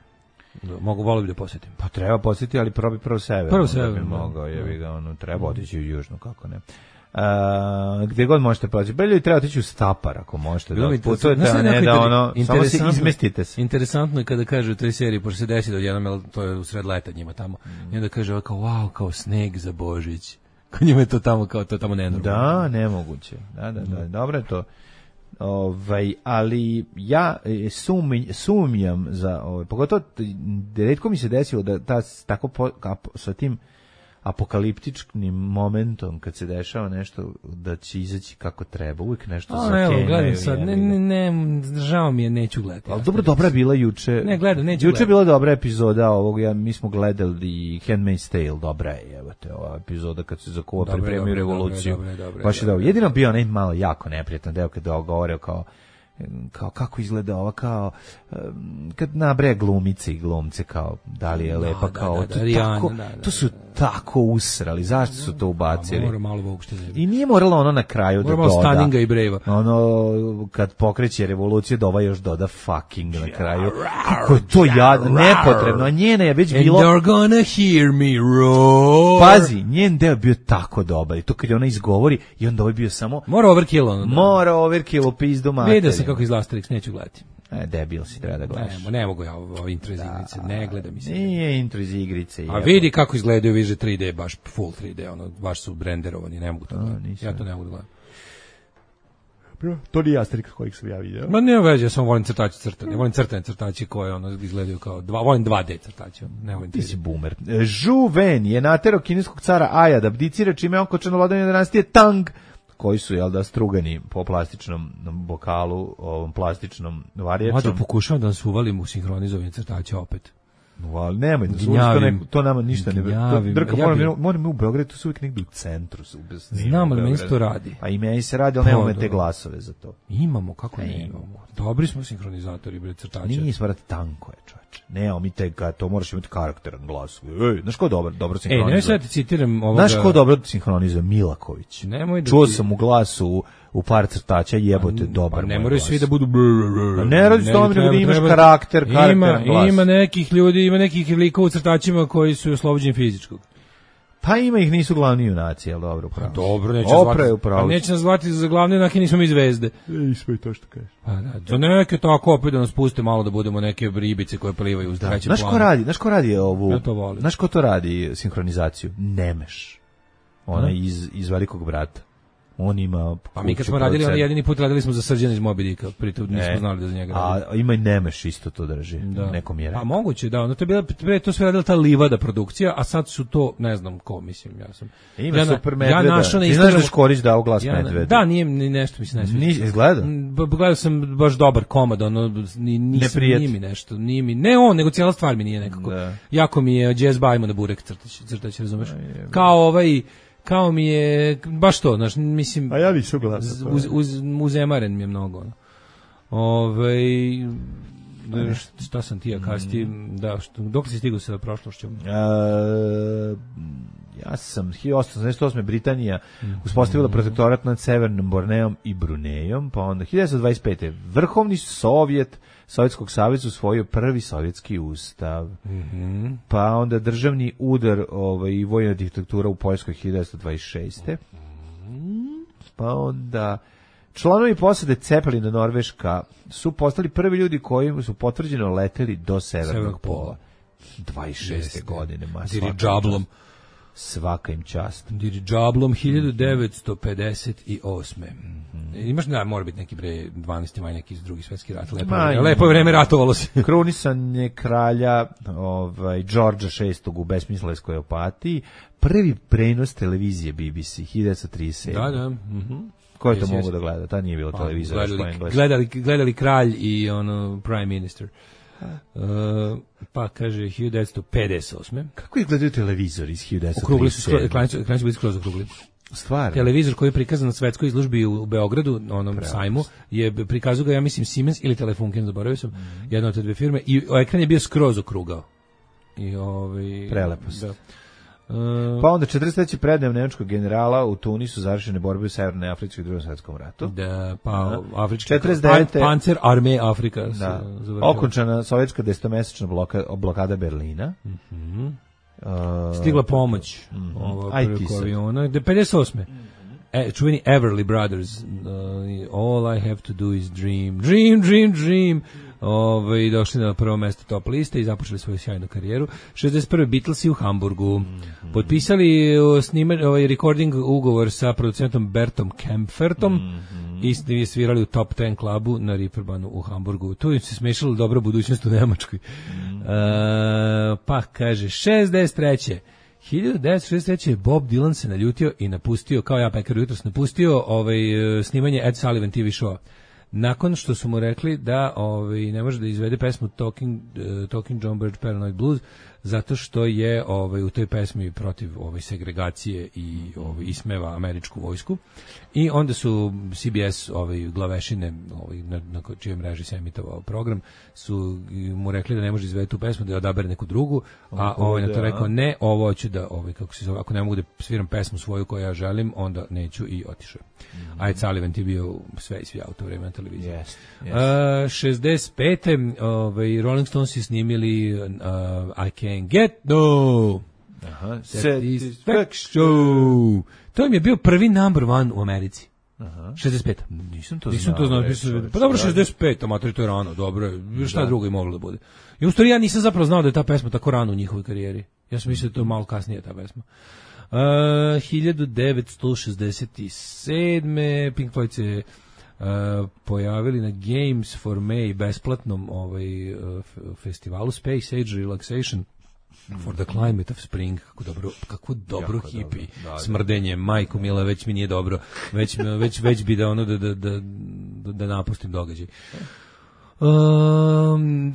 Da, mogu volio bi da posjetim. Pa treba posjetiti, ali probi prvo sever. Prvo sever. Da bi mogao, jebi ga, ono, treba otići u Južnu, kako ne. Uh, gdje god možete proći. Belju treba otići u Stapar, ako možete bilo da putujete, a ne da ono, samo se izmestite se. Interesantno je kada kaže u toj seriji, pošto se desi da odjednom, to je u sred leta njima tamo, mm. i onda kaže kao, wow, kao sneg za Božić. Kod njima je to tamo kao to tamo nenormalno. Da, nemoguće. Da, da, da, dobro je to. Ovaj, ali ja sumnjam, sumnjam za ovaj, pogotovo retko mi se desilo da ta tako po, sa tim apokaliptičnim momentom kad se dešava nešto da će izaći kako treba, uvijek nešto zakenjaju. Sad, ne, ne, ne, žao mi je, neću gledati. Ali dobro, dobra bila juče. Ne, gledam, neću Juče je bila dobra epizoda ovog, ja, mi smo gledali Handmaid's Tale, dobra je, evo te, ova epizoda kad se za kovo pripremio revoluciju. Dobre, dobre, baš je dobro. Jedino bio onaj malo jako neprijatan deo kad je govorio kao kao kako izgleda ova kao kad nabraja glumice i glumce kao da li je da, lepa da, kao da, da, to, Rijana, tako, da, da, to su tako usrali, zašto su to ubacili? Mora malo uopšte. I nije moralo ono na kraju mora da doda. Staninga i Brejva. Ono kad pokreće revolucija dova još doda fucking na kraju. Kako je to jadno, nepotrebno, a njena je već bilo. And you're gonna hear me roar. Pazi, njen deo bio tako dobar i to kad je ona izgovori i onda ovaj bio samo mora overkill ono. Mora overkill u pizdu materiju. Vidio sam kako izgleda Asterix, neću gledati. E, debil si, treba da gledaš. Ne, ne mogu ja ovo intro iz igrice, ne gledam mi se. Nije intro iz igrice. A vidi kako izgledaju više tri D, baš full tri D, ono, baš su renderovani, ne mogu to gledati. Ja to ne mogu da gledam. To nije Asterix kojeg sam ja vidio. Ma ne veze, ja samo volim crtače crtane. Volim crtane crtače koje ono izgledaju kao dva, volim dva D crtače, ne volim. Ti si boomer. Zhu Wen je naterao kineskog cara Aja da abdicira, čime on kočano vladanje dinastije Tang, koji su, jel da, strugani po plastičnom bokalu, ovom plastičnom varječom. Mada pokušavam da nas uvalim u sinhronizovanje crtača opet. No, nemoj da suviš, to, ne, to nama ništa ne... Drka, ja moram, bi... moram u Beogradu, to su uvijek negdje u centru. Znam, ali meni se to radi. Pa i meni se radi, ali pa, nemamo te glasove za to. Imamo, kako ne imamo? Dobri smo sinhronizatori, bre, crtača. Nije svarati tanko je, čoveče. Ne, mi te, to moraš imati karakteran glas. Ej, znaš ko dobro, dobro sinhronizuje? Ej, ne sad ti citiram ovoga... Znaš ko dobro sinhronizuje? Milaković. Nemoj da Čuo ti... sam u glasu u par crtača, jebote, dobar. Pa ne moraju svi da budu... Ne radi s tome, nego da imaš karakter, karakteran glas. Ima nekih ljudi, ima nekih likova u crtačima koji su oslobođeni fizičkog. Pa ima ih, nisu glavni junaci, jel dobro, upravo. Dobro, neće zvati. Pa neće nas zvati za glavne junake, nismo mi zvezde. Ej, sve to što kažeš. Pa da, za neke tako opet da nas puste malo da budemo neke ribice koje plivaju uz trećem planu. Znaš ko radi, znaš ko radi ovu? Ja to volim. Znaš ko to radi sinhronizaciju? Nemeš. Ona iz, iz Velikog brata. On ima... Pa mi kad smo radili, on jedini put radili smo za Srđana iz Moby Dicka, pritom nismo e, znali da za njega radi. A ima i Nemeš isto to drži, da. Nekom je rekao. A moguće, da, ono to je bila, pre, to sve radila ta Livada produkcija, a sad su to, ne znam ko, mislim, ja sam... Ima ja, super medveda, ja našao na ti znaš da Škorić dao glas ja, medveda? Da, nije ni nešto mi se ne sviđa. Nisi izgleda? Gledao sam baš dobar komad, ono, nisam, nije mi nešto, nije mi, ne on, nego cijela stvar mi nije nekako. Da. Jako mi je Jazz Bajmo na burek crtać, crtać, razumeš? Kao ovaj... Kao mi je, baš to, znaš, mislim... A ja nisam glasa. Uz, uz, uzemaren mi je mnogo. Ove, da, šta sam ti ja kasti, da, što, dok si stigao sa prošlošću? Uh, ja sam hiljadu osamsto osamdeset osme. Britanija uspostavila protektorat nad Severnom Borneom i Brunejom, pa onda hiljadu devetsto dvadeset pete. Vrhovni Sovjet Sovjetskog saveza usvojio prvi sovjetski ustav. Mm-hmm. Pa onda državni udar ovaj, i vojna diktatura u Poljskoj hiljadu devetsto dvadeset šeste. Mm-hmm. Pa onda članovi posade Cepelina Norveška su postali prvi ljudi koji su potvrđeno leteli do severnog, severnog pola. dvadeset šeste. godine. Diriđablom. Svaka im čast. Diriđablom hiljadu devetsto pedeset osme. Mm-hmm. Imaš, da, mora biti neki bre dvanaesti maj neki iz drugi svetski rat. Lepo, Ma, lepo je vreme ratovalo se. Krunisanje kralja ovaj, Đorđa šestog u besmislenskoj opatiji. Prvi prenos televizije B B C hiljadu devetsto trideset sedme. Da, da. Mhm. Ko je to mogu da gleda? Ta nije bilo televizora. Gledali, gledali, gledali kralj i ono prime minister. Uh, pa kaže hiljadu devetsto pedeset osme. Kako izgledaju televizori iz hiljadu devetsto trideset sedme? Okrugli su, ekrani su bili skroz okrugli. Stvarno? Televizor koji je prikazan na svetskoj izložbi u, u Beogradu, na onom Prelepo. sajmu, je prikazao ga, ja mislim, Siemens ili Telefunken, zaboravio sam, mm. jedna od te dve firme, i ekran je bio skroz okrugao. I ovaj... Prelepo. Da. Uh, pa onda četrdeset treće predajem nemačkog generala u Tunisu završene borbe u Severnoj Africi u Drugom svjetskom ratu. Da, pa afrički četrdeset devete. Panzer Armee Afrika. Da. Okončana sovjetska desetomesečna bloka, blokada Berlina. Mhm. Uh, Stigla pomoć mm-hmm. ovo preko aviona. pedeset osme. E, čuveni Everly Brothers. Uh, all I have to do is dream. Dream, dream, dream. Ove, došli na prvo mesto top liste i započeli svoju sjajnu karijeru. šezdeset prve. Beatlesi u Hamburgu. Mm-hmm. Potpisali snimanje, ovaj recording ugovor sa producentom Bertom Kempfertom mm-hmm. i svirali u top deset klubu na Reeperbahnu u Hamburgu. Tu im se smešala dobra budućnost u Nemačkoj. Mm-hmm. Uh, pa kaže šezdeset treće. hiljadu devetsto šezdeset treće. Bob Dylan se naljutio i napustio, kao ja pekar jutros, napustio ovaj, snimanje Ed Sullivan T V show. Nakon što su mu rekli da ovaj, ne može da izvede pesmu Talking, uh, Talking John Birch Paranoid Blues zato što je ovaj, u toj pesmi protiv ovaj, segregacije i ovaj, ismeva američku vojsku. I onda su C B S ovaj, glavešine ovaj, na, na čijoj mreži se emitovao program su mu rekli da ne može izvedeti tu pesmu, da je odabere neku drugu, a ovaj, na to rekao ne, ovo hoću da, ovaj, kako se zove, ako ne mogu da sviram pesmu svoju koju ja želim, onda neću i otišao. Mm-hmm. A Ed Sullivan ti bio sve i svi auto vreme na televiziji. Yes, yes. Uh, šezdeset pete. Ovaj, Rolling Stones su snimili uh, I Can't Get No Aha, Satisfaction. To im je bio prvi number one u Americi. Aha. šezdeset pete. Nisam to Nisam znao. to znao. Nisam, pa dobro, šezdeset pete, amatori, to je rano, dobro je. Šta da. drugo je moglo da bude? I u stvari ja nisam zapravo znao da je ta pesma tako rano u njihovoj karijeri. Ja sam mislio da to je malo kasnije ta pesma. Uh, hiljadu devetsto šezdeset sedme. Pink Floyd se uh, pojavili na Games for May besplatnom ovaj, uh, festivalu Space Age Relaxation for the Climate of Spring. Kako dobro, kako dobro hipi da, smrdenje, majko mila, već mi nije dobro, već, već, već bi da ono da, da, da, da napustim događaj. Um,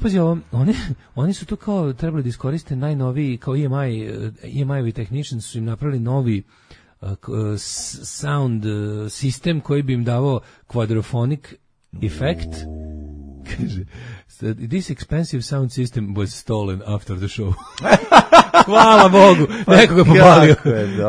pazi ovo, oni, oni su tu kao trebali da iskoriste najnoviji, kao E M I, E M I-ovi technicians su im napravili novi uh, sound sistem koji bi im davao quadraphonic effect. Kaže, this expensive sound system was stolen after the show. Hvala Bogu, neko ga je popalio.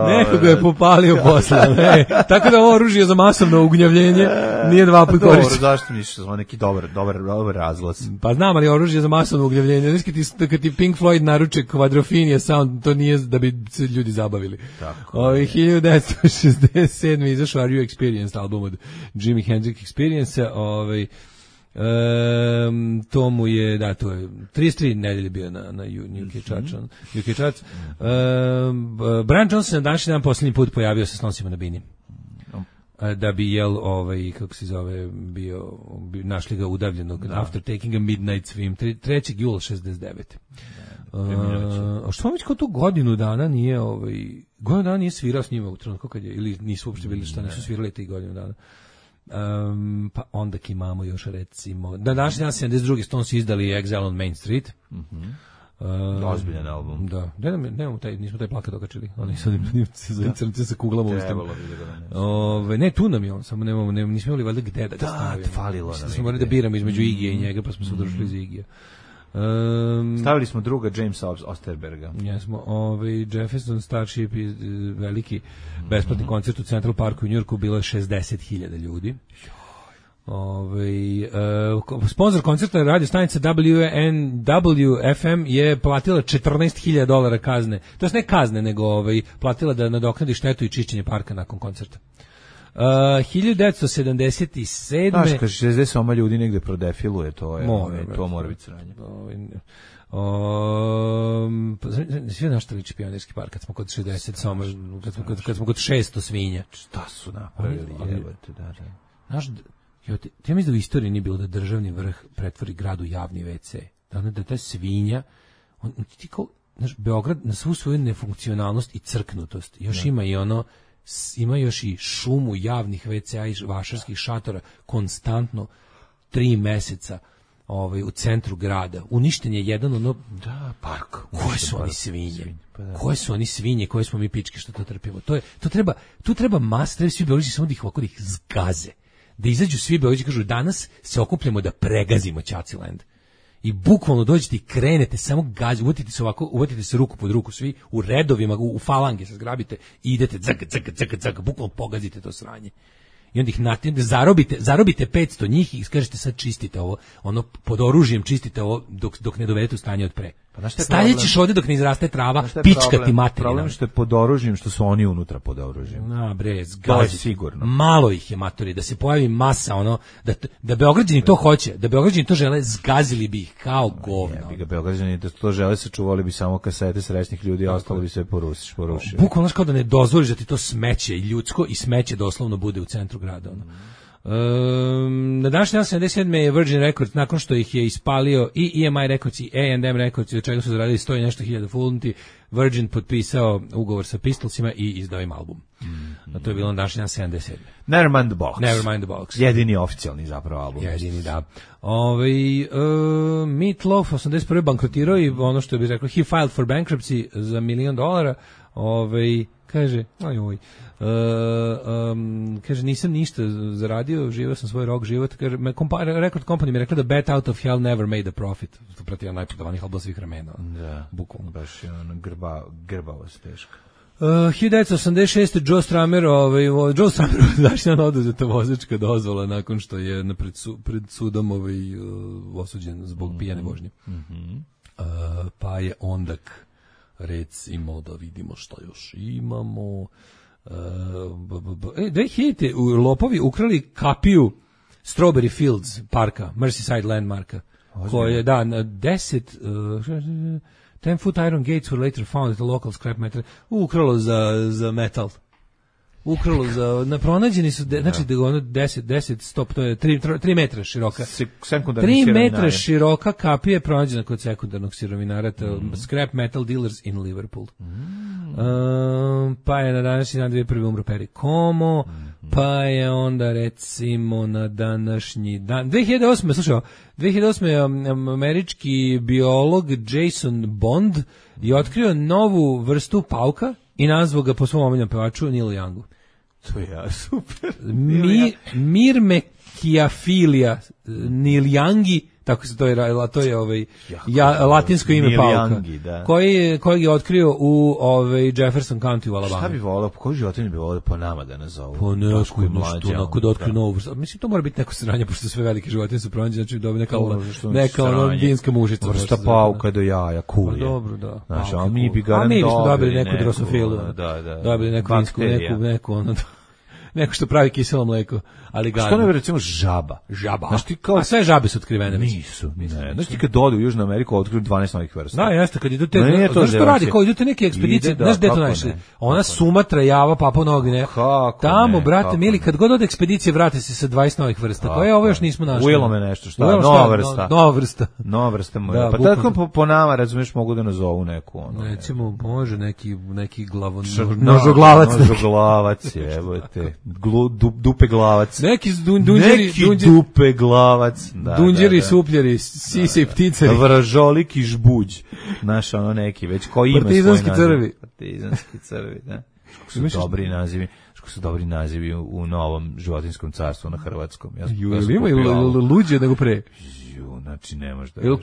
Neko ga je popalio posle. Ne. Tako da ovo oružje za masovno ugnjavljenje nije dva put korišćeno. Dobro, zašto misliš da je neki dobar, dobar, dobar razglas? Pa znam, ali oružje za masovno ugnjavljenje. Znaš, kad ti, kad ti Pink Floyd naruče kvadrofinija sound, to nije da bi se ljudi zabavili. Tako. Ovi hiljadu devetsto šezdeset sedme. izašao Are You Experienced album od Jimi Hendrix Experience-a. Ovaj Um, to mu je, da, to je trideset tri nedelje bio na, na U K Charts. U K Charts. Um, Brian Johnson se na današnji dan posljednji put pojavio sa Snosima na bini. Da bi jel, ovaj, kako se zove, bio, bio našli ga udavljenog da. After Taking a Midnight Swim, trećeg jula šezdeset devete. Uh, a što vam već kao tu godinu dana nije, ovaj, godinu dana nije svirao s njima u trenutku kad je, ili nisu uopšte bili šta, nisu svirali tih godinu dana. Um, pa onda imamo još recimo da današnji dan sedamdeset druge. Stones izdali Exile on Main Street. Mhm. Uh, Ozbiljan album. Da. Ne, ne, nemamo taj, nismo taj plakat okačili. Oni sad za crnce sa kuglama u ustama. Ove, ne, tu nam je on, samo nemamo, ne, nismo imali valjda gde da ga stavimo. Da, falilo nam. Smo morali da biramo između Igija i njega, pa smo se udružili za Igija. Um, Stavili smo druga Jamesa Osterberga. Jesmo, ovaj Jefferson Starship i veliki besplatni koncert u Central Parku u Njujorku, bilo je šezdeset hiljada ljudi. Ovaj uh, sponsor koncerta radio stanica W N W F M je platila četrnaest hiljada dolara kazne. To jest ne kazne, nego ovaj platila da nadoknadi štetu i čišćenje parka nakon koncerta. Uh, hiljadu devetsto sedamdeset sedme Znaš, kaže šezdeset osam ljudi negde prodefiluje, to je, mora, ove, to mora biti sranje. Um, sve na što liči Pionirski park, kad smo kod šezdeset, samo, kad, smo, kad, kad smo kod šesto svinja. Šta su napravili? Jebate, da, da. Znaš, ja mislim da u istoriji nije bilo da državni vrh pretvori grad u javni ve ce. Da, da ta svinja, on, ti kao, znaš, Beograd na svu svoju nefunkcionalnost i crknutost, još da. Ima i ono, ima još i šumu javnih ve ce a i vašarskih šatora konstantno tri meseca ovaj, u centru grada. Uništen je jedan ono da, park. Koje su oni svinje? Pa da. Koje su oni svinje, koje smo mi pičke što to trpimo? To je, to treba, tu treba mas, treba svi Beograđani samo da ih ovako da ih zgaze. Da izađu svi Beograđani i kažu danas se okupljamo da pregazimo Ćaciland. I bukvalno dođete i krenete, samo gađu, uvatite se ovako, uvatite se ruku pod ruku svi, u redovima, u, u falange se zgrabite i idete caka, caka, caka, caka, bukvalno pogazite to sranje. I onda ih natimite, zarobite, zarobite petsto njih i kažete sad čistite ovo, ono pod oružjem čistite ovo dok, dok ne dovedete u stanje od pre. Pa Stalje ćeš ovde dok ne izraste trava, pička ti materina. Problem što je pod oružjem, što su oni unutra pod oružjem. Na bre, zgazi. Sigurno. Malo ih je matori, da se pojavi masa, ono, da, da Beograđani to hoće, da Beograđani to žele, zgazili bi ih kao govno. Ne, bi ga Beograđani da to žele, sačuvali bi samo kasete srećnih ljudi, a ostalo bi sve porušiš, porušio. Bukvalno kao da ne dozvoliš da ti to smeće, ljudsko i smeće doslovno bude u centru grada, ono. Um, na današnji dan sedamdeset sedme je Virgin Records, nakon što ih je ispalio i E M I Records i A and M Records, od čega su zaradili sto i nešto hiljada funti, Virgin potpisao ugovor sa Pistolsima i izdao im album. Mm-hmm. A to je bilo na današnji dan sedamdeset sedme Nevermind the Box. Nevermind the Box. Jedini oficijalni zapravo album. Jedini, da. Ove, uh, Meat Loaf osamdeset prve bankrotirao i ono što bi rekao, he filed for bankruptcy za milion dolara. Ove, kaže, oj, oj. Uh, um, kaže, nisam ništa zaradio, živio sam svoj rock život. Kaže, me kompa, record company mi rekla da Bet Out of Hell never made a profit. To prati jedan najprodavanih albuma svih vremena. Da, bukvalno. Baš je ono grba, grbavost teška. Uh, hiljadu devetsto osamdeset šeste Joe Stramer, ovaj, Joe Stramer daš jedan oduzeta vozačka dozvola nakon što je pred, su, pred sudom ovaj, uh, osuđen zbog mm-hmm. pijane vožnje. Mm-hmm. Uh, pa je ondak recimo da vidimo što još imamo. Uh, b, b, b, e, dve hiljadite lopovi ukrali kapiju Strawberry Fields parka, Merseyside landmarka, koje je da na deset uh, ten foot iron gates were later found at a local scrap metal. Ukralo za, za metal. Ukralo za, na pronađeni su, de, znači da ono deset, deset, stop, to je tri metra široka. tri metra široka kapija je pronađena kod sekundarnog sirovinara, mm. Scrap Metal Dealers in Liverpool. Mm. Um, pa je na današnji dan dvije prvi umro Perry Como, mm. pa je onda recimo na današnji dan, dve hiljade osme, slušaj, dve hiljade osme um, američki biolog Jason Bond je otkrio novu vrstu pauka i nazvao ga po svom omiljenom pevaču Neil Youngu. To je ja, super. Mi, Myrmechiafilia Neil Youngi, tako se to je, to je ovaj, ja, latinsko ime Neil pauka, Youngi, da. koji, kojeg je otkrio u ovaj, Jefferson County u Alabama. Šta bi volao, koji životinje bi volao po nama da nazovu? Po neku, nešto, onako da otkriju novu vrstu. Mislim, to mora biti neko sranje, pošto sve velike životinje su pronađene, znači dobi neka, neka ono dinska mužica. Vrsta pauka do jaja, cool je. Pa dobro, da. Znaš, a mi bi garant dobili. A mi bismo dobili neku, neku drosofilu. Da, da. Dobili neku vinsku, neku, neku, ono, neko što pravi kiselo mleko, ali gadno. Što ne bi recimo žaba? Žaba. Znaš ti kao... A sve žabe su otkrivene. Nisu. Ne. Znaš ti kad dodu u Južnu Ameriku otkriju dvanaest novih vrsta. Da, jeste, kad idu te... No, znaš što radi, kao idu te neke ekspedicije, znaš gde to našli? Ona Sumatra, Java, Papua Nova Gvineja. Tamo, brate mili, kad god od ekspedicije vrate se sa dvadeset novih vrsta. Koje ovo još nismo našli? Ujelo me nešto, šta? Nova vrsta. Nova vrsta. Nova vrsta moja. Pa tako po nama, razumiješ, mogu da nazovu neku. Recimo, može neki glavonožoglavac. Nožoglavac, evo te. Glu, du, dupe glavac. Neki dun, dunđeri, Neki dunđeri, dupe glavac. Da, dunđeri, da, da. supljeri, sise i pticari. Vražolik i žbuđ. Znaš, ono neki, već ko ima Partizanski svoj naziv. crvi. Partizanski crvi, da. Kako su dobri nazivi. Kako su dobri nazivi u, u novom životinjskom carstvu na hrvatskom. Ja, Ju, ja sam ima kupio ovo. luđe nego pre. Ju, znači ne možeš da... Jel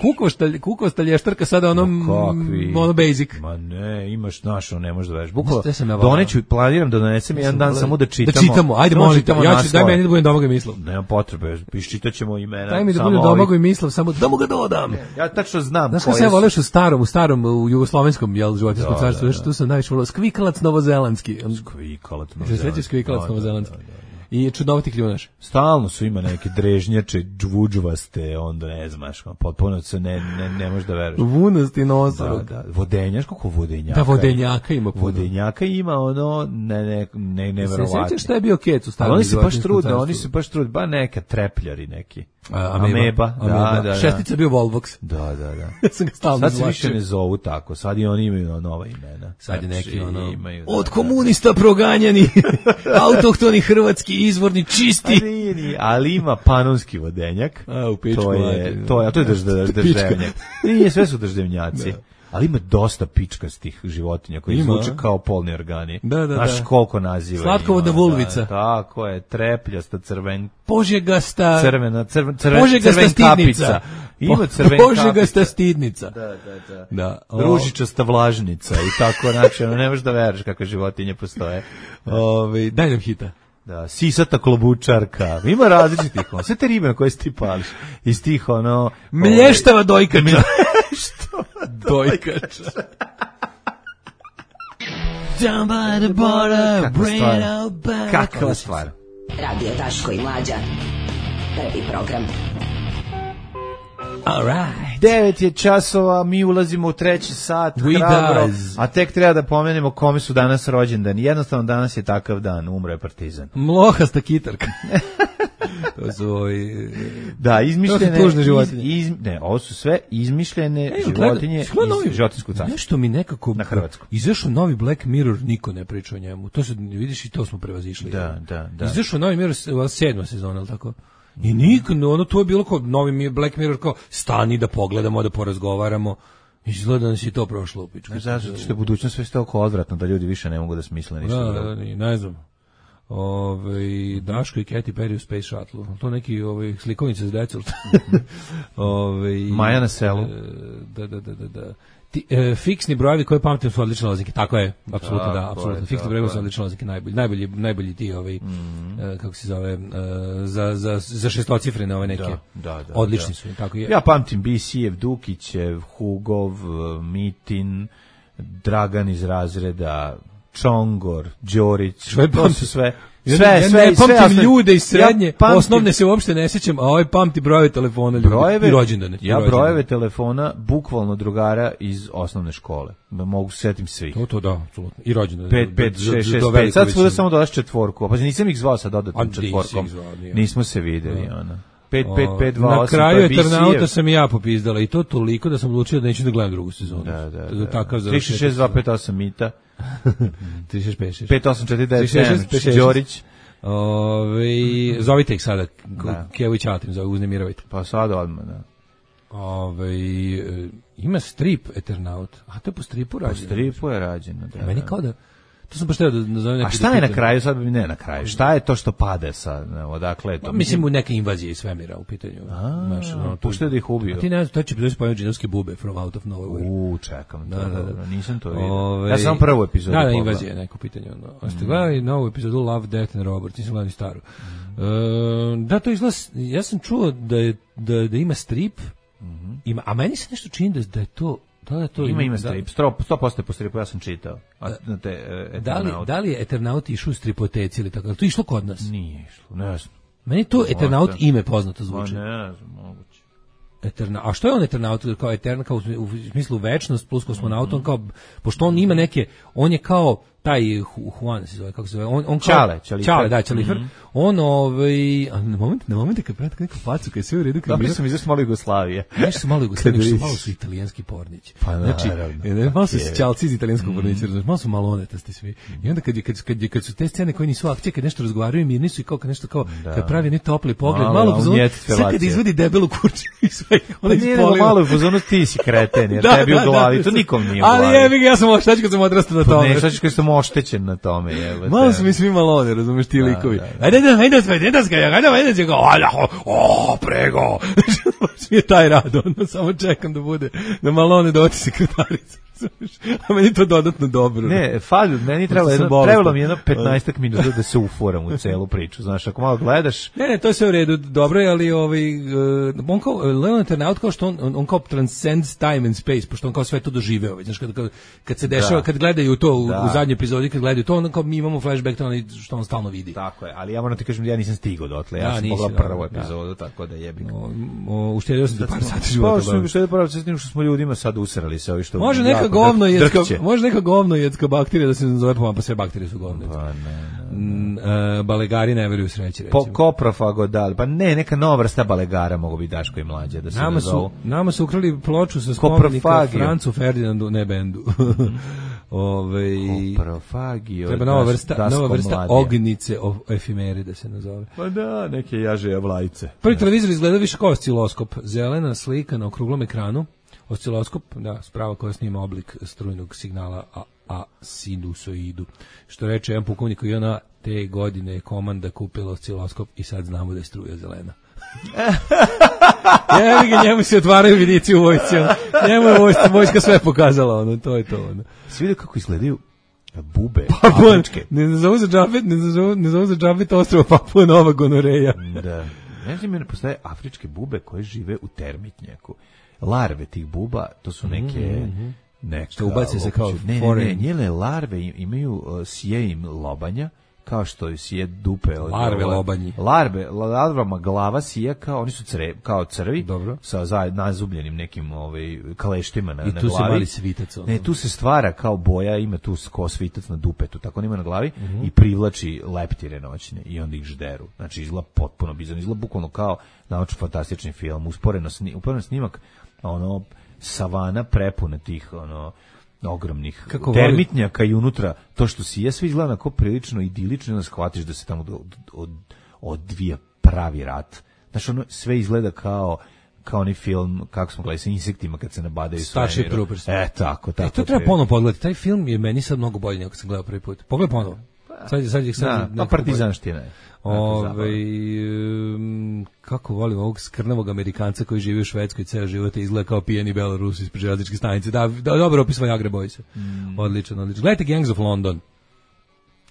kukova stalještarka sada ono, kakvi? ono basic? Ma ne, imaš našo, ne možeš da veš. Bukvalo, Znaš, ja doneću, planiram da donesem jedan dan samo da čitamo. Da čitamo, ajde Samo molim, čitamo ja ću, daj naslove. meni da budem Domagoj Mislav. Nema potrebe, iščitat ćemo imena. Daj mi da samo budem ovih- Domagoj Mislav, samo da mu ga dodam. Ja tačno znam Znaš kako koje se ja su- voleš u starom, u starom, u jugoslovenskom, jel, životinskom Da, carstvu, da, znaš, tu sam najviše volao, Skvikalac novozelandski. Skvikalac Se novozelandski. sveći Skvikalac Da, da, novozelandski. da, da, da. I čudnovati kljunaš. Stalno su ima neke drežnjače, džvuđvaste, onda ne znaš, potpuno se ne, ne, ne možeš da veruješ. Vunasti Da, nosorog. da, vodenjaš, kako vodenjaka? Da, vodenjaka ima puno. Vodenjaka ima ono, ne, ne, ne, Se neverovatno. sjećaš šta je bio kec u Ali starom oni se baš životinjskom trude, carstvu? oni se baš trude, ba neka trepljari neki. A, Ameba, da, da, da. Šestica je bio Volvox. Da, da, da. Ja sam ga stalno Sad se izvlačio. više ne zovu tako, sad i oni imaju nova imena. Sad je neki Znači, ono, imaju, da, od da. komunista proganjani, autohtoni hrvatski, izvorni, A čisti. nije, nije, ali ima panonski vodenjak. A, u pičku To je, materinu. to je, a to je drž, drž, drždevnjak. Nije, sve su drždevnjaci. Ali ima dosta pičkastih životinja koji Ima. zvuče kao polni organi. Da, da, Znaš da. koliko naziva Slatkovodna ima, vulvica. Da, tako je, trepljasta, crven, Požegasta, crvena, crven, crven, Požegasta crven stidnica. kapica. Ima Po- crven Požegasta kapica. stidnica. Da, da, da. Da. o- Ružičasta vlažnica i tako, znači, ono, ne možeš da veruješ kakve životinje postoje. Ovaj, daj nam hita. Da, sisata klobučarka, ima različitih, ono, sve te ribe na koje si ti pališ, iz tih, ono... Mlještava dojkača. Dojkača. Down by the border, Kakva bring stvar. it out back. Kakva stvar. Radio Daško i Mlađa. Prvi program. All right. Devet je časova, mi ulazimo u treći sat, We hrabro, does. a tek treba da pomenemo kome su danas rođendani. Jednostavno danas je takav dan, umro je Partizan. Mlohasta kitarka. To su ovi... Da, izmišljene... To su tužne životinje. Iz, iz, ne, ovo su sve izmišljene Ej, životinje gleda- gleda iz novi- životinskog carstva. Nešto mi nekako... Na hrvatskom. Izašao novi Black Mirror, niko ne priča o njemu. To se, vidiš, i to smo prevazišli. Da, da, da. Izašao novi Mirror, ova sedma sezona, ali tako? I niko, ono, to je bilo kao novi mi- Black Mirror, kao stani da pogledamo, da porazgovaramo. Izgleda da nas i to prošlo u pičku. Ne znam, zato što je budućnost sve toliko odvratno da ljudi više ne mogu da smisle ništa. Da, drugo. da, ne, ne znam. Ove, Daško i Katy Perry u Space Shuttle. To neki ove, slikovnice za decu. Ove, Maja na selu. e, Da, da, da, da. da. Ti, e, fiksni brojevi koje pamtim su odlične lozinke. Tako je, apsolutno Tako da, je, apsolutno. tako Fiksni brojevi su je. odlične lozinke, najbolji, najbolji, najbolji ti, ovaj, e, kako se zove, e, za, za, za šestocifrene ove neke. Da, da, da, odlični da. su, tako je. Ja pamtim B C-ev, Dukićev, Hugov, eh, Mitin, Dragan iz razreda, Čongor, Đorić, Sve to pamtim. su sve. Ja Sve, ne, ja sve, ne sve pamtim osnovne- ljude iz srednje, Ja pamtim osnovne se uopšte ne sjećam, a ovaj pamti brojeve telefona ljudi brojeve, i rođendane. i Ja rođendane. brojeve telefona bukvalno drugara iz osnovne škole. Da mogu se setim svih. To, to da, apsolutno. I rođendane. pet, pet, Do- do- šest, do šest, pet. velike Sad svuda većine. samo dodaš četvorku. Pa nisam ih zvao sa A dodatnom nisi četvorkom. ih zvao, nije. Nismo se videli, ona. pet, O, pet, pet, dva, Na osam, kraju to je B C-ev. Eternauta sam i ja popizdala i to toliko da sam odlučio da neću da gledam drugu sezonu. Da, da, Za da. Takav tri šest šest dva pet osam Mita, tri šest pet šest. pet osam četiri devet tri šest šest sedam pet šest. Đorić. Ove, zovite ih sada, Da. Kevo i Ćatim, zove, uznemiravajte. Pa sad odmah, da. Ove, e, ima strip Eternaut, a to je po stripu Po rađeno. stripu je rađeno, da. Meni da. kao da, to sam baš teo da nazovem neki... A šta da je na pitam. kraju, sad bi ne na kraju, šta je to što pade sa, ne, odakle je to? Pa, mislim, u neke invazije iz svemira u pitanju. A, Znaš, ono, tu- puštaju da ih ubiju. A ti ne znam, to će doći pojaviti džinovske bube from out of nowhere. U, čekam, to, Da, da, da. dobro, nisam to vidio. Ove, Ja sam prvu epizodu Da, da, pogledao. invazija je neko pitanje. Ono. A ste gledali novu epizodu Love, Death and Robots, nisam gledali staru. Mhm. E, da, to izgleda, ja sam čuo da, je, da, da ima strip, ima, a meni se nešto čini da, da je to... Da, da, to Ima, ima da- strip, sto posto je po stripu, ja sam čitao. A, na te, e, Da li, Eternaut. da li je Eternaut išao u stripoteci ili tako? Je li to išlo kod nas? Nije išlo, ne znam. Meni to Eternaut Možda. ime poznato Ma zvuči. ne znam, moguće. Eterna, a što je on Eternaut kao Eterna, kao u, u smislu večnost plus kosmonaut, on kao, pošto on ima neke, on je kao taj Juan se zove, kako se zove, on, on kao, Čale, Čalifer. Čale, da, Čalifer, Mm-hmm. on, ovaj, a na moment, na moment kad prati neku facu, kad je sve u redu, kad Dobro sam izašao malo Jugoslavije. nešto su malo Jugoslavije, malo su italijanski pornići. Pa, znači, naravno, malo su je. Čalci iz italijanskog pornića, mm. malo su malonetasti svi. I onda kad, je, kad, kad, kad su te scene koje nisu akcije, kad nešto razgovaraju, mirni su i kao kad nešto kao, da. kad pravi ne topli pogled, malo, malo, malo malo sve kad izvodi debelu kurču i sve, ona pa nije ispoliva. malo u fazonu ti si kreten, jer Da, tebi da, u glavi, da, to da. nikom nije u glavi. Ali jebi ga, ja sam oštač kad sam odrastao na Pa tome. ne, šta ćeš kad sam oštećen na tome, jebote. Malo su mi svi malone, razumeš, ti likovi. da, da. Ajde, ajde, ajde, ajde, ajde, ajde, ajde, ajde, o, prego. Baš mi je taj rad, ono, samo čekam da bude, da malone doći sekretarica. A meni to dodatno dobro. Ne, falju, meni trebalo, sam jedno, bolestan. trebalo mi jedno petnaestak minuta da se uforam u celu priču. Znaš, ako malo gledaš... Ne, ne, to je sve u redu, dobro je, ali ovaj, uh, on kao, Leonard Turnout, kao što on, on, on kao transcends time and space, pošto on kao sve to doživeo, već, znaš, kad, kad, kad se dešava, Da. kad gledaju to u, Da. u zadnjoj epizodi, kad gledaju to, on kao mi imamo flashback to onaj što on stalno vidi. Tako je, ali ja moram ti kažem da ja nisam stigao dotle, ja Da, sam nisi, pogledao da, prvu da. epizodu, tako da jebik. O, o, uštedio sam ti par sati života. Pa što bavim. mi što je pravo s tim što smo ljudima sad usrali se ovi što Može neka jako govno drk- jedska, drkće. može neka govno jedska bakterija da se nazove po pa sve bakterije su govno. Pa ne, ne. Mm, e, balegari ne veruju sreći, recimo. Po koprofagodal, pa ne, neka nova vrsta balegara mogu biti Daško i mlađe da se Nama nazovu. su, nama su ukrali ploču sa spomenika Koprofagio. Francu Ferdinandu, ne bendu. Ove, Koprofagio. treba nova Daš- vrsta, Daško nova vrsta mladija. ognice o efimeri da se nazove. Pa da, neke jaže vlajce. Prvi televizor izgleda više kao osciloskop. Zelena slika na okruglom ekranu. Osciloskop, da, sprava koja snima oblik strujnog signala a, a sinusoidu. Što reče jedan pukovnik koji ona te godine je komanda kupila osciloskop i sad znamo da je struja zelena. Jevi ga, njemu se otvaraju vidici u vojsci. Ono. Njemu je vojska, vojska sve pokazala, ono, to je to. Ono. Svi vidio kako izgledaju bube Papua, afričke. ne zovu za džabet, ne zovu, ne zovu za džabet ostrvo Papua Nova Gonoreja. Da. Ne znam, ne postoje afričke bube koje žive u termitnjaku. Larve tih buba, to su neke... Mm-hmm. neka, Što ubace se kao ne, ne, ne, foreign. njele larve im- imaju, uh, sije im lobanja, kao što sije dupe. od- Larve ovo- lobanji. Larve, larvama glava sije kao, oni su cre, kao crvi, Dobro. sa zaj, nazubljenim nekim ovaj, kaleštima na, I na tu glavi. se mali svitac. Ono. Ne, tu se stvara kao boja, ima tu ko svitac na dupetu, tako on ima na glavi Mhm. i privlači leptire noćne i onda ih žderu. Znači izgleda potpuno bizarno, izgleda bukvalno kao naučno fantastični film, usporeno, sni, usporeno snimak, ono, savana prepuna tih, ono, ogromnih Kako termitnjaka i unutra to što si je sve izgleda onako prilično idilično i onda shvatiš da se tamo od, od, odvija pravi rat. Znači ono sve izgleda kao kao onaj film, kako smo gledali sa insektima kad se nabadaju sve. Starship Troopers. E, tako, tako. E, to treba ponovo pogledati. Taj film je meni sad mnogo bolji nego kad sam gledao prvi put. Pogledaj ponovo. Sad, sad, sad, sad Da, nekako pa partizanština je. Ove, um, kako volim ovog skrnavog Amerikanca koji živi u Švedskoj ceo život i izgleda kao pijeni Belorus ispred železničke stanice. Da, da, dobro opis Viagra Boysa. Mm. Odličan, odličan. Gledajte Gangs of London.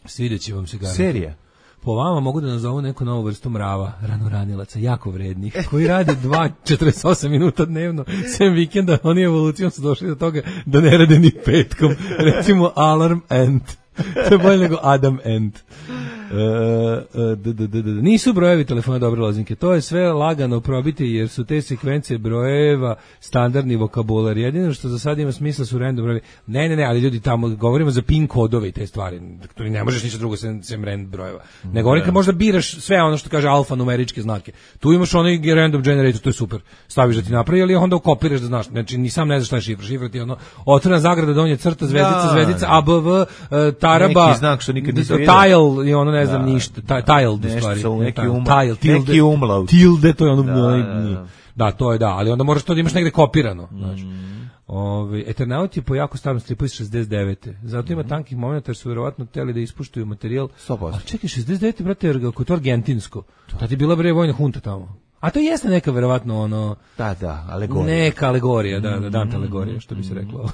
Svidjet će vam se garantno. Serija. Po vama mogu da nazovu neku novu vrstu mrava, ranoranilaca, jako vrednih, koji rade dva četrdeset osam minuta dnevno, sem vikenda, oni evolucijom su došli do toga da ne rade ni petkom. Recimo Alarm Ant. To je bolje nego Adam Ant. E, e, d, d, d, d, nisu brojevi telefona dobre lozinke, to je sve lagano probiti jer su te sekvence brojeva standardni vokabular. Jedino što za sad ima smisla su random brojevi. Ne, ne, ne, ali ljudi tamo govorimo za pin kodove i te stvari. Tu ne možeš ništa drugo sem, sem random brojeva. Ne govorim kad možda biraš sve ono što kaže alfanumeričke znake. Tu imaš onaj random generator, to je super. Staviš da ti napravi, ali onda ukopiraš da znaš. Znači ni sam ne znaš šta je šifra. Šifra ti je ono otvorena zagrada, donje crta, zvezdica, Da, zvezdica, da. A B V, uh, taraba, Neki znak što nikad nisi vidio. tile i ono ne znam Da. ništa, ta- tiled u Nešto stvari. sa u- Ne, neki tile, umlaut. tile, tilde, Neki umlaut. tilde, to je ono, Da, onaj- da, da. da, to je da, ali onda moraš to da imaš negde kopirano, Mm. znači. Ove, Eternaut je po jako starom stripu iz šezdeset devete. Zato ima tankih momenta jer su verovatno hteli da ispuštuju materijal. Mm. sto posto. Ali čekaj, šezdeset devete brate, jer ako je to argentinsko. Tad je bila bre vojna hunta tamo. A to jeste neka verovatno ono Da, da, alegorija. neka alegorija, da, da, Dante alegorija, što bi se reklo.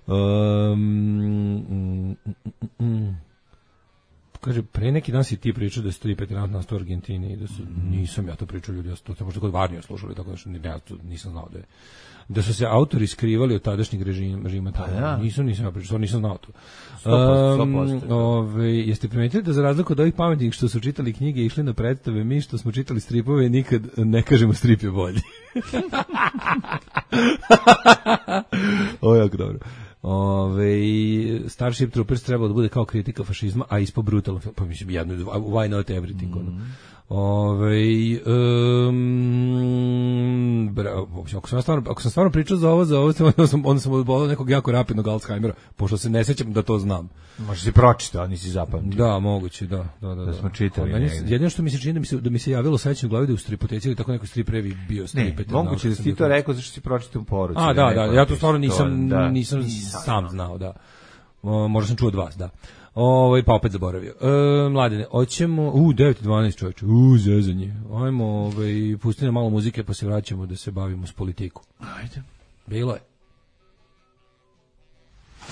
um, mm, mm, mm. Kaže, pre neki dan si ti pričao da su tri Eternaut nastao u Argentini i da su, nisam ja to pričao ljudi, ja sam to sam možda kod Varnija slušali, tako da što, ne, ja to nisam znao da je. Da su se autori skrivali od tadašnjeg režima, režima tamo. da. Nisam, nisam ja pričao, stvarno nisam znao to. sto posto, sto Um, posto. ove, jeste primetili da za razliku od ovih pametnih što su čitali knjige i išli na predstave, mi što smo čitali stripove nikad ne kažemo strip je bolji. Ovo je jako dobro. Ove, Starship Troopers trebalo da bude kao kritika fašizma, a ispo brutalno film, pa mislim jedno, why not everything, ono. Mm. Ove, um, bra, ako, sam stvarno, ako sam stvarno pričao za ovo, za ovo onda sam, onda sam odbolao nekog jako rapidnog Alzheimera, pošto se ne sećam da to znam. Možda si pročitao, nisi zapamtio. Da, moguće, da. Da, da, da. da smo čitali. Jedino što mi se čini da mi se, da mi se javilo sećanje u glavi da u stripoteci ili tako neko strip revi bio stripet. Ne, moguće da si ti to rekao zašto si pročitao u poruci. A, da, da, ja to stvarno nisam, to, da. nisam, nisam sam znao, da. O, možda sam čuo od vas, da. Ovaj pa opet zaboravio. E, mladine, hoćemo u devet dvanaest čoveče. U zezanje. Ajmo, ovaj pusti nam malo muzike pa se vraćamo da se bavimo s politikom. Ajde. Bilo je.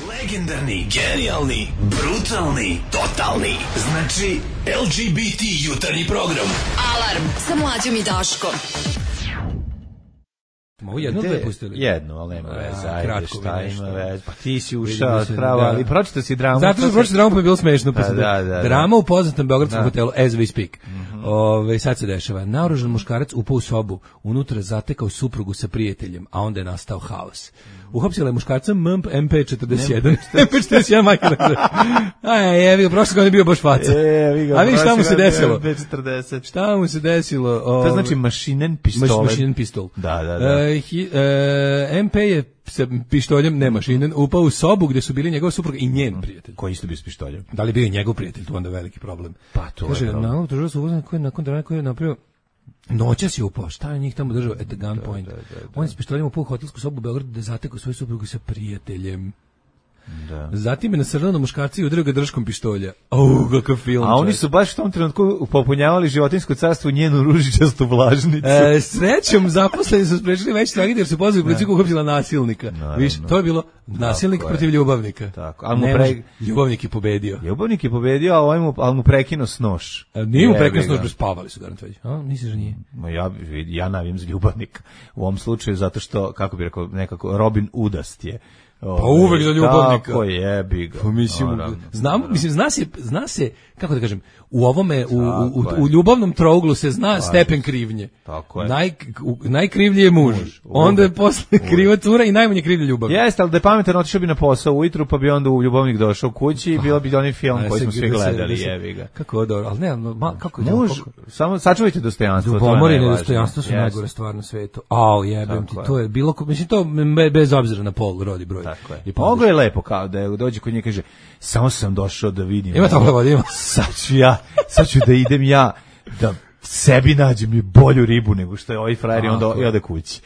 Legendarni, genijalni, brutalni, totalni. Znači L G B T jutarnji program. Alarm sa Mlađom i Daškom. Mogu jedno dve pustili? Jedno, ali nema veze. Ajde, šta ima veze? Pa ti si ušao Vidim se, pravo, da. ali pročitao si dramu. Zato što pročitao dramu pa je bilo smešno. Pa da, da, da, drama u poznatom beogradskom hotelu As We Speak. Mm-hmm. Ove, sad se dešava. Naoružan muškarac upao u sobu, unutra zatekao suprugu sa prijateljem, a onda je nastao haos. Uhapsila je muškarca M P četrdeset jedan. M P četrdeset jedan majka. Aj, jevi ga, prošle godine bio baš faca. E, a vi šta mu se desilo? M P četrdeset. Šta mu se desilo? O, to znači mašinen pistolet. Mašinen pistol. Da, da, da. E, hi, e, M P je sa pištoljem, ne mašinen, upao u sobu gde su bili njegov suprug i njen prijatelj. Koji isto bio s pištoljem? Da li bio i njegov prijatelj, to onda veliki problem. Pa to kaže, je problem. Kaže, na su uzman koji nakon drana koji je napravio noćas je upao, šta je njih tamo držao at the gunpoint. Da, da, da, da. On je s pištoljem upao u hotelsku sobu u Beogradu da je zatekao svoju suprugu sa prijateljem. Da. Zatim je nasrnuo na muškarca i udario ga držkom pištolja. Au, kakav film. A oni su baš u tom trenutku popunjavali životinjsko carstvo njenu ružičastu vlažnicu. E, srećom, zaposleni su sprečili veći tragediju jer su pozvali policiju koja uhapsila nasilnika. Viš, to je bilo nasilnik tako protiv ljubavnika. Tako. Al mu pre... ljubavnik je pobedio. Ljubavnik je pobedio, a ovaj mu, al mu prekinuo s nož. A nije mu prekinuo s nož, spavali su garant već. A, misliš da nije? Ma ja, ja navijam za ljubavnika. U ovom slučaju zato što, kako bi rekao, nekako Robin Udast je. Pa uvek za ljubavnika. Tako je, bi ga. Pa mislim, znam, mislim, zna se, zna se, kako da kažem, u ovome, u, u, u ljubavnom trouglu se zna tako stepen krivnje. Tako je. Naj, u, najkrivlji je muž, muž onda je posle kriva cura i najmanje krivlja ljubav. Jeste, ali da je pametan, otišao bi na posao ujutru, pa bi onda u ljubavnik došao kući i bilo bi onaj film koji smo svi gledali, jevi ga. Kako je dobro, ali ne, ma, kako je muž, samo sačuvajte dostojanstvo. Ljubomor i nedostojanstvo su najgore stvar na svetu. Au, jebem ti, to je bilo, mislim, to bez obzira na pol, rodi, broj. Tako je. Mogu je lepo kao da je dođe kod nje kaže samo sam došao da vidim. Ima tamo vodi, ima. Sad ću ja, sad ću da idem ja da sebi nađem i bolju ribu nego što je ovaj frajer i onda i ode kući.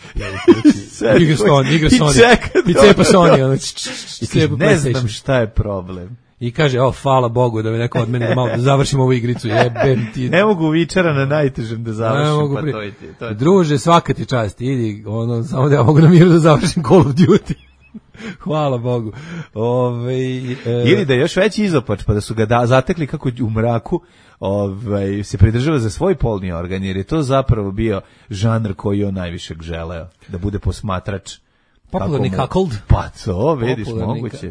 Igra Sony, igra Sony. I cepa Sony. I ne znam šta je problem. I kaže, o, hvala Bogu da me neko od mene malo da završim ovu igricu, jebem ti. Ne mogu vičara na najtežem da završim, pa pri... to je ti. To je Druže, svaka ti čast, idi, ono, samo da ja mogu na miru da završim Call of Duty. Hvala Bogu. Ove, e... Ili da je još veći izopač, pa da su ga da, zatekli kako u mraku ovaj, se pridržava za svoj polni organ, jer je to zapravo bio žanr koji on najviše želeo, da bude posmatrač. Popularni cuckold. Pa to, vidiš, moguće.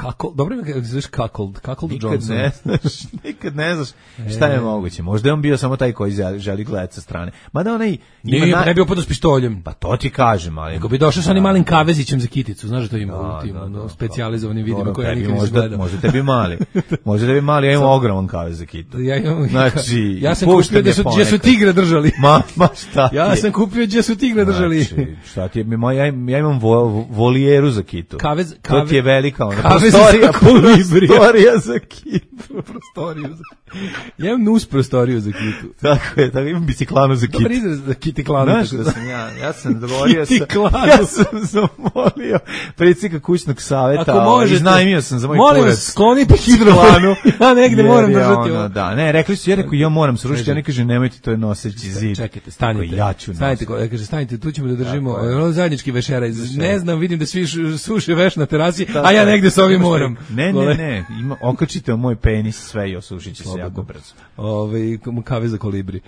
Cuckold, dobro mi zviš cuckold, cuckold Johnson. Ne znaš, nikad ne znaš šta je moguće. Možda je on bio samo taj koji želi gledati sa strane. Mada onaj... Nije, ne bi upadao s pištoljem. Pa to ti kažem, ali... Nego bi došao sa onim malim kavezićem za kiticu, znaš da to ima u tim specijalizovanim vidima koje ja nikad nisam gledao. Možda tebi mali. Možda tebi mali, ja imam ogroman kavez za kitu. Ja imam... Znači, ja sam kupio gdje su tigre držali. Ma, ma šta ti je? Ja sam kupio gdje su tigre držali. Znači, šta ti je? Ja imam volijeru za kitu. Kavez, kavez, to ti je velika ona. Prostorija, prostorija za kitu. Prostoriju za ja imam nus prostoriju za kitu. Tako je, tako imam biciklanu za kitu. Dobar izraz za kitiklanu. Znaš da sam ja, ja sam dogovorio sam, ja sam zamolio predsjednika kućnog savjeta, ali iznajmio sam za moj kurac. Molim vas, sklonite hidroplanu. Ja negde moram držati ovo. Da, ne, rekli su, ja rekao, ja moram srušiti, ja ne kaže, nemojte, to je noseći zid. Čekajte, stanite. Ja ću stanite, kaže, stanite, tu ćemo da držimo zajednički vešeraj. Ne znam, vidim da svi suše veš na terasi, a ja negde s ovim moram. Ne, ne, ne, ima, okačite o moj penis sve i osušit će se jako brzo. Ove, kave za kolibri.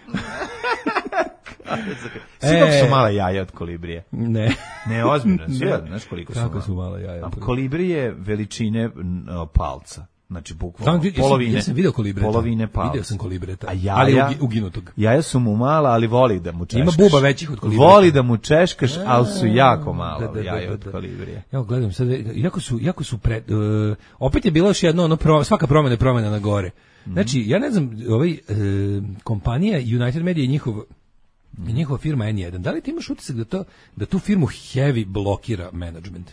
Svi kako su mala jaja od kolibrije? Ne. Ne, ozbiljno, svi, znaš koliko su Kako mala. su mala jaja? A kolibri je veličine palca. Znači, bukvalno, Znam, polovine. Ja sam video kolibreta. Polovine palca. Video sam kolibreta, A jaja, ali ugi, uginutog. Jaja su mu mala, ali voli da mu češkaš. Ima buba većih od kolibreta. Voli da mu češkaš, ali su jako mala da, da, jaja da, od da. kolibrije. Evo, gledam sad, jako su, jako su pred, uh, opet je bilo još jedno, ono, pro, svaka promjena je promjena na gore. Znači, ja ne znam, ovaj, uh, kompanija United Media i njihov, i njihova firma N jedan, da li ti imaš utisak da, to, da tu firmu heavy blokira management?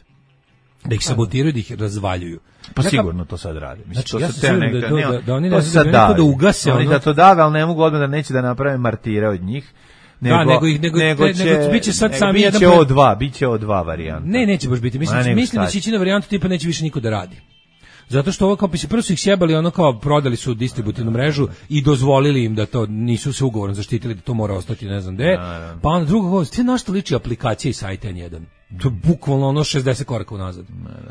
Da ih sabotiraju, da ih razvaljuju. Pa Neka, sigurno to sad radi. Mislim, znači, to ja se sam neka, da, to, ne, da, da oni to ne sad da, da ugase oni ono. da to dave, ali ne mogu odmah da neće da naprave martire od njih. Nego, da, nego ih nego, nego će, nego biće sad nego sami jedan biće O dva, biće O dva varijanta. Ne, neće baš biti. Mislim, Ma, mislim da će ići na varijantu tipa neće više niko da radi. Zato što ovo kao bi se prvo su ih sjebali, ono kao prodali su distributivnu mrežu i dozvolili im da to nisu se ugovorom zaštitili da to mora ostati ne znam gde. Pa onda drugo govor, sve na što liči aplikacija i sajt N jedan. To je bukvalno ono šezdeset koraka unazad.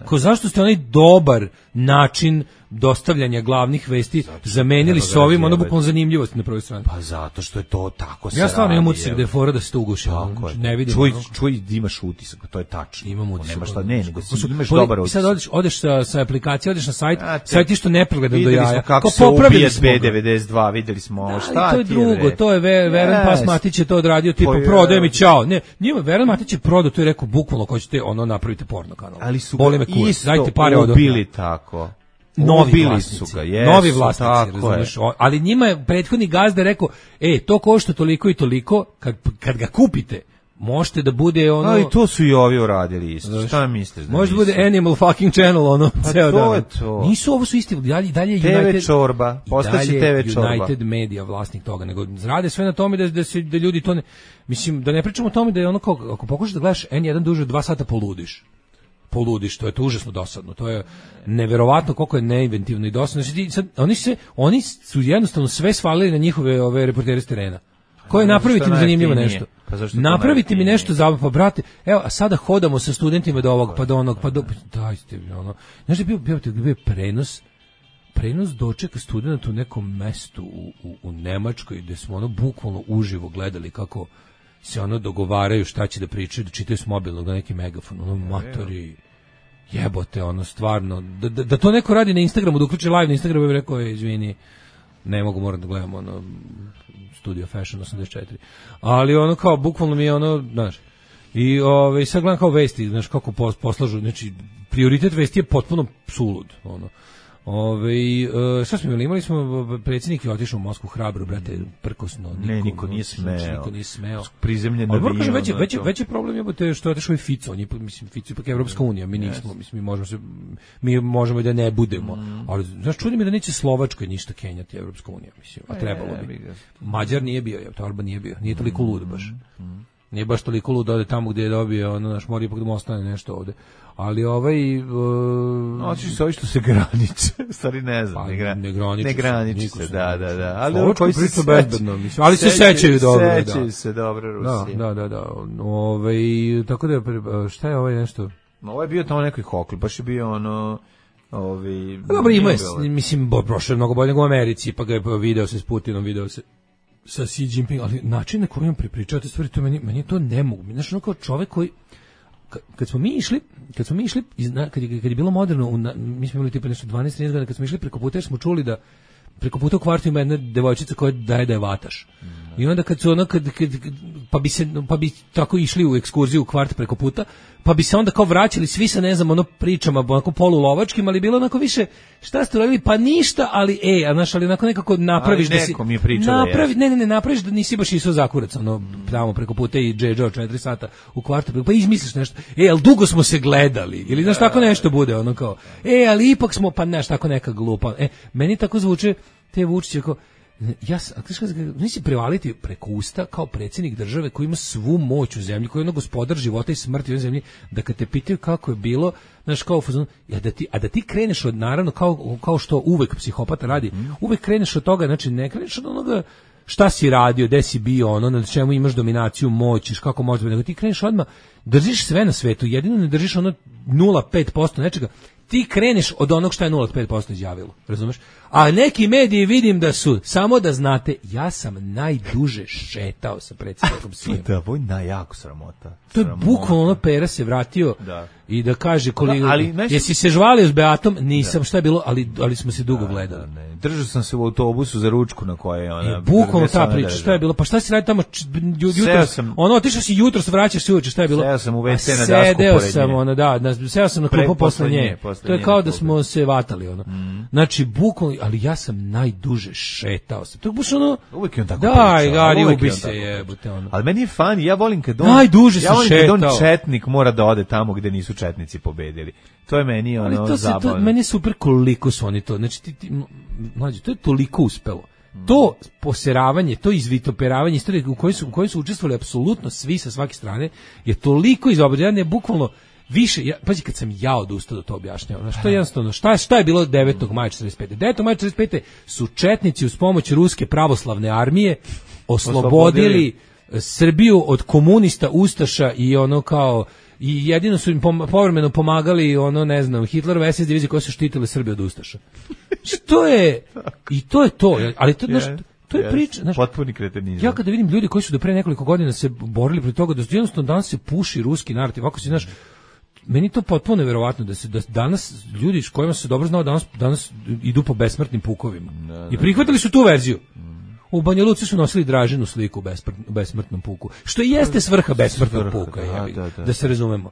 Ko zašto ste onaj dobar način dostavljanja glavnih vesti zato, zamenili s ovim, ono bukvalno zanimljivost na prvoj strani. Pa zato što je to tako se ja stvarno imam radi, utisak da je fora da se to uguši. Ne vidim. Čuj, čuj, imaš utisak, to je tačno. Imam utisak. Nema šta, ne, nego si imaš Poli, dobar utisak. Sad odeš, odeš sa, sa aplikacije, odeš na sajt, ja, te, sajt išto nepregledan do jaja. Videli smo kako se ubije B devedeset dva, videli smo ovo, šta to je ti drugo, je, to je Ver, Veran Pas Matić je to odradio, tipa prodaj mi ćao. Ne, njima Veran Matić je prodao, to je rekao bukvalno ko ćete ono napravite porno kanal. Ali su boli me kurac, dajte pare od bili tako. Novi vlasnici, su ga, jesu, novi vlasnici, razumiješ, ali njima je prethodni gazda rekao, e, to košta toliko i toliko, kad, kad ga kupite, možete da bude ono... A i to su i ovi uradili isto, znaš, šta misliš? Da može bude Animal fucking Channel, ono, pa ceo to dan. Je to. Nisu, ovo su isti, dalje, dalje T V United... čorba, postaće T V čorba. United Media vlasnik toga, nego rade sve na tome da, da, se, da ljudi to ne... Mislim, da ne pričamo o tome da je ono kao, ako pokušaš da gledaš N jedan duže od dva sata poludiš. poludiš, to je to užasno dosadno. To je neverovatno koliko je neinventivno i dosadno. Znači, sad, oni, se, oni su jednostavno sve svalili na njihove ove reportere s terena. Koje napraviti mi zanimljivo nešto. Pa napraviti mi nešto za pa brate, evo, a sada hodamo sa studentima do ovog, pa do onog, pa do... Dajte mi ono. Znaš da je bio, bio, bio prenos, prenos dočeka studenta u nekom mestu u, u, u Nemačkoj, gde smo ono bukvalno uživo gledali kako se ono dogovaraju šta će da pričaju, da čitaju s mobilnog na neki megafon, ono matori, jebote, ono stvarno, da, da, da to neko radi na Instagramu, da uključi live na Instagramu, bih rekao, izvini, ne mogu, moram da gledam ono Studio Fashion osamdeset četiri, ali ono kao, bukvalno mi je ono, znaš, i ove, sad gledam kao vesti, znaš, kako poslažu, znači, prioritet vesti je potpuno sulud, ono. Ove, uh, šta smo imali? Imali smo, predsjednik je otišao u Moskvu hrabro, brate, prkosno. Niko, ne, niko nije smeo. Niko nije smeo. Prizemljen na avion. Već, već, već je problem je što je otišao i Fico. On je, mislim, Fico je ipak Evropska unija. Mi nismo, yes. mislim, mi možemo, se, mi možemo da ne budemo. Mm. Ali, znaš, čudi mi da neće Slovačkoj ništa kenjati Evropska unija, mislim. A trebalo bi. Mađar nije bio, je, Orban nije bio. Nije toliko lud baš. Mm. Nije baš toliko lud da ode tamo gdje je dobio, ono, naš mora ipak da mu ostane nešto ovde. Ali ovaj... Uh, Oči se ovi što se graniče, stvari ne znam. Pa, ne, gra, ne graniče, ne graniče se, se, da, da, da. Ali ovo koji se bezbedno, mislim. Ali se sećaju dobro. Sećaju se dobro Rusije. Da, da, da. Ove, tako da, šta je ovaj nešto? Ovo je bio tamo nekoj hokli, baš je bio ono... Ovi, dobro, ima je, mislim, prošlo je mnogo bolje nego u Americi, pa ga je video se s Putinom, video se sa Xi Jinping, ali način na koji on prepričao te stvari, to meni, meni je to ne mogu. Znaš, ono kao čovek koji kad smo mi išli, kad smo mi išli, kad je, kad je bilo moderno, u, mi smo imali tipa nešto dvanaest trinaest godina, kad smo išli preko puta, smo čuli da preko puta u kvartu ima jedna devojčica koja daje da je vataš. Mm. I onda kad su ono, kad, kad, pa bi se, pa bi tako išli u ekskurziju u kvart preko puta, pa bi se onda kao vraćali svi sa, ne znam, ono pričama, onako polulovačkim, ali bilo onako više, šta ste radili? Pa ništa, ali e, a znaš, ali onako nekako napraviš ali da si... mi je pričao napravi, ne, ne, ne, napraviš da nisi baš išao za kurac, ono, tamo preko puta i džedžao četiri sata u kvartu, pa izmisliš nešto, e, ali dugo smo se gledali, ili znaš, tako nešto bude, ono kao, e, ali ipak smo, pa znaš, tako neka glupa, e, meni tako zvuče te Vučiće kao, ja nisi prevaliti preko usta kao predsjednik države koji ima svu moć u zemlji, koji je ono gospodar života i smrti u zemlji, da kad te pitaju kako je bilo, znaš, kao fuzon, a da ti, a da ti kreneš od, naravno, kao, kao što uvek psihopata radi, uvek kreneš od toga, znači ne kreneš od onoga šta si radio, gde si bio, ono, na čemu imaš dominaciju, moć, kako možeš, nego ti kreneš odmah, držiš sve na svetu, jedino ne držiš ono nula zarez pet posto nečega, ti kreneš od onog što je nula zarez pet posto izjavilo, razumeš? A neki mediji vidim da su, samo da znate, ja sam najduže šetao sa predsjednikom Sijem. Da, ovo je najjako sramota. To je bukvalno ono, Pera se vratio da. I da kaže koliko, da, ali, nešto... jesi se žvalio s Beatom? Nisam, da. Šta je bilo, ali, ali smo se dugo da, gledali. Da, ne. Držao sam se u autobusu za ručku na koje je ona... I bukvalno ta priča, šta je bilo? Pa šta si radi tamo jutro? Sam... Ono, otišao si jutro, vraćaš se uveče, šta je bilo? Seo sam u ve ce na dasku Sedeo sam, ono, da, na, seo sam na klupu posle nje. To je kao da smo se vatali, ono. Mm. Znači, bukvalno, ali ja sam najduže šetao sam. To je baš ono... Uvijek je on tako daj, pričao. Gari, ubi se, jebote, ono. Ali meni je fan, ja volim kad on... Najduže ja volim šetao. kad on četnik mora da ode tamo gde nisu četnici pobedili. To je meni ono ali to se, zabavno. To, meni je super koliko su oni to. Znači, ti, ti, mlađe, to je toliko uspelo. Mm. To poseravanje, to izvitoperavanje istorije u kojoj su, u kojoj su učestvovali apsolutno svi sa svake strane je toliko izobraženo, je bukvalno više, ja, pazi kad sam ja odustao da to objašnjavam, znači to je jednostavno, šta, šta je bilo devetog maja četrdeset pete? devetog maja četrdeset pete su četnici uz pomoć Ruske pravoslavne armije oslobodili Srbiju od komunista, ustaša i ono kao, i jedino su im pom, povremeno pomagali ono, ne znam, Hitlerove es es divizije koje su štitile Srbiju od ustaša. Što je, i to je to, ali to, znaš, to je priča, znaš, potpuni kretenizam. Ja kada vidim ljudi koji su do pre nekoliko godina se borili protiv toga da jednostavno danas se puši ruski narativ, ako si, znaš, meni to potpuno neverovatno da se da danas ljudi s kojima se dobro znao danas danas idu po besmrtnim pukovima. Ne, ne, I prihvatili su tu verziju. Mm. U Banja Luci su nosili Dražinu sliku u besmrtnom puku. Što i jeste svrha besmrtnog puka, da, da, da, da se razumemo.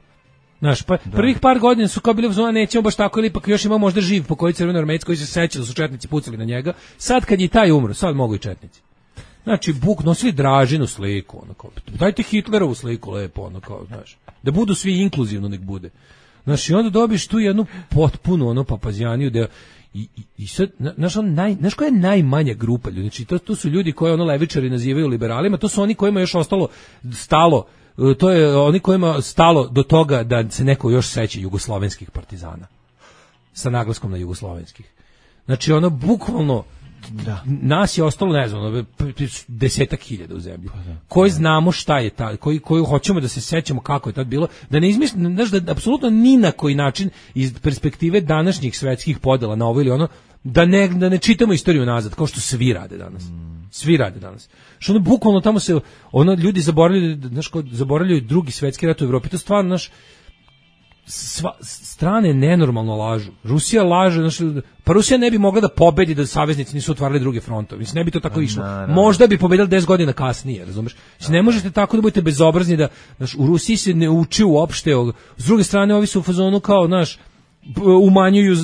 Znaš, pa da. Prvih par godina su kao bili u zona, nećemo baš tako, ili ipak još ima možda živ pokojni crvenoarmejac koji se seća da su četnici pucali na njega. Sad kad je taj umro, sad mogu i četnici. Znači, Buk nosili Dražinu sliku, ono kao, dajte Hitlerovu sliku lepo, ono kao, znaš, da budu svi inkluzivno, nek bude. Znači, onda dobiš tu jednu potpunu, ono, papazijaniju, da i, i, i sad, znaš, on naj, znaš koja je najmanja grupa ljudi, znači, to, to su ljudi koje, ono, levičari nazivaju liberalima, to su oni kojima još ostalo stalo, to je oni kojima stalo do toga da se neko još seća jugoslovenskih partizana, sa naglaskom na jugoslovenskih. Znači, ono, bukvalno, da. Nas je ostalo, ne znam, desetak hiljada u zemlji. Koji znamo šta je ta, koji, koji hoćemo da se sećamo kako je tad bilo, da ne izmislimo, znaš, da apsolutno ni na koji način iz perspektive današnjih svetskih podela na ovo ili ono, da ne, da ne čitamo istoriju nazad, kao što svi rade danas. Svi rade danas. Što ono, bukvalno tamo se, ono, ljudi zaboravljaju, znaš, zaboravljaju drugi svetski rat u Evropi, to stvarno, znaš, sva, strane nenormalno lažu. Rusija laže, znači, pa Rusija ne bi mogla da pobedi da saveznici nisu otvarali druge frontove. Mislim, ne bi to tako išlo. No, no. Možda bi pobedili deset godina kasnije, razumeš? Znači, ne možete tako da budete bezobrazni da, znaš, u Rusiji se ne uči uopšte. S druge strane, ovi su u fazonu kao, znaš, umanjuju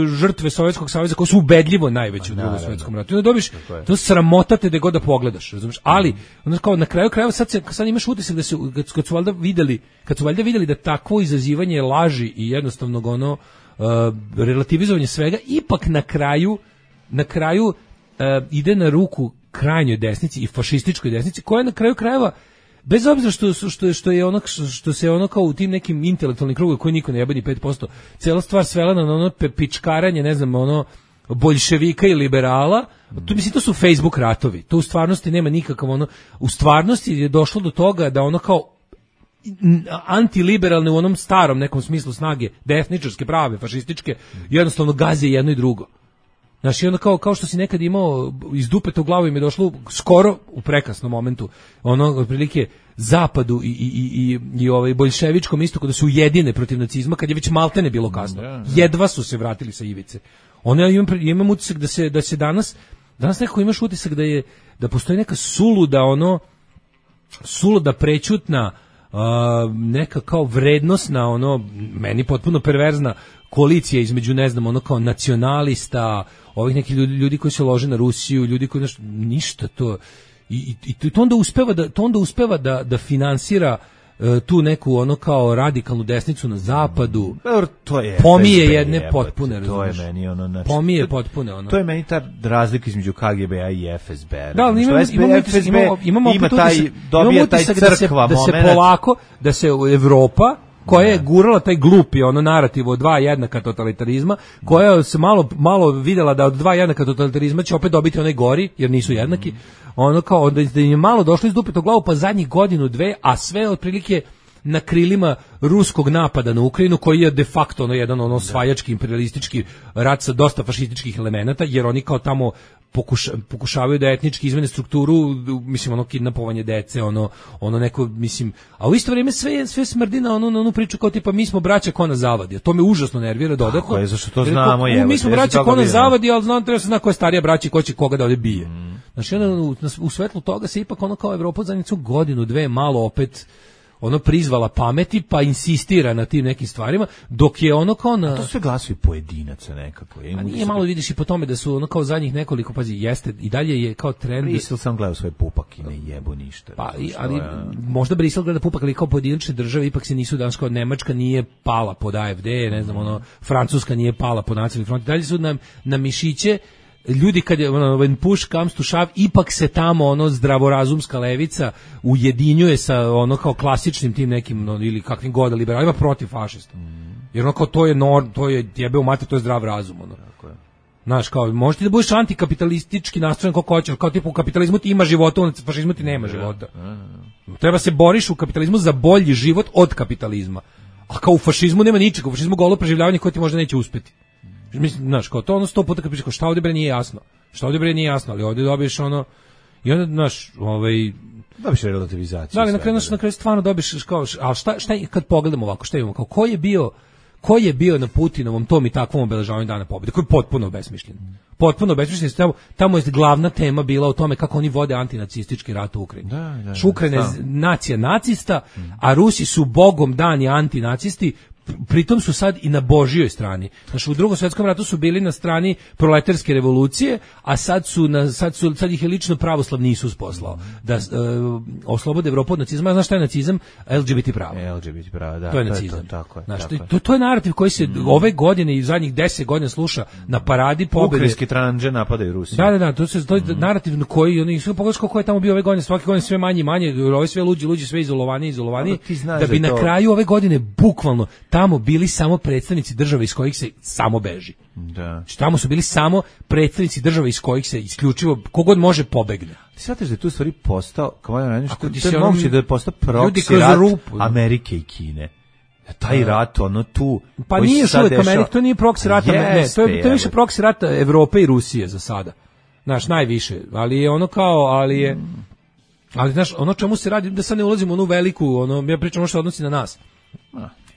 žrtve Sovjetskog saveza koji su ubedljivo najveći u Drugom svjetskom ratu. I onda dobiš, to sramotate da god da pogledaš, razumeš? Ali, onda kao na kraju krajeva sad, se, sad imaš utisak da se, kad su valjda videli, kad su valjda videli da takvo izazivanje laži i jednostavnog ono, uh, relativizovanje svega, ipak na kraju, na kraju uh, ide na ruku krajnjoj desnici i fašističkoj desnici, koja na kraju krajeva bez obzira što što što je ono što se ono kao u tim nekim intelektualnim krugovima koji niko ne jebe ni pet posto, cela stvar svela na ono pičkaranje, ne znam, ono boljševika i liberala. To mislim, to su Facebook ratovi. To u stvarnosti nema nikakav ono, u stvarnosti je došlo do toga da ono kao antiliberalne u onom starom nekom smislu snage, desničarske, prave, fašističke, jednostavno gaze jedno i drugo. Znaš, i onda kao, kao što si nekad imao iz dupeta u glavu im je došlo skoro u prekasnom momentu, ono, otprilike, zapadu i, i, i, i ovaj boljševičkom istoku da su ujedine protiv nacizma, kad je već maltene bilo kasno. Jedva su se vratili sa ivice. Ono, ja imam, imam utisak da se, da se danas, danas nekako imaš utisak da je, da postoji neka suluda, ono, suluda prećutna, Uh, neka kao vrednosna, ono, meni potpuno perverzna koalicija između, ne znam, ono kao nacionalista, ovih nekih ljudi, ljudi koji se lože na Rusiju, ljudi koji nešto, ništa to, i, i, i to onda uspeva da, to onda uspeva da, da finansira uh, tu neku ono kao radikalnu desnicu na zapadu. To je pomije F S B, jedne jebate, potpune, to je meni ono, znači, pomije potpune ono. To je meni ta razlika između K G B-a i F S B-a. Da, ali imamo, F S B, imamo, F S B imamo, imamo ima taj, dobija taj crkva da se, da se polako, da se Evropa koja je gurala taj glupi ono narativ od dva jednaka totalitarizma, koja se malo malo videla da od dva jednaka totalitarizma će opet dobiti onaj gori, jer nisu jednaki, ono kao da im je malo došlo iz dupetog glavu, pa zadnjih godinu, dve, a sve otprilike na krilima ruskog napada na Ukrajinu, koji je de facto ono jedan ono osvajački imperialistički rat sa dosta fašističkih elemenata, jer oni kao tamo Pokuša, pokušavaju da etnički izmene strukturu, mislim ono kidnapovanje dece, ono ono neko, mislim, a u isto vrijeme sve sve smrdi na onu na onu priču kao tipa mi smo braća ko nas zavadi. To me užasno nervira dodatno. Tako je, zašto to znamo, je. Mi smo braća ko nas zavadi, al znam treba se zna ko je starija braća i ko će koga da ovde bije. Mm. Znači onda u, u svetlu toga se ipak ono kao Evropa zajednicu godinu dve malo opet ono prizvala pameti pa insistira na tim nekim stvarima, dok je ono kao na... A to sve glasovi pojedinaca nekako. Je. A nije malo vidiš i po tome da su ono kao zadnjih nekoliko, pazi, jeste, i dalje je kao trend... Brisel sam gledao svoj pupak i ne jebu ništa. Pa, i, ali je... možda Brisel gleda pupak, ali kao pojedinačne države ipak se nisu danas, kao Nemačka nije pala pod A F D, ne znam, ono, Francuska nije pala pod nacionalni front, dalje su na, na mišiće ljudi kad je ono, when push comes to shove, ipak se tamo ono zdravorazumska levica ujedinjuje sa ono kao klasičnim tim nekim no, ili kakvim god liberalima protiv fašista. Mm. Jer ono kao to je nor, to je jebe u mater, to je zdrav razum ono. Tako je. Znaš, kao možete da budeš antikapitalistički nastrojen kako hoćeš, kao tipu u kapitalizmu ti ima života, u fašizmu ti nema života. Treba se boriš u kapitalizmu za bolji život od kapitalizma. A kao u fašizmu nema ničega, u fašizmu golo preživljavanje koje ti možda neće uspeti. Mislim, znaš, kao to ono sto puta kad pišeš, šta ovdje bre nije jasno, šta ovdje bre nije jasno, ali ovdje dobiješ ono, i onda, znaš, ovaj... Dobiš relativizaciju. Da, ali na kraju, na kraju stvarno dobiš, kao, a šta, šta, kad pogledamo ovako, šta imamo, kao, ko je bio, ko je bio na Putinovom tom i takvom obeležavanju Dana pobjede, koji je potpuno besmišljen. Potpuno besmišljen, tamo, tamo je glavna tema bila o tome kako oni vode antinacistički rat u Ukrajini. Da, da, Ukrajina je nacija nacista, a Rusi su bogom dani antinacisti, pritom su sad i na Božjoj strani. Znači u Drugom svjetskom ratu su bili na strani proletarske revolucije, a sad su na sad su sad ih je lično pravoslavni Isus poslao da uh, oslobode Evropu od nacizma. Znaš šta je nacizam? L G B T pravo. L G B T pravo, da. To je nacizam. To, tako je, Znaš, tako to, to, to je narativ koji se mm. ove godine i zadnjih deset godina sluša na paradi pobjede. Ukrajinski tranđe napadaju Rusiju. Da, da, da, to se to je mm. narativ na koji oni su pogledaj kako je tamo bio ove godine, svake godine sve manje i manje, ove sve luđi, luđi, sve izolovani, izolovani, da, da bi da na to... kraju ove godine bukvalno tamo bili samo predstavnici države iz kojih se samo beži. Da. Znači, tamo su bili samo predstavnici države iz kojih se isključivo kogod može pobegne. Ti shvataš da je tu stvari postao, kao ja ne znam, što je moguće da je postao proksi rat rupu. Amerike i Kine. Taj rat, ono tu... Pa nije još uvijek Amerika, to nije proksi rat, ne, to je, to je više proksi rat Evrope i Rusije za sada. Znaš, najviše, ali je ono kao, ali je... Ali, znaš, ono čemu se radi, da sad ne ulazimo u onu veliku, ono, ja pričam ono što odnosi na nas.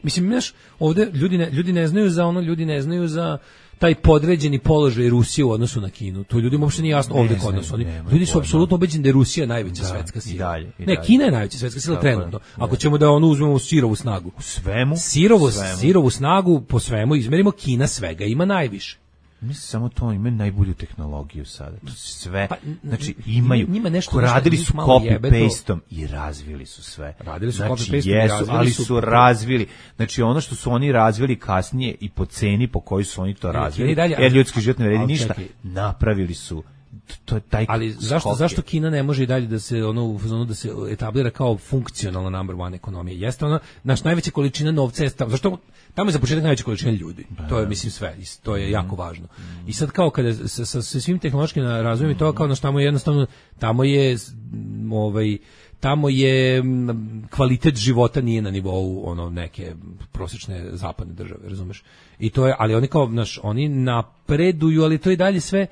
Mislim, znaš, ovdje ljudi ne, ljudi ne znaju za ono, ljudi ne znaju za taj podređeni položaj Rusije u odnosu na Kinu. To ljudima uopšte nije jasno ovdje kod nas. Oni, ljudi su apsolutno ubeđeni da je Rusija najveća da, svetska sila. I dalje, i ne, dalje. Kina je najveća svetska sila trenutno. Ako ćemo da ono uzmemo sirovu snagu. U svemu? Sirovu, svemu. sirovu snagu po svemu izmerimo, Kina svega ima najviše. Mislim samo to, imaju najbolju tehnologiju sada. To sve, pa, znači imaju, njima nešto, radili su copy-pastom i razvili su sve. Radili su znači, copy-pastom jesu, i razvili ali su, su razvili. Znači ono što su oni razvili kasnije i po ceni po kojoj su oni to razvili, dalje, jer ljudski život ne vredi ništa, čekaj. Napravili su to je taj ali zašto skok zašto Kina ne može i dalje da se ono u fazonu da se etablira kao funkcionalna number one ekonomija? Jeste ona naš najveća količina novca je tamo, zašto tamo je za početak najveća količina ljudi. To je mislim sve, to je jako važno. I sad kao kada sa, sa, sa svim tehnološkim razvojem i to kao na tamo je jednostavno tamo je ovaj tamo je kvalitet života nije na nivou ono neke prosječne zapadne države, razumeš? I to je, ali oni kao naš oni napreduju, ali to i dalje sve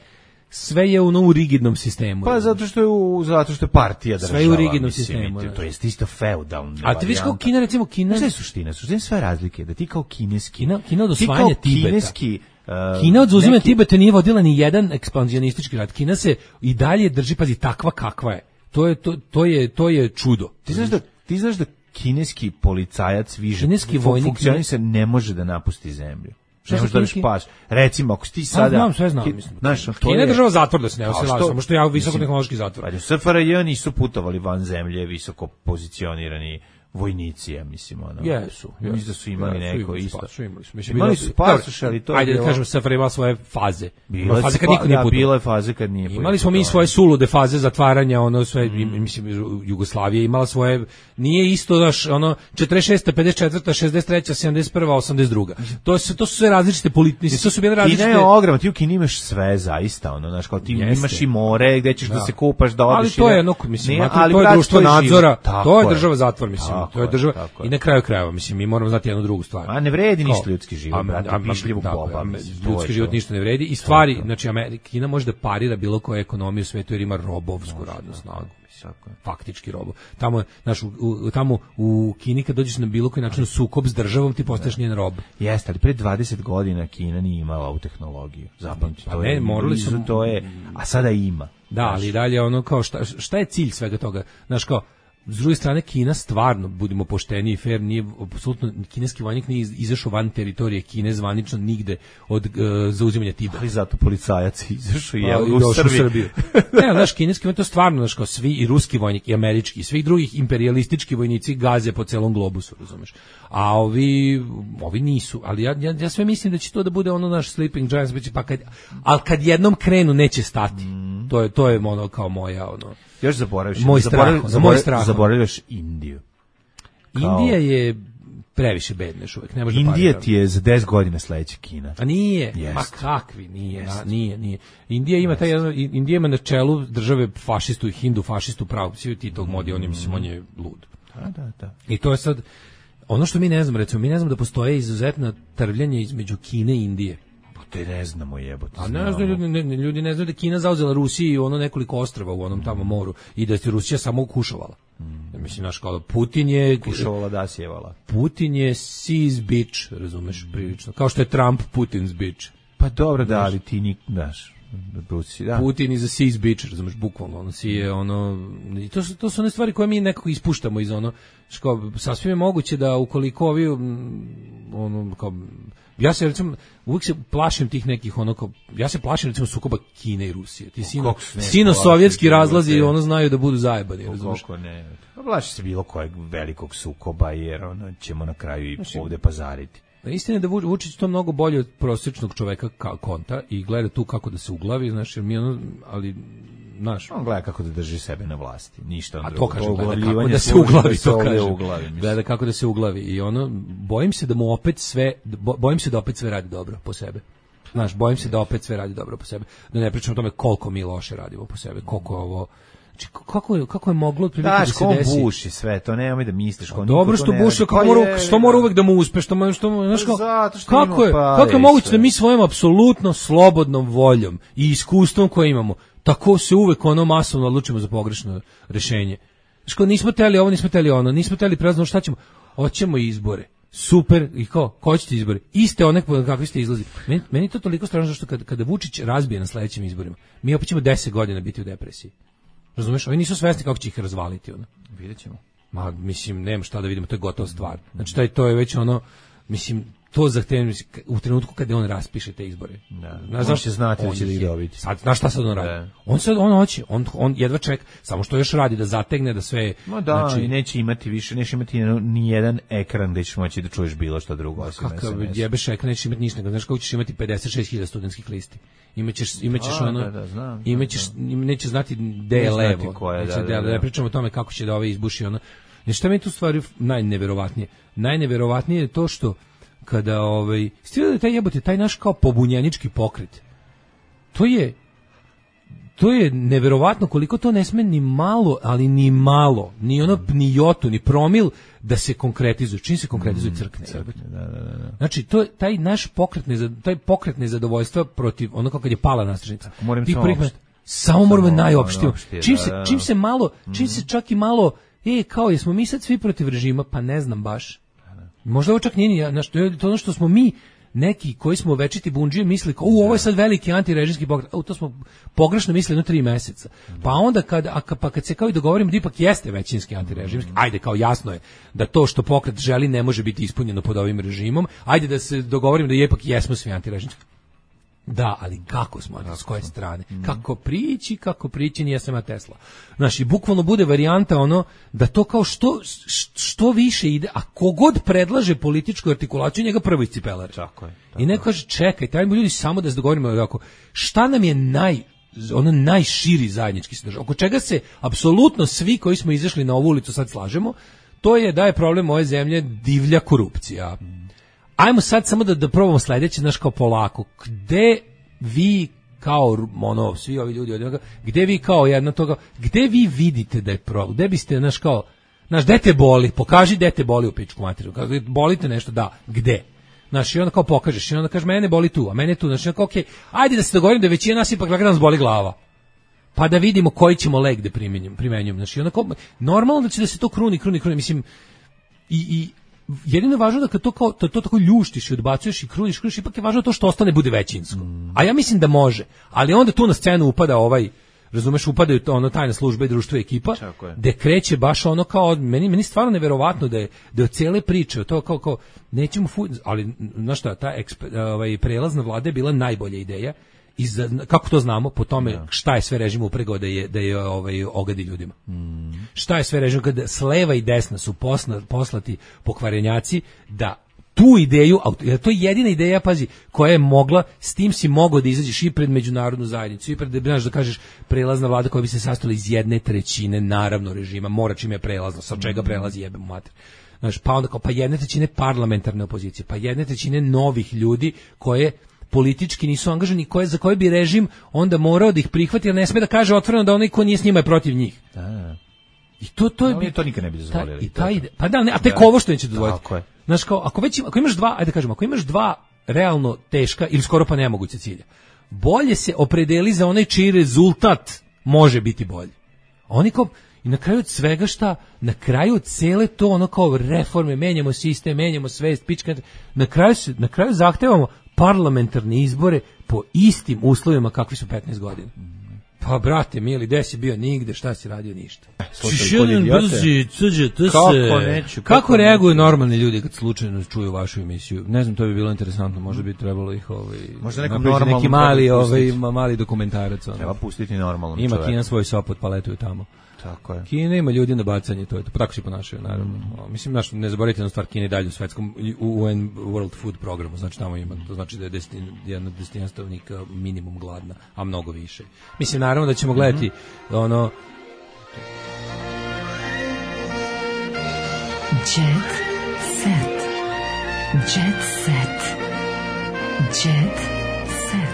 sve je u novu rigidnom sistemu. Pa zato što je u, zato što je partija država. Sve je u rigidnom sistemu. To, to je isto feudalno. A ti viš kao Kina, recimo Kina... Šta je suština? Suština je sve razlike. Da ti kao kineski... Kina, Kina od osvajanja Tibeta. Kineski, uh, Kina od zauzimanja neki... Tibeta nije vodila ni jedan ekspanzionistički rat. Kina se i dalje drži, pazi, takva kakva je. To je, to, to je, to je čudo. Ti znaš da, ti znaš da kineski policajac više kineski vojnik funkcionisa ne... ne može da napusti zemlju. Ne možeš da biš paš. Recimo, ako ti sada... Znam, sve znam, mislim. Znaš, Kina je država zatvor da se ne osjela, samo što je visokotehnološki zatvor. Ali u S F R J nisu putovali van zemlje visoko pozicionirani vojnici, ja mislim, ono. Jesu. Mislim da su imali ja, neko isto. Su imali su. Mislim, imali su pasoš, ali to je ajde bilo... da kažem, S F R J imala svoje faze. Bila faze kad niko nije putovao. Da, bila je faze kad nije putovao. Imali smo mi svoje sulude faze zatvaranja, ono sve, mm. mislim, Jugoslavija imala svoje, nije isto, daš, ono, četrdeset šesta, pedeset četvrta, šezdeset treća, sedamdeset prva, osamdeset druga. To su, to su sve različite politike, to su bile različite... Kina je ogromna, ti u Kini imaš sve, zaista, ono, znaš, kao ti Jeste. imaš i more, gde ćeš da, da se kupaš, da odeš... Ali to je, ono, mislim, ne, ali to je društvo nadzora, to je država zatvor, mislim. to je država. I na kraju krajeva, mislim, mi moramo znati jednu drugu stvar. A ne vredi ništa ljudski život, brate, pišljivo boba. Ljudski život ništa ne vredi. I stvari, znači, Amerika, Kina može da parira bilo koje ekonomije u svetu jer ima robovsku radnu snagu. Faktički robo. Tamo, znaš, u, u, tamo u Kini kad dođeš na bilo koji način sukob s državom, ti postaješ njen rob. Jeste, ali pre dvadeset godina Kina nije imala ovu tehnologiju. Zapamti, pa to ne, je, morali su, to je, a sada ima. Da, ali i dalje ono kao šta, šta je cilj svega toga? Znaš kao, s druge strane, Kina stvarno, budimo pošteni i fair, nije, apsolutno, kineski vojnik nije izašao van teritorije Kine zvanično nigde od uh, zauzimanja Tibeta. Ali zato policajac izašao i, i u Srbiji. Srbiju. Ne, znaš, kineski vojnik to stvarno, znaš, kao svi, i ruski vojnik, i američki, i svih drugih imperialistički vojnici gaze po celom globusu, razumeš. A ovi, ovi nisu, ali ja, ja, ja sve mislim da će to da bude ono naš Sleeping Giants, pa kad, ali kad jednom krenu neće stati. Mm. To je, to je ono kao moja, ono... Još zaboraviš. Moj strah, za moj strah. Zaboravljaš Indiju. Kao... Indija je previše bedna još uvek. Ne može Indija ti je za deset godina sledeća Kina. A nije, Jest. ma kakvi, nije, na, nije, nije. Indija ima taj jedan, Indija ima na čelu države fašistu i hindu, fašistu pravu, svi ti tog modi, on je, mislim, on je lud. Da, da, da. I to je sad, ono što mi ne znamo, recimo, mi ne znamo da postoje izuzetna trvljanja između Kine i Indije. Te ne znamo jebote. A ne znaju ljudi, ne, ljudi ne znaju da je Kina zauzela Rusiji i ono nekoliko ostrva u onom tamo moru i da je Rusija samo ukušovala. Mm. Mislim, naš kao Putin je... Kušovala da sjevala. Putin je Si's bitch, razumeš, prilično. Kao što je Trump Putin's bitch. Pa dobro, da, ali ti nik, daš... Da. Putin is a Si's bitch, razumeš, bukvalno. Ono, si je ono... I to su, to su one stvari koje mi nekako ispuštamo iz ono... Ško, sasvim je moguće da ukoliko ovi... Ono, kao... Ja se recimo uvijek se plašim tih nekih ono kao, ja se plašim recimo sukoba Kine i Rusije. Ti sino sino sovjetski razlazi i ono znaju da budu zajebani, razumiješ? Kako ne. Plaši se bilo kojeg velikog sukoba jer ono ćemo na kraju i znači, ovde pazariti. Istina je da Vučić to mnogo bolje od prosječnog čoveka kao konta i gleda tu kako da se uglavi, znači mi ono, ali naš. On gleda kako da drži sebe na vlasti, ništa on drugo. A to kaže, gleda kako da se uglavi, to kaže. Uglavi, gleda kako da se uglavi i ono, bojim se da mu opet sve, bojim se da opet sve radi dobro po sebe. Znaš, bojim se da opet sve radi dobro po sebe. Da ne pričam o tome koliko mi loše radimo po sebe, koliko je ovo... Znači, kako je, kako je moglo otprilike da se desi? Da, buši sve, to nemoj da misliš. Ko dobro što buši, kako mora, što mora uvek da mu uspe, što mora, što, znaš, kako, kako je, kako je moguće da mi svojom apsolutno slobodnom voljom i iskustvom koje imamo, tako se uvek ono masovno odlučimo za pogrešno rešenje. Znaš, kao nismo teli ovo, nismo teli ono, nismo teli prazno, šta ćemo? Hoćemo izbore. Super, i ko? Ko ćete izbori? Iste one kakvi ste izlazi. Meni, meni to toliko strašno što kada, kada Vučić razbije na sledećim izborima, mi opet ćemo deset godina biti u depresiji. Razumeš, oni nisu svesni kako će ih razvaliti, ono. Vidjet ćemo. Ma, mislim, nema šta da vidimo, to je gotova stvar. Znači, taj, to je već ono, mislim, to zahtevno, u trenutku kada on raspiše te izbore. Da. Znaš, on će znati da će da ih dobiti. Sad, znaš šta sad on radi? Da. On sad, on hoće, on, on jedva čeka, samo što još radi, da zategne, da sve... Ma da, znači, i neće imati više, neće imati ni jedan ekran gde ćeš moći da čuješ bilo što drugo. Kakav jebeš ekran, nećeš imati ništa, znaš kako ćeš imati pedeset šest hiljada studentskih listi. Imaćeš, imaćeš A, ono, da, da, znam, imaćeš, da. neće znati gde je levo. Koje, neće, da, da, da, da, da ne pričamo o tome kako će da ove izbuši ono. Znači, šta mi je tu stvari najneverovatnije? Najneverovatnije je to što kada ovaj stvara da taj jebote taj naš kao pobunjenički pokret. To je to je neverovatno koliko to ne sme ni malo, ali ni malo, ni ono ni jotu, ni promil da se konkretizuje. Čim se konkretizuje crkne. crkne da, da, da. Znači to taj naš pokret ne taj pokret nezadovoljstva protiv ono kako kad je pala nastrešnica. Ti prihvat samo moramo najopštije. Čim se čim se malo, čim se čak i malo, e kao jesmo mi sad svi protiv režima, pa ne znam baš. Možda ovo čak nije, znaš, to je to ono što smo mi, neki koji smo večiti bundžije mislili, kao, u, ovo je sad veliki antirežimski pokret, u, to smo pogrešno mislili jedno tri meseca. Pa onda, kad, a, pa kad se kao i dogovorimo da ipak jeste većinski antirežimski, ajde, kao jasno je da to što pokret želi ne može biti ispunjeno pod ovim režimom, ajde da se dogovorimo da ipak jesmo svi antirežimski. Da, ali kako smo, s koje strane? Mm. Kako prići, kako prići, nije sama Tesla. Znaš, i bukvalno bude varijanta ono, da to kao što, što više ide, a kogod predlaže političku artikulaciju, njega prvo iscipelare. Tako je. Tako I neko kaže, čekaj, tajmo ljudi samo da se dogovorimo, ako, šta nam je naj, ono najširi zajednički sadržaj, oko čega se apsolutno svi koji smo izašli na ovu ulicu sad slažemo, to je da je problem ove zemlje divlja korupcija. Mm. Ajmo sad samo da, da probamo sledeće, znaš, kao polako. Gde vi kao, ono, svi ovi ljudi od njega, gde vi kao jedna toga, gde vi vidite da je problem? Gde biste, znaš, kao, Znaš, gde te boli? Pokaži gde te boli u pičku materiju. Kako bolite nešto, da, gde? Znaš, i onda kao pokažeš, i onda kažeš, mene boli tu, a mene tu. Znaš, kao, okej, ajde da se dogovorim da većina nas ipak da nas boli glava. Pa da vidimo koji ćemo lek da primenjujemo. primenjujemo. Znači, onda kao, normalno da će da se to kruni, kruni, kruni. Mislim, i, i jedino je važno da kad to, kao, to, to tako ljuštiš i odbacuješ i kruniš, kruniš, ipak je važno to što ostane bude većinsko. Mm. A ja mislim da može. Ali onda tu na scenu upada ovaj, razumeš, upadaju to ono tajna služba i društvo i ekipa, gde kreće baš ono kao, meni, meni stvarno neverovatno da je, da je od cijele priče, to kao, kao nećemo, fu, ali, znaš šta, ta eksper, ovaj, prelazna vlada je bila najbolja ideja, i za, kako to znamo, po tome šta je sve režim upregao da je, da je ovaj, ogadi ljudima. Mm. Šta je sve režim, kada s leva i desna su posna, poslati pokvarenjaci da tu ideju, to je jedina ideja, pazi, koja je mogla, s tim si mogao da izađeš i pred međunarodnu zajednicu, i pred, znaš, da kažeš, prelazna vlada koja bi se sastojala iz jedne trećine, naravno, režima, mora čim je prelazno, sa čega prelazi jebem mater. Znaš, pa onda kao, pa jedne trećine parlamentarne opozicije, pa jedne trećine novih ljudi koje politički nisu angažani, koje, za koje bi režim onda morao da ih prihvati, jer ne sme da kaže otvoreno da onaj ko nije s njima je protiv njih. Da. I to, to je... No, to nikad ne bi dozvolili. Ta, i ta ide, pa da, ne, a tek da. Ovo što neće dozvoliti. Znaš, kao, ako, već, ako imaš dva, ajde da kažemo, ako imaš dva realno teška ili skoro pa nemoguće cilja, bolje se opredeli za onaj čiji rezultat može biti bolji. Oni kao, i na kraju od svega šta, na kraju cele to ono kao reforme, menjamo sistem, menjamo svest, pička, na kraju, na kraju zahtevamo parlamentarne izbore po istim uslovima kakvi su petnaest godina. Pa brate, mili, gde si bio? Nigde, šta si radio? Ništa. Brzi, cuđe, to kako se... neću, kako, kako reaguju normalni ljudi kad slučajno čuju vašu emisiju? Ne znam, to bi bilo interesantno, možda bi trebalo ih ovaj, možda neki mali, ovaj, mali dokumentarac. Ono. Treba pustiti normalno. Ima čovjek. Kina svoj sopot, paletuju tamo. Tako je. Kina ima ljudi na bacanje, to je to. Pa tako se ponašaju, naravno. Mm. Mislim, naš, ne zaboravite jednu stvar, Kina i dalje u svetskom U N World Food programu, znači tamo ima, to znači da je desetin, jedna desetina stanovnika minimum gladna, a mnogo više. Mislim, naravno da ćemo gledati mm-hmm. ono... Jet set. Jet set. Jet set.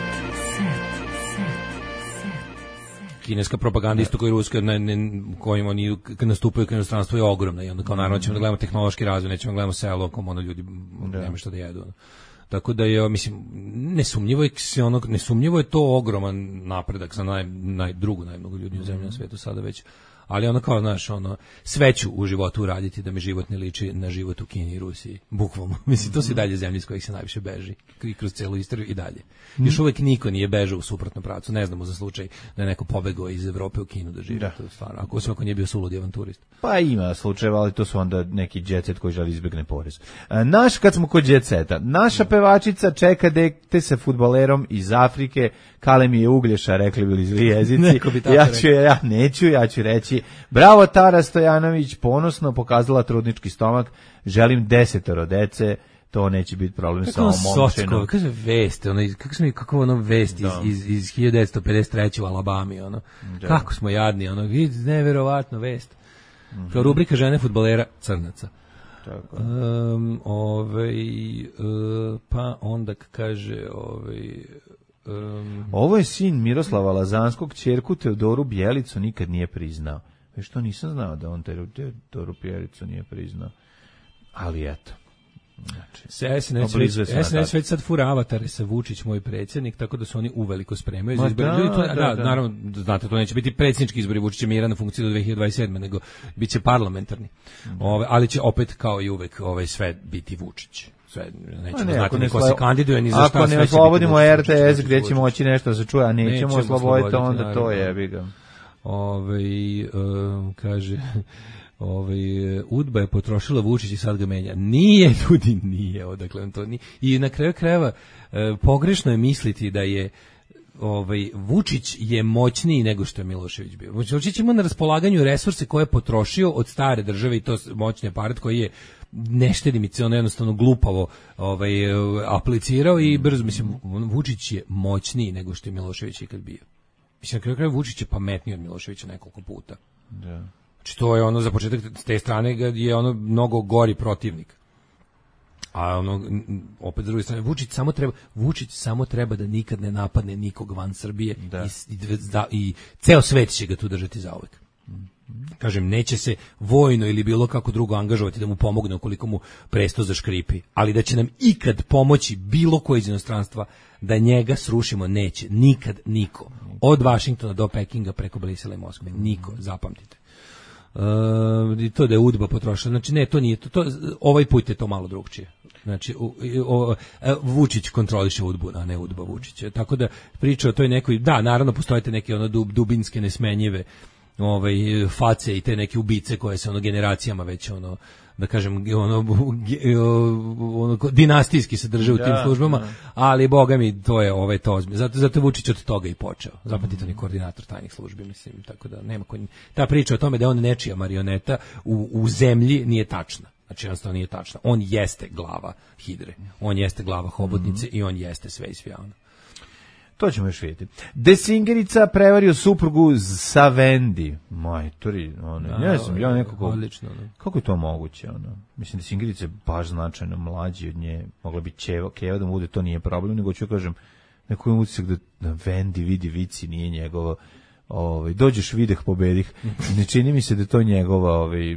Kineska propaganda isto kao i ruska, na, na kojim oni kad nastupaju kao inostranstvo je ogromna i onda kao naravno ćemo da gledamo tehnološki razvoj, nećemo da gledamo selo, kao ono ljudi nema šta da jedu. Ono. Tako da je, mislim, nesumnjivo je, ono, nesumnjivo je to ogroman napredak za naj, naj, drugu najmnogo ljudi u zemlji na svetu sada već. Ali ono kao, znaš, ono, sve ću u životu uraditi da mi život ne liči na život u Kini i Rusiji. Bukvalno. Mislim, to su i dalje zemlje iz kojih se najviše beži. I kroz celu istoriju i dalje. Još uvijek niko nije bežao u suprotnom pravcu. Ne znamo za slučaj da je neko pobegao iz Evrope u Kinu da živi. Da. To je stvarno. Ako se ako nije bio suludi avanturist. Pa ima slučajeva, ali to su onda neki jet set koji želi izbjegne porez. Naš, kad smo kod jet seta, naša pevačica čeka dete sa fudbalerom iz Afrike. Kale mi je Uglješa, rekli bili zli jezici. Ja ću, ja neću, ja ću reći bravo Tara Stojanović, ponosno pokazala trudnički stomak, želim desetoro dece, to neće biti problem kako sa ovom momčenom. Kako je vest, ono, kako smo, kako ono vest iz, iz, iz hiljadu devetsto pedeset treće u Alabami, ono. Da. Kako smo jadni, ono, vidi, neverovatno vest. Mm-hmm. Kao rubrika žene fudbalera crnaca. Tako. Um, ovaj, uh, pa onda kaže, ovaj, Um, ovo je sin Miroslava Lazanskog, ćerku Teodoru Bjelicu nikad nije priznao. E što nisam znao da on Teodoru Bjelicu nije priznao. Ali eto. Znači, S N S već sad fura avatare sa Vučić, moj predsjednik, tako da su oni uveliko spremaju za izbore. Da, to, da, da, da, naravno, znate, to neće biti predsjednički izbori, Vučić će mira na funkciji do dve hiljade dvadeset sedme, nego bit će parlamentarni. Mm. Ove, ali će opet, kao i uvek, ovaj, sve biti Vučić. Sve, nećemo ne, znati ni ko se kandiduje, ni za šta. Ako ne oslobodimo R T S gdje će moći nešto da se čuje, a nećemo osloboditi, onda naravno, to jebi ga. Ove, um, kaže... Ovaj Udba je potrošila Vučić i sad ga menja. Nije, ljudi, nije, odakle on to nije. I na kraju krajeva e, pogrešno je misliti da je ovaj Vučić je moćniji nego što je Milošević bio. Vučić ima na raspolaganju resurse koje je potrošio od stare države i to moćni aparat koji je neštedimice, on jednostavno glupavo ovaj, aplicirao i brzo, mislim, Vučić je moćniji nego što je Milošević ikad bio. Mislim, na kraju krajeva Vučić je pametniji od Miloševića nekoliko puta. Da. Znači, to je ono, za početak, s te strane je ono mnogo gori protivnik. A ono, opet s druge strane, Vučić samo treba, Vučić samo treba da nikad ne napadne nikog van Srbije da. i, i, da, i ceo svet će ga tu držati zauvek. Kažem, neće se vojno ili bilo kako drugo angažovati da mu pomogne ukoliko mu presto zaškripi, ali da će nam ikad pomoći bilo ko iz inostranstva da njega srušimo, neće. Nikad niko. Od Vašingtona do Pekinga preko Brisela i Moskve. Niko, zapamtite. Uh, i to da je UDBA potrošila. Znači, ne, to nije to. to ovaj put je to malo drugčije. Znači, u, o, Vučić kontroliše UDBU, a ne UDBA Vučić. Tako da priča o toj nekoj, da, naravno postoje te neke ono dub, dubinske nesmenjive ovaj face i te neke ubice koje se ono generacijama već ono da kažem ono, ono dinastijski se drže u tim ja, službama, ja. Ali boga mi to je ovaj to zato zato je Vučić od toga i počeo. Zapamtite, on je koordinator tajnih službi, mislim, tako da nema ko, ta priča o tome da je on nečija marioneta u, u zemlji nije tačna. Znači, jednostavno nije tačna. On jeste glava Hidre, on jeste glava hobotnice mm-hmm. i on jeste sve i svijano. To ćemo još vidjeti. Desingerica prevario suprugu sa Vendi. Majtori, ono, ne znam, ja nekako... Odlično, ne. Kako je to moguće, ono? Mislim, Desingerica je baš značajno mlađi od nje. Mogla bi Keva, Keva da mu bude, to nije problem, nego ću kažem, neko je utisak da, da Vendi vidi vici, nije njegovo... Ovaj dođeš videh pobedih. Ne čini mi se da to njegova ovaj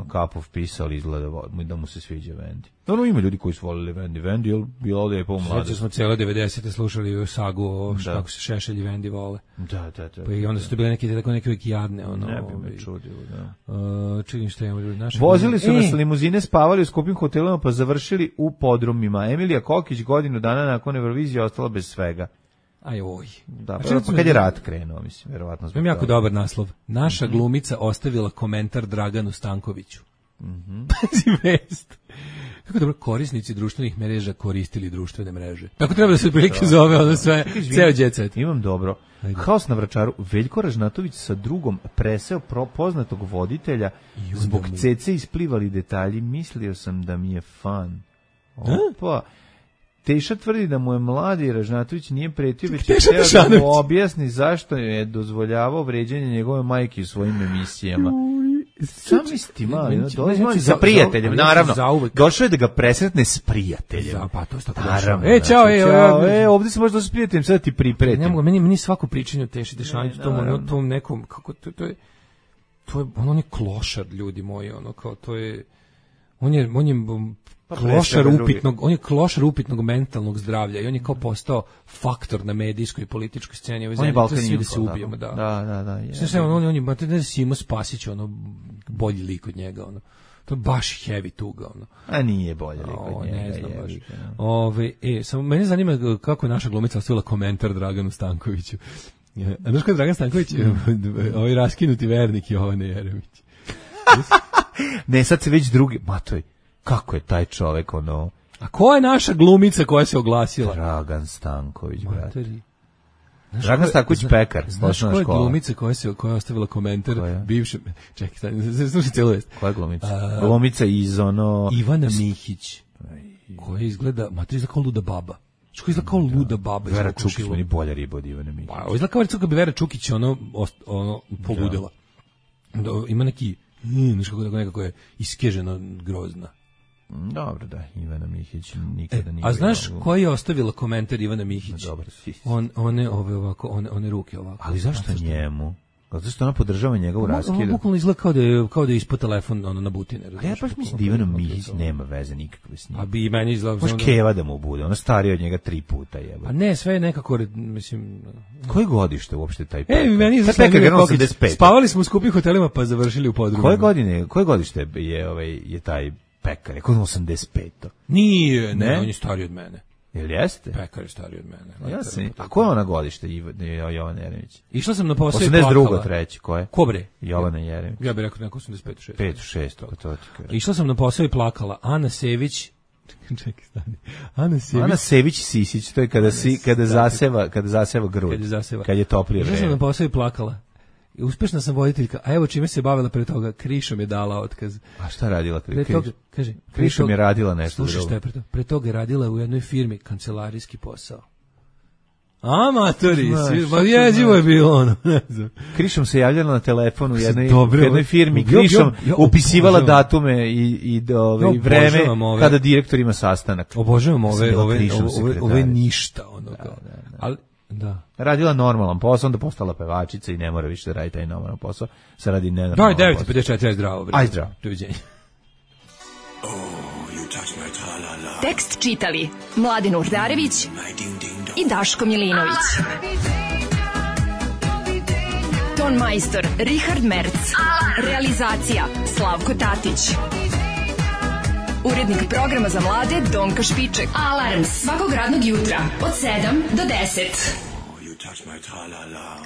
Kapov pisao, izgleda da mu se sviđa Vendi. No, ima ljudi koji su voleli Vendi. Vendi je bilo ovdje je po mladosti. Znači smo cijele devedesete slušali sagu o kako se Šešelj i Vendi vole. Da, da, da. Pa i onda su to bile neke tako neke jadne, ono. Ne bi me čudilo, da. Uh, čekaj, šta imamo ljudi naši. Vozili su nas limuzine, spavali u skupim hotelima, pa završili u podrumima. Emilija Kokić godinu dana nakon Eurovizije ostala bez svega. Aj oj. Da, pa, pa kad je rat krenuo, mislim, verovatno zbog toga. Jako dobar naslov. Naša mm-hmm. glumica ostavila komentar Draganu Stankoviću. Mhm. Pazi vest. Kako dobro, korisnici društvenih mreža koristili društvene mreže. Tako treba da se otprilike zove ono sve, ceo jet set. Imam dobro. Ajde. Haos na Vračaru. Veljko Ražnatović sa drugom preseo pro poznatog voditelja. Zbog mu... cece isplivali detalji. Mislio sam da mi je fan. Opa. Teša tvrdi da mu je mladi Ražnatović nije pretio, već je htio da mu objasni zašto je dozvoljavao vređanje njegove majke u svojim emisijama. Sam misli, mali, no, dolazi sa prijateljem, naravno. Došao je da ga presretne s prijateljem. Da, pa to je tako došao. E, čao, e, e, ovdje se možda s prijateljem, sad ti pripretim. Ne mogu, meni, meni svako pričanje o Teši Dešaniću, tom, tom nekom, kako, to, to je, to je, on, on je klošar, ljudi moji, ono, kao, to je, on je, on je, klošar upitnog, on je klošar upitnog mentalnog zdravlja i on je kao postao faktor na medijskoj i političkoj sceni ove zemlje. To svi da se ubijemo, da. Da, da, da. Je. Sve on on je mate da se ima Spasić, ono bolji lik od njega, ono. To je baš heavy tuga, ono. A nije bolji lik od njega. Ne znam baš. Ove, e, samo mene zanima kako je naša glumica ostavila komentar Draganu Stankoviću. A znaš ko je Dragan Stanković? Ovaj raskinuti vernik Jovane Jeremić. Ne, sad se već drugi, ma to je kako je taj čovjek, ono... A ko je naša glumica koja se oglasila? Dragan Stanković, brate. Dragan Stanković pekar. Znaš ko je glumica koja, se, koja je ostavila komentar bivšem... Čekaj, stani, slušaj cijelu vest. Koja je glumica? A, glumica iz ono... Ivana Mihić, koja izgleda... Matri izgleda kao luda baba. Što izgleda kao luda baba? Vera Čukić, meni bolja riba od Ivane Mihić. Pa, izgleda kao kad bi Vera Čukić ono, ono poludela. Da. Ima neki... Znaš kako nekako je iskeženo grozna. Dobro, da, Ivana Mihić nikada nije. E, a znaš koji je ostavila komentar Ivana Mihić? Dobro, on one ove ovako, one one ruke ovako. Ali zašto njemu? Zato što ona podržava njegovu raskidu. On bukvalno izgleda kao da je kao da je ispod telefon ono na butine. A ja baš mislim da Ivana Mihić nema veze nikakve s njim. A bi meni izgleda baš Keva da mu bude. Ona starija od njega tri puta jebote. A ne, sve je nekako mislim. Koje godište uopšte taj Pekar? E, meni izgleda spavali smo u skupim hotelima pa završili u podrumu. Koje godine, koje godište je ovaj je taj Pekar? Kako osamdeset pet. Nije, ne, ne, on je stariji od mene. Jel jeste? Pekar je stariji od mene. Ja sam. A ko je ona godište Jovana Jeremić? Išla sam na posao i plakala. osamdeset druga treće ko je? Ko bre? Jovana Jeremić. Ja bih rekao neko osamdeset pet šest. pet šest, to to ti kažem. Išla sam na posao i plakala. Ana Sević. Čekaj, stani. Ana Sević. Ana Sević Sisić, to je kada si kada zaseva, kada zaseva grud. Kad je zaseva. Kad je toplije vreme. Išla sam na posao i plakala. I uspešna sam voditeljka, a evo čime se bavila pre toga, Krišom je dala otkaz. A šta radila Krišom? Pre toga, kaže, Krišom je radila nešto drugo. Slušaj šta je pre toga. Pre toga je radila u jednoj firmi kancelarijski posao. Amatori, pa jezivo je bilo ono, ne znam. Krišom se javljala na telefonu u jednoj, jednoj firmi, Krišom upisivala datume i, i, ove, i vreme kada direktor ima sastanak. Obožavam ove, ove, ove, ove ništa. Ono, da, da, da. Ali Da. Radila normalan posao, onda postala pevačica i ne mora više da radi taj normalan posao. Sad radi nenormalan Daj, posao. devet pedeset četiri, aj zdravo. Aj zdravo. Doviđenja. Tekst čitali Mladin Urdarević i Daško Milinović. Ton majstor Richard Merc. Realizacija Slavko Tatić. Urednik programa za mlade Donka Špiček. Alarms svakog radnog jutra od sedam do deset. You touch my tra-la-la.